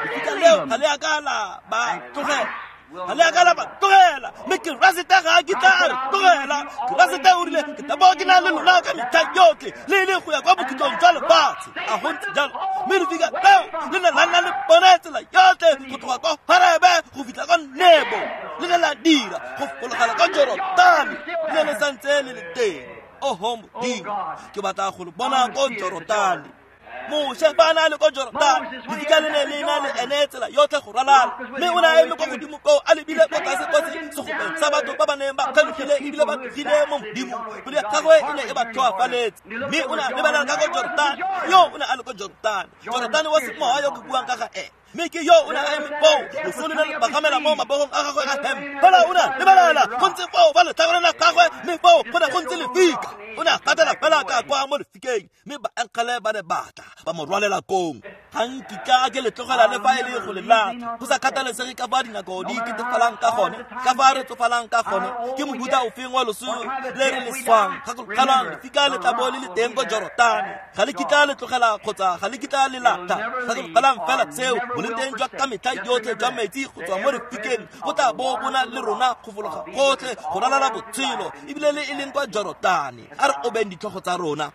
lefika leo ga le a ka la ba tlogela. Ga le a ka la ba tlogela, mme Keresete ga a kitla a re tlogela. Keresete o rile, ke tla bo ke na le lona ka metlha yotlhe, le le go ya kwa bokhutlong jwa lefatshe. A go ntse jalo? Mme lefika leo le ne la nna le bone tsela yotlhe go tloga kwa Horebe go fitlha kwa Nebo, le ne la dira go fologela kwa Jorodane, le ne le santse le le teng. Oho Modimo, ke batla go le bona ko Jorodane. Moshe fa a na le ko Jorodane, lefika le ne le na le ene tsela yotlhe go ralala, mme o ne a eme kwa godimo koo a lebile kwa tlase kwa segopeng sa batho ba ba neng ba kgelogile ebile ba tlogile mo Modimong. Pelo ya gagwe e ne e ba tlhoafaletse, mme o ne a lebelela ka ko Jorodane. Yo o ne a le ko Jorodane, Jorodane wa semowa yo ke buang ka ga ene. Mme ke yo o ne a eme foo, loso le ne le bagamela mo mabogong a gagwe a hempe. Fela o ne a lebelela go ntse foo ba letlhakoreng la gagwe, mme foo go ne go ntse lefika. O ne a gatela fela ka kwa mo lefikeng, mme baengele ba ne batla ba mo rwalela kong. Ga nkitla ke le tlogela le fa e le go le latlha, go sa kgathalesege ka fa dinako di ketefalang ka gone, ka fa re tsofalang ka gone. Ke mohuta ofeng wa loso le re le swang? Gakologelwang, lefika le tla bo le le teng ko Jorotane. Ga le kitla le tlogela kgotsa ga le kitla le latlha. Gakologelwang fela seo, boleng jwa ka metlha yotlhe jwa metsi go tswa mo lefikeng go tla bo bona le rona go fologa gotlhe go ralala botshelo, ebile le e leng kwa Jorotane. A re obeng ditlhogo tsa rona.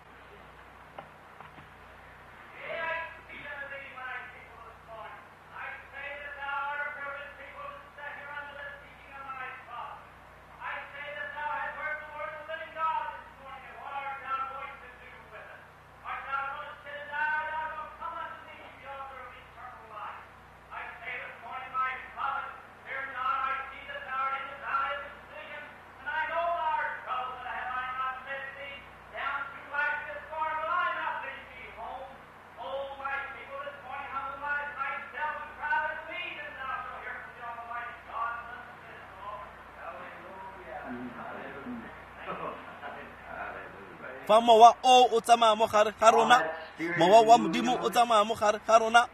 Fa mowa o tsamaya mo gare ga rona, mowa wa Modimo o tsamaya mo gare ga rona,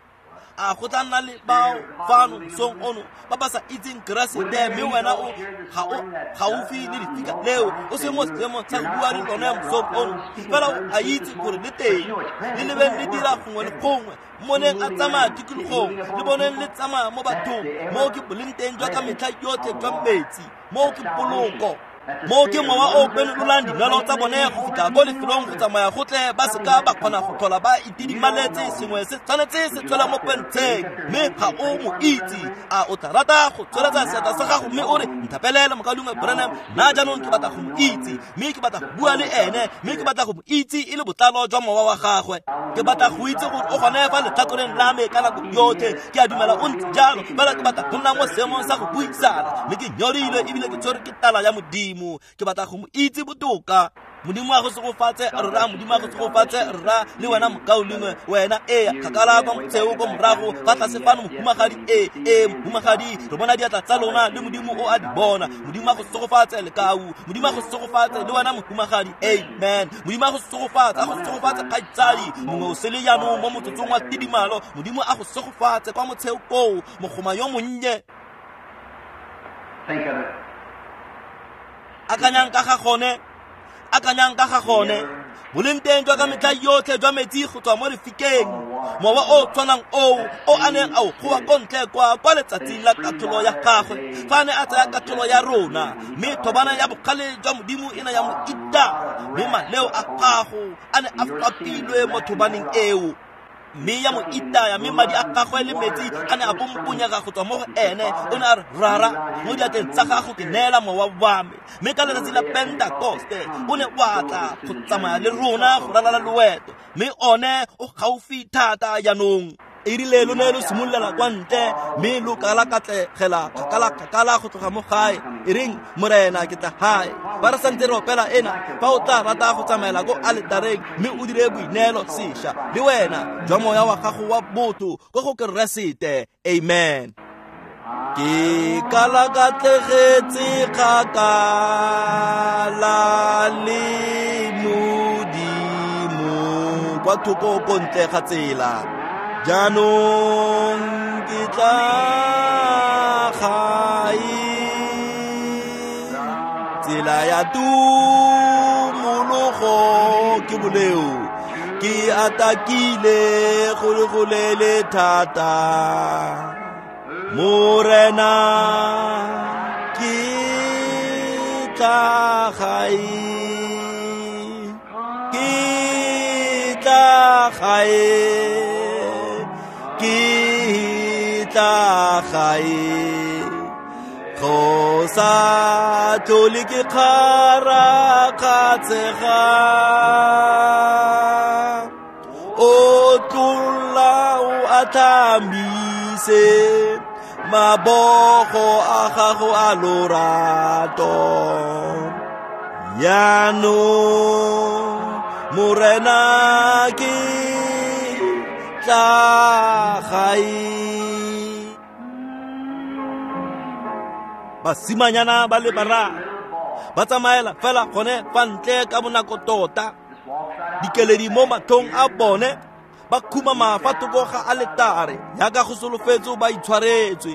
a go tla nna le bao fano mosong ono ba ba sa itseng Keresete, mme wena o ga o gaufi le lefika leo, o se mo seemong sa go bua le lone mosong ono, fela o a itse gore le teng, le lebeng le dira gongwe le gongwe, mmoneng a tsamaya tikologong, le boneng le tsamaya mo bathong. Moo ke boleng teng jwa ka metlha yotlhe jwa metsi, moo ke poloko. Moo ke mowa o penololang dinwelo tsa bone go fitlha ko lefelong go tsamaya gotlhe ba seka ba kgona go tlhola ba itidimaletse. Sengwe se tshwanetse se tswela mo pentsheng, mme ga o mo itse. A o tla rata go tsweletsa seatla sa gago mme o re, nthapelele mokaulengwe Branham, nna jaanong ke batla go mo itse, mme ke batla go bua le ene, mme ke batla go mo itse e le botlalo jwa mowa wa gagwe. Ke batla go itse gore o gone fa letlhakoreng la me ka nako yotlhe. Ke a dumela o ntse jalo, fela ke batla go nna mo seemong sa go buisana, mme ke nyorilwe ebile ke tshwerwe ke tala ya Modimo. Ke batla go mo itse botoka. Modimo a go segofatse rra, Modimo a go segofatse rra, le wena mokaulengwe, wena ee kgakala kwa motsheo ko morago fa tlase fano mohumagadi, ee mohumagadi, re bona diatla tsa lona le Modimo o a di bona. Modimo a go segofatse lekau, Modimo a go segofatse le wena mohumagadi, amen. Modimo a go segofatse, a go segofatse kgaitsadi mongwe o sele jaanong mo motsotsong wa tidimalo. Modimo a go segofatse kwa motsheo koo, mogoma yo monnye. Think of it. Akanyang ka ga gone, akanyang ka ga gone. Boleng teng jwa ka metlha yotlhe jwa metsi go tswa mo lefikeng, mowa o tshwanang oo o a neng a o goa ko ntle kwa letsatsing la katlholo ya gagwe, fa a ne a tsaya katlholo ya rona, mme thobana ya bogale jwa Modimo e ne ya mo ita, mme maleo a gago a ne a fapilwe mo thobaneng eo, mme ya mo itaya, mme madi a gagwe le metsi a ne a pomponyega go tswa mo go ene. O ne a re, Rara, mo diatleng tsa gago ke neela mowa wa me. Mme ka letsatsi la Pentekoste o ne wa tla go tsamaya le rona go ralala loeto, mme one o gaufi thata jaanong. E rile lo ne lo simololela kwa ntle, mme lo kalakatlegela kgakala-kgakala go tloga mo gae. E reng, Morena, ke tla gae. Fa re santse re opela ena, fa o tla rata go tsamaela ko aletareng mme o dire boineelo sešwa le wena jwa moya wa gago wa botho ko go Keresete. Amen. Ke kalakatlegetse kgakala le Modimo kwa thoko ko ntle ga tsela. Jaanong ke tla gae, tsela ya tumologo ke boleo, ke atakile go le go lele thata. Morena, ke tla gae, ke tla gae, ke tla gae. Go sa tlhole ke kgarakgatshega, o tlola o atlhamise mabogo a gago a lorato. Jaanong Morena, ke tla gae. Basimanyana ba le bararo Ba tsamaela fela gone fa ntle ka bonako tota, dikeledi mo matlhong a bone, ba khumama fa thoko ga aletare jaaka go solofetswe ba itshwaretswe.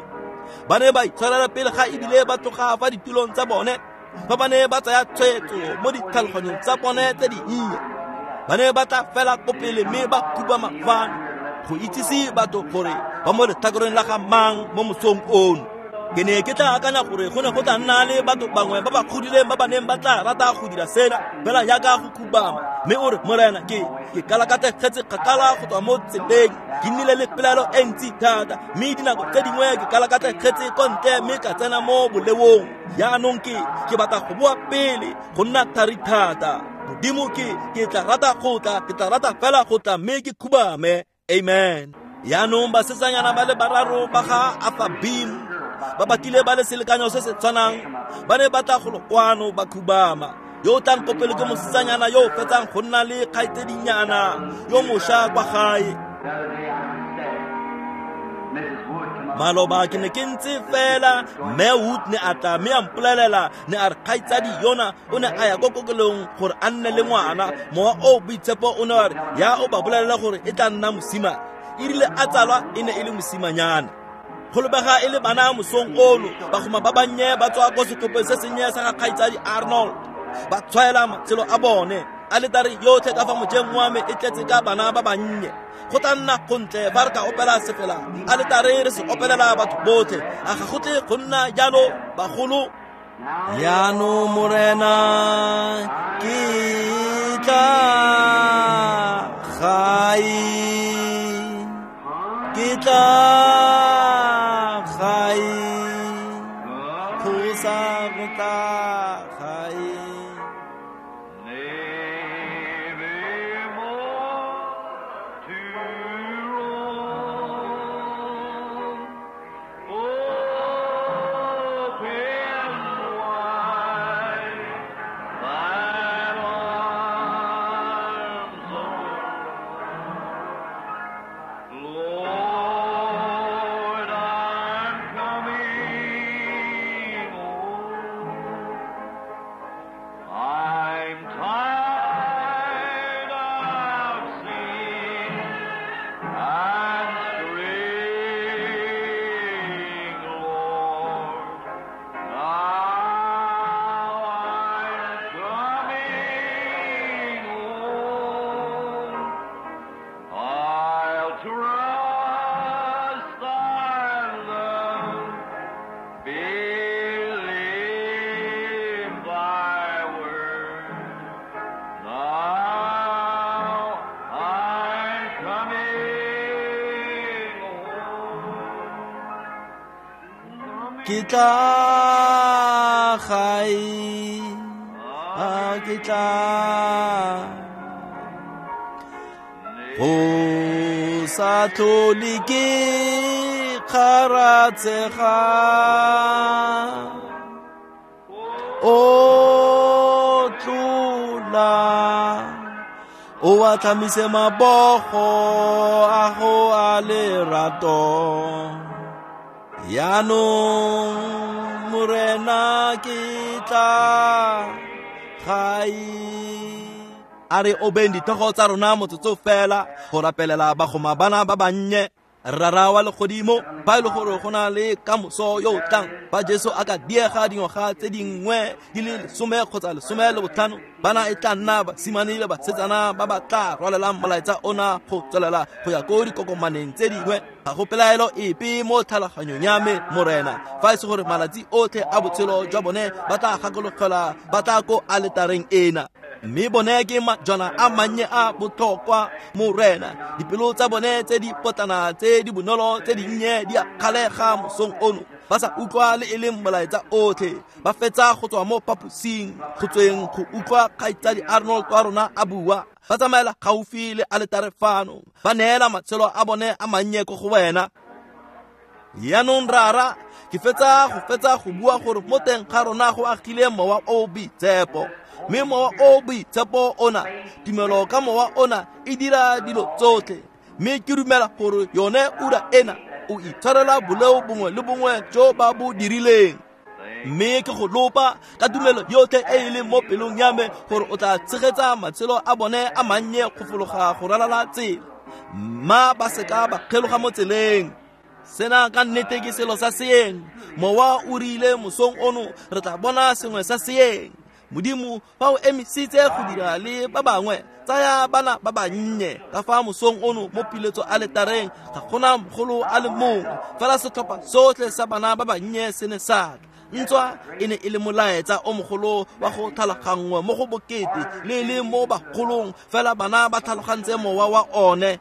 Ba ne ba itshwarela pele ga ebile ba tloga fa ditulong tsa bone, fa ba ne ba tsaya tshwetso mo ditlhaloganyong tsa bone tse dinnye. Ba ne ba tla fela ko pele mme ba khubama fano go itsise batho gore ba mo letlhakoreng la ga mang mo mosong ono. Ke ne ke tla akanya gore go ne go tla nna le batho bangwe ba ba godileng ba ba neng ba tla rata go dira sena fela jaaka go khubama, mme o re, Morena, ke kalakategetse kgakala go tswa mo tseleng, ke nnile le pelaelo e ntsi thata, mme dinako tse dingwe ke kalakategetse ko ntle mme ka tsena mo boleong. Jaanong ke batla go boa pele go nna thari thata. Modimo, ke tla rata go tla, ke tla rata fela go tla mme ke khubame. Amen. Jaanong basetsanyana ba le bararo ba ga Afabim ba batlile ba le selekanyo se se tshwanang, ba ne ba tla golo kwano ba khubama. Yo o tlang ko pele ke mosetsanyana yo o fetsang go nna le kgaitsedinyana yo mošwa kwa gae. Maloba ke ne ke ntse fela, mme Wood ne a tla mme a mpolelela, ne a re kgaitsadi yona o ne a ya ko kokelong gore a nne le ngwana. Mowa o boitshepo o ne wa re ya o ba bolelela gore e tla nna mosimane. E rile a tsalwa e ne e le mosimanyana. Go lebega e le bana mosong ono, bagoma ba bannye ba tswa ko setlhopheng se sennye sa ga kgaitsadi Arnold, ba tshwaela matshelo a bone. Aletare yotlhe ka fa mojeng wa me e tletse ka bana ba bannye. Go tla nna gontle fa re ka opela sefela aletare re se opelela batho botlhe. A ga go tle go nna jalo bagolo? Jaanong Morena, ke tla gae, ke tla gae, go sa go tla gae. Ke tla gae, a ke tla go sa tlhole ke kgaratsega, o tlola o atlhamise mabogo a go a lerato. Jaanong Morena, ke tla gae. A re obeng ditlhogo tsa rona motsotso fela go rapelela bagoma bana ba bannye. Rara wa legodimo, fa e le gore go na le kamoso yo o tlang, fa Jesu a ka diega dingwaga tse dingwe di le 10 kgotsa 15, bana e tla nna basimane le basetsana ba ba tla rwalelang molaetsa ona go tswelela go ya ko dikokomaneng tse dingwe. Ga go pelaelo epe mo tlhaloganyong ya me, Morena, fa e se gore malatsi otlhe a botshelo jwa bone ba tla gakologelwa ba tla ko aletareng ena. Mme bone ke majwana a mannye a botlhokwa, Morena. Dipelo tsa bone tse di potlana tse di bonolo tse dinnye di a kgalega mosong ono, ba sa utlwa le e leng molaetsa otlhe. Ba fetsa go tswa mo phaposing go tsweng go utlwa kgaitsadi Arnold wa rona a bua, ba tsamaela gaufi le aletare fano, ba neela matshelo a bone a mannye ko go wena. Jaanong Rara, ke fetsa go bua gore mo teng ga rona go agile mowa o boitshepo, mme mowa o boitshepo ona, tumelo ka mowa ona e dira dilo tsotlhe. Mme ke dumela gore yone ura ena o itshwarela boleo bongwe le bongwe jo ba bo dirileng. Mme ke go lopa ka tumelo yotlhe e e leng mo pelong ya me gore o tla tshegetsa matshelo a bone a mannye go fologa go ralala tsela, mma ba seka ba kgeloga mo tseleng. Sena ka nnete ke selo sa seeng. Mowa o rile mosong ono re tla bona sengwe sa seeng. Modimo fa o emisitse go dira le ba bangwe, tsaya bana ba bannye ka fa mosong ono mo piletso aletareng. Ga gona mogolo a le mongwe, fela setlhopha sotlhe sa bana ba bannye se ne sa tla. Ntswa e ne e le molaetsa o mogolo wa go tlhaloganngwa mo go bokete le le mo bagolong, fela bana ba tlhalogantse mowa wa one.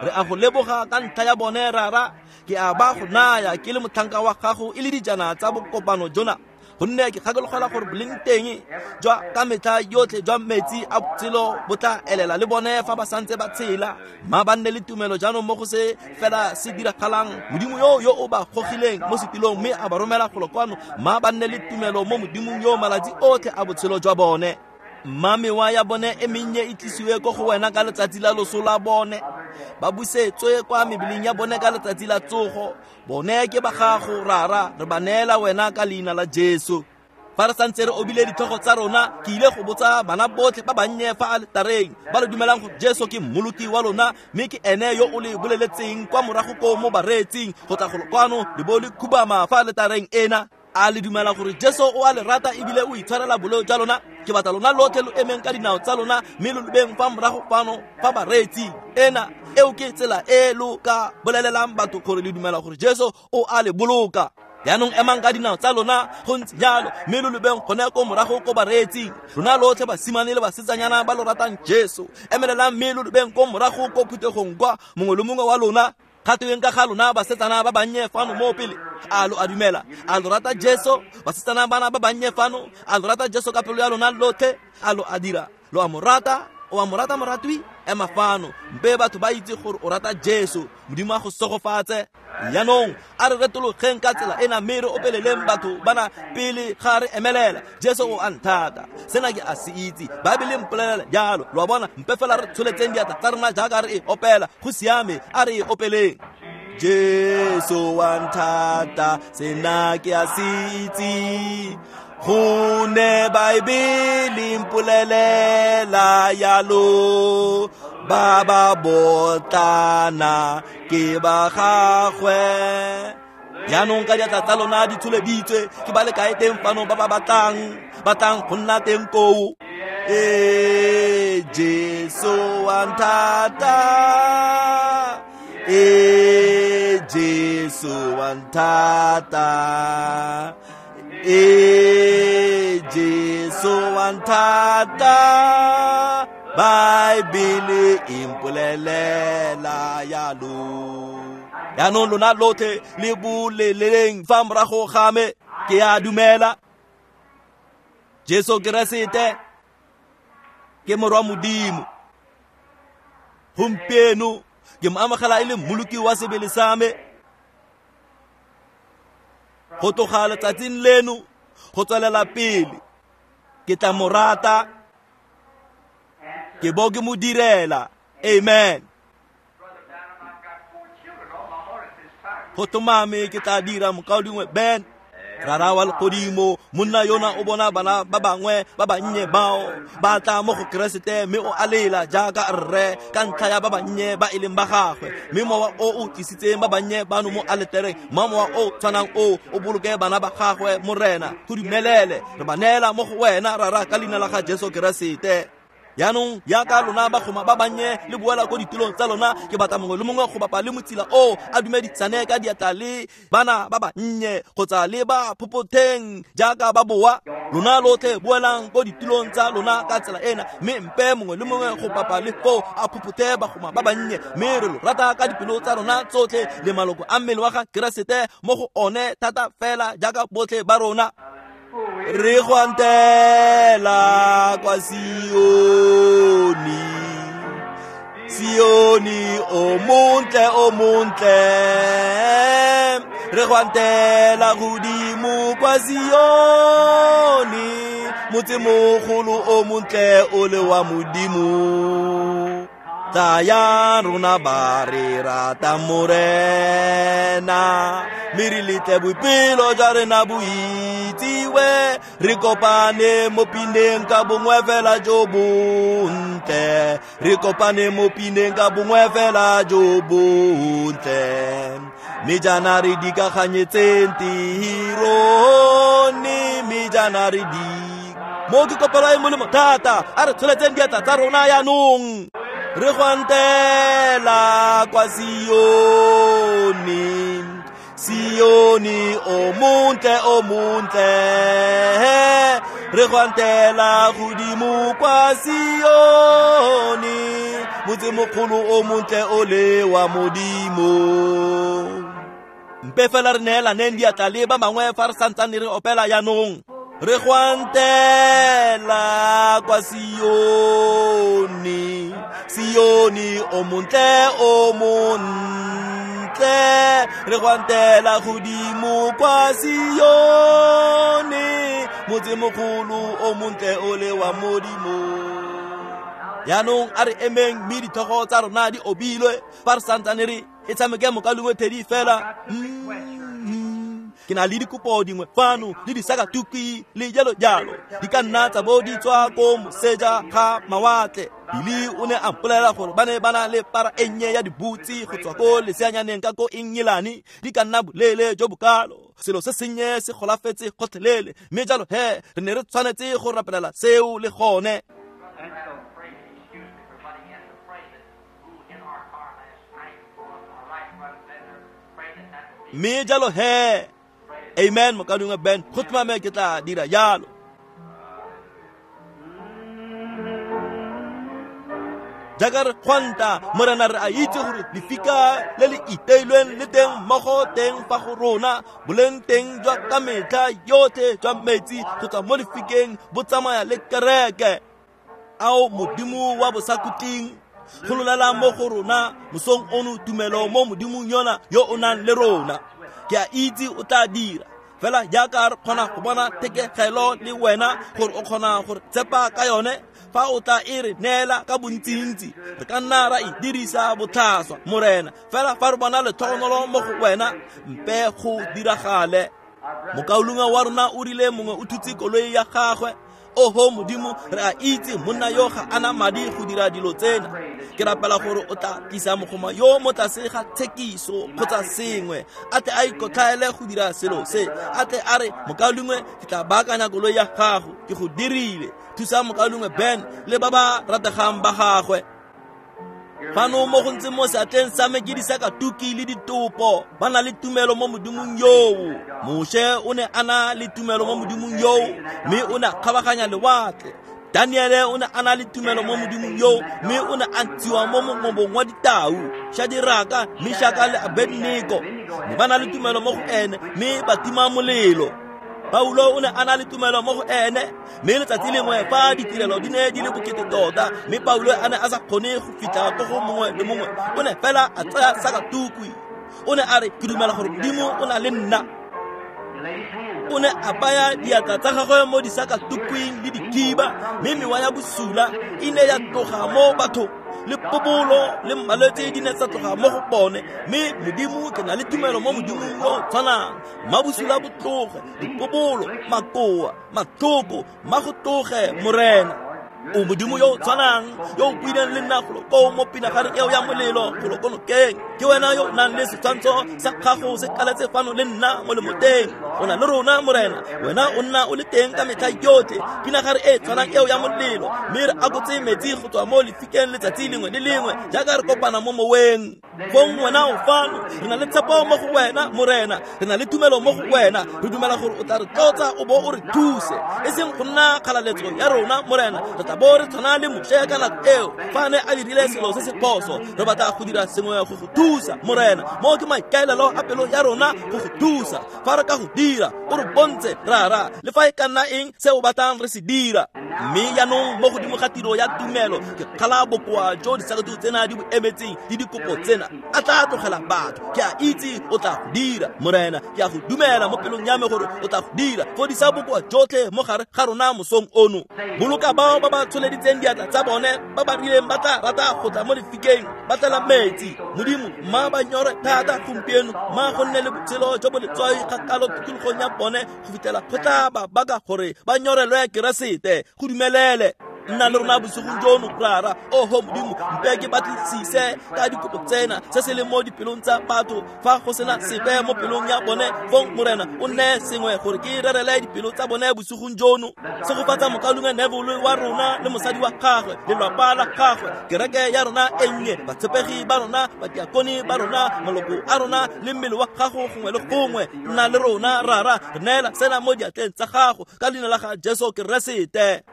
Re a go leboga ka ntlha ya bone, Rara. Ke a ba go naya ke le motlhanka wa gago e le dijana tsa bokopano jona, gonne ke gakologelwa gore boleng teng jwa ka metlha yotlhe jwa metsi a botshelo bo tla elela le bone fa ba santse ba tshela. Mma ba nne le tumelo jaanong mo go se fela se diragalang. Modimo yo o ba gogileng mo setilong mme a ba romela golo kwano, mma ba nne le tumelo mo Modimong yo malatsi otlhe a botshelo jwa bone. Mma mewa ya bone e mennye e tlisiwe ko go wena ka letsatsi la loso la bone, ba busetswe kwa mebeleng ya bone ka letsatsi la tsogo. Bone ke ba gago, Rara, re ba neela wena ka leina la Jesu. Fa re santse re obile ditlhogo tsa rona, ke ile go botsa bana botlhe ba bannye fa aletareng ba le dumelang gore Jesu ke mmoloki wa lona, mme ke ene yo o le boleletseng kwa morago ko mo bareetsing go tla golo kwano le bo le khubama fa aletareng ena. A le dumela gore Jesu o a le rata ebile o itshwarela boleo jwa lona? Ke batla lona lotlhe lo emeng ka dinao tsa lona mme lo lebeng fa morago fano fa bareetsing ena. Eo ke tsela e lo ka bolelelang batho gore le dumela gore Jesu o a le boloka. Jaanong emang ka dinao tsa lona go ntse jalo, mme lo lebeng gone ko morago ko bareetsing. Lona lotlhe basimane le basetsanyana ba lo ratang Jesu, emelelang mme lo lebeng ko morago ko phuthegong kwa, mongwe le mongwe wa lona. Gateweng ka ga lona basetsana ba bannye fano mo pele, a lo a dumela? A lo rata Jesu? Basetsana bana ba bannye fano, a lo rata Jesu ka pelo ya lona lotlhe? A lo a dira? Lo a mo rata? O a mo rata, moratwi? Ema fano, mpe batho ba itse gore o rata Jesu. Modimo a go segofatse. Jaanong a re retologeng ka tsela ena mme re opeleleng batho bana pele ga re emelela. Jesu o a nthata, sena ke a se itse, Baebele mpolelela jalo. Lo a bona? Mpe fela re tsholetseng diatla tsa rona jaaka re e opela. Go siame, a re e opeleng. Jesu wa nthata, sena ke a se itse, gonne Baebele mpolelela jalo. Ba ba botlana ke ba gagwe. Jaanong ka diatla tsa lona di tsholeditswe, ke ba le kae teng fano ba ba batlang go nna teng koo? Ee, Jesu wa nthata. Ee, Jesu wa nthata. Ee, Jesu wa nthata. Baebele e mpolelela jalo. Jaanong lona lotlhe le boleleng fa morago ga me, ke a dumela Jesu Keresete ke morwa Modimo. Gompieno ke mo amogela e le mmoloki wa sebele sa me. Go tloga letsatsing leno go tswelela pele, ke tla mo rata, ke bo ke mo direla. Amen. Go tlhomame ke tla dira, mokaulengwe Ben. Rara wa legodimo, monna yona o bona bana ba bangwe ba bannye bao ba tla mo go Keresete, mme o a lela jaaka rre ka ntlha ya ba bannye ba e leng ba gagwe. Mme mowa o o tlisitseng ba bannye bano mo aletareng, mma mowa o tshwanang o o boloke bana ba gagwe, Morena. Go dumelele, re ba neela mo go wena, Rara, ka leina la ga Jesu Keresete. Jaanong jaaka lona bagoma ba bannye le boela ko ditulong tsa lona, ke batla mongwe le mongwe go bapa le motsila o a dumedisane ka diatla le bana ba bannye kgotsa le ba phophotheng jaaka ba boa. Lona lotlhe boelang ko ditulong tsa lona ka tsela ena, mme mpe mongwe le mongwe go bapa le foo a phophothe bagoma ba bannye. Mme re lo rata ka dipelo tsa rona tsotlhe le maloko a mmele wa ga Keresete mo go one thata fela jaaka botlhe ba rona. Re go antela kwa Sione, Sione o montle, o montle. Re go antela godimo kwa Sione, motsemogolo o montle o le wa Modimo. Tsaya rona ba re rata Morena, mme re letle boipelo jwa rena bo itsiwe. Re kopane mo pineng ka bongwe fela jo bontle, re kopane mo pineng ka bongwe fela jo bontle. Mme jaana re dikaganyetseng tirone, mme jaana re di mo ke kopelo e molemo thata. A re tsholetseng diatla tsa rona jaanong. Re gwantela kwa Sione, Sione o montle, o montle. Re gwantela godimo kwa Sione, motsemogolo o montle o le wa Modimo. Mpe fela re neelaneng diatla le ba bangwe fa re santsane re opela jaanong. Re gwantela kwa Sione, Sione o montle, o montle. Re gwantela godimo kwa Sione, motsemogolo o montle o le wa Modimo. Jaanong a re emeng mme ditlhogo tsa rona di obilwe fa re santsane re e tshameke mokalengwe thedi fela. Ke na le dikopo dingwe fano le disakatukwi le jalo jalo, di ka nna tsa bo di tswa ko moseja ga mawatle. Billy o ne a mpolelela gore ba ne ba na le para e nnye ya dibutsi go tswa ko leseanyaneng ka ko Engelane, di ka nna boleele jo bokalo. Selo se sennye se golafetse gotlhelele, mme jalo he re ne re tshwanetse go rapelela seo le gone. Mme jalo he, amen mokalengwe Ben, go tlhomame ke tla dira jalo. Jaaka re gwanta Morena, re a itse gore lefika le le iteilweng le teng mmogo teng fa go rona, boleng teng jwa ka metlha yotlhe jwa metsi go tswa mo lefikeng bo tsamaya le kereke. Ao Modimo wa bosakhutleng, gololela mo go rona mosong ono tumelo mo Modimong yona yo o nang le rona. Ke a itse o tla dira fela jaaka re kgona go bona thekegelo le wena gore o kgona gore tshepa ka yone. Fa o tla e re neela ka bontsintsi, re ka nna ra e dirisa botlhaswa Morena. Fela fa re bona letlhogonolo mo go wena, mpe go diragale. Mokaulengwe wa rona o rile mongwe o thutse koloi ya gagwe. Oho Modimo, re a itse monna yo ga ana madi go dira dilo tsena. Ke rapela gore o tla tlisa mogoma yo mo tlase ga tshekiso kgotsa sengwe, a tle a ikotlhaele go dira selo se, a tle a re, mokaulengwe, ke tla baakanya koloi ya gago, ke go dirile. Thusa mokaulengwe Ben le ba ba rategang ba gagwe. Fano mo go ntse mo seatleng sa me ke disakatuki le ditopo. Ba na le tumelo mo Modimong yoo. Moshe o ne a na le tumelo mo Modimong yoo, mme o ne a kgabaganya lewatle. Daniele o ne a na le tumelo mo Modimong yoo, mme o ne a ntshiwa mo mongobong wa ditau. Shadiraka, Meshaka le Abednego ne ba na le tumelo mo go ene, mme ba tima molelo. Paulo o ne a na le tumelo mo go ene, mme letsatsi lengwe fa ditirelo di ne di le bokete tota, mme Paulo a ne a sa kgone go fitlha ko go mongwe le mongwe, o ne fela a tsaya sakatukwi. O ne a re, ke dumela gore Modimo o na le nna. O ne a baya diatla tsa gagwe mo disakatukwing le dikhiba, mme mewa ya bosula e ne ya tloga mo bathong, le pobolo le malwetse di ne tsa tloga mo go bone. Mme Modimo, ke na le tumelo mo Modimong yo tshwanang. Mabosula bo tloge, dipobolo, makoa, matlhoko, ma go tloge Morena. O Modimo yo o tshwanang yo o buileng le nna golo koo mo pinagareng eo ya molelo golo ko nokeng. Ke wena yo o nang le setshwantsho sa gago se kaletse fano le nna mo lemoteng. O na le rona Morena, wena o nna o le teng ka metlha yotlhe. Pinagare e tshwanang eo ya molelo, mme re akotse metsi go tswa mo lefikeng letsatsi lengwe le lengwe jaaka re kopana mo moweng. Fong wena o fano, re na le tshepo mo go wena Morena, re na le tumelo mo go wena. Re dumela gore o tla re tlotsa o bo o re thuse, e seng go nna kgalaletso ya rona Morena. Re tla bo re tshwana le Moshe ka nako eo fa a ne a dirile selo se se phoso. Re batla go dira sengwe go go thusa Morena. Mo ke maikaelelo a pelo ya rona go go thusa. Fa re ka go dira, o re bontshe rara le fa e ka nna eng se o batlang re se dira. Mme jaanong mo godimo ga tiro ya tumelo, ke kgala bokoa jo disakatu tsena di bo emetseng le dikopo tsena. A tla tlogela batho. Ke a itse o tla go dira Morena. Ke a go dumela mo pelong ya me gore o tla go dira. Fodisa bokoa jotlhe mo gare ga rona mosong ono. Boloka bao ba ba ba tsholeditseng diatla tsa bone ba ba rileng ba tla rata go tla mo lefikeng ba tlela metsi. Modimo, mma ba nyore thata gompieno, mma go nne le botshelo jo bo letswai kgakalo tikologong ya bone go fitlhela go tla ba baka gore ba nyorelwe Keresete. Go dumelele. Nna le rona bosigong jono, Rara. Oho Modimo, mpe ke batlisise ka dikopo tsena se se leng mo dipelong tsa batho. Fa go sena sepe mo pelong ya bone, fong Morena o nne sengwe gore ke rerele dipelo tsa bone bosigong jono. Segofatsa mokaulengwe Neville wa rona le mosadi wa gagwe, lelapa la gagwe, kereke ya rona e nnye, batshepegi ba rona, badiakone ba rona, maloko a rona le mmele wa gago gongwe le gongwe. Nna le rona, Rara, re neela sena mo diatleng tsa gago ka leina la ga Jesu Keresete.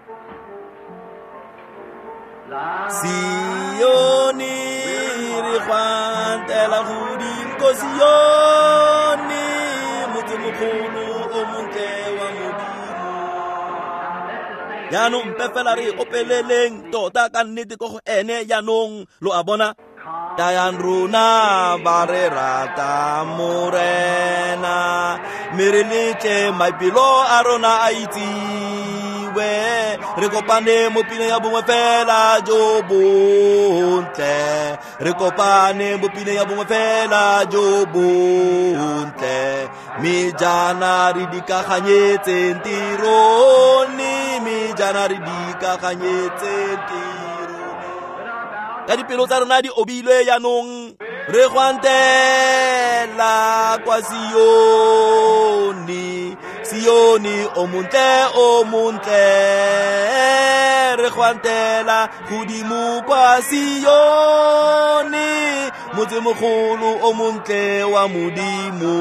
Sione re gwantela godimo ko Sione, motsemogolo o montle wa Modimo. Jaanong mpe fela re opeleleng tota ka nnete ko go ene jaanong, lo a bona. Tayang rona ba re rata Morena, mme re letle maipelo a rona a itsiwe. Re kopane mo pineng ya bongwe fela jo bontle, re kopane mo pineng ya bongwe fela jo bontle. Mme jaana re dikaganyetseng tirone, mme jaana re dikaganyetseng tirone. Ka dipelo tsa rona di obilwe jaanong, re gwantela kwa Sione, Sione o montle, o montle. Re gwantela godimo kwa Sione, motsemogolo o montle wa Modimo.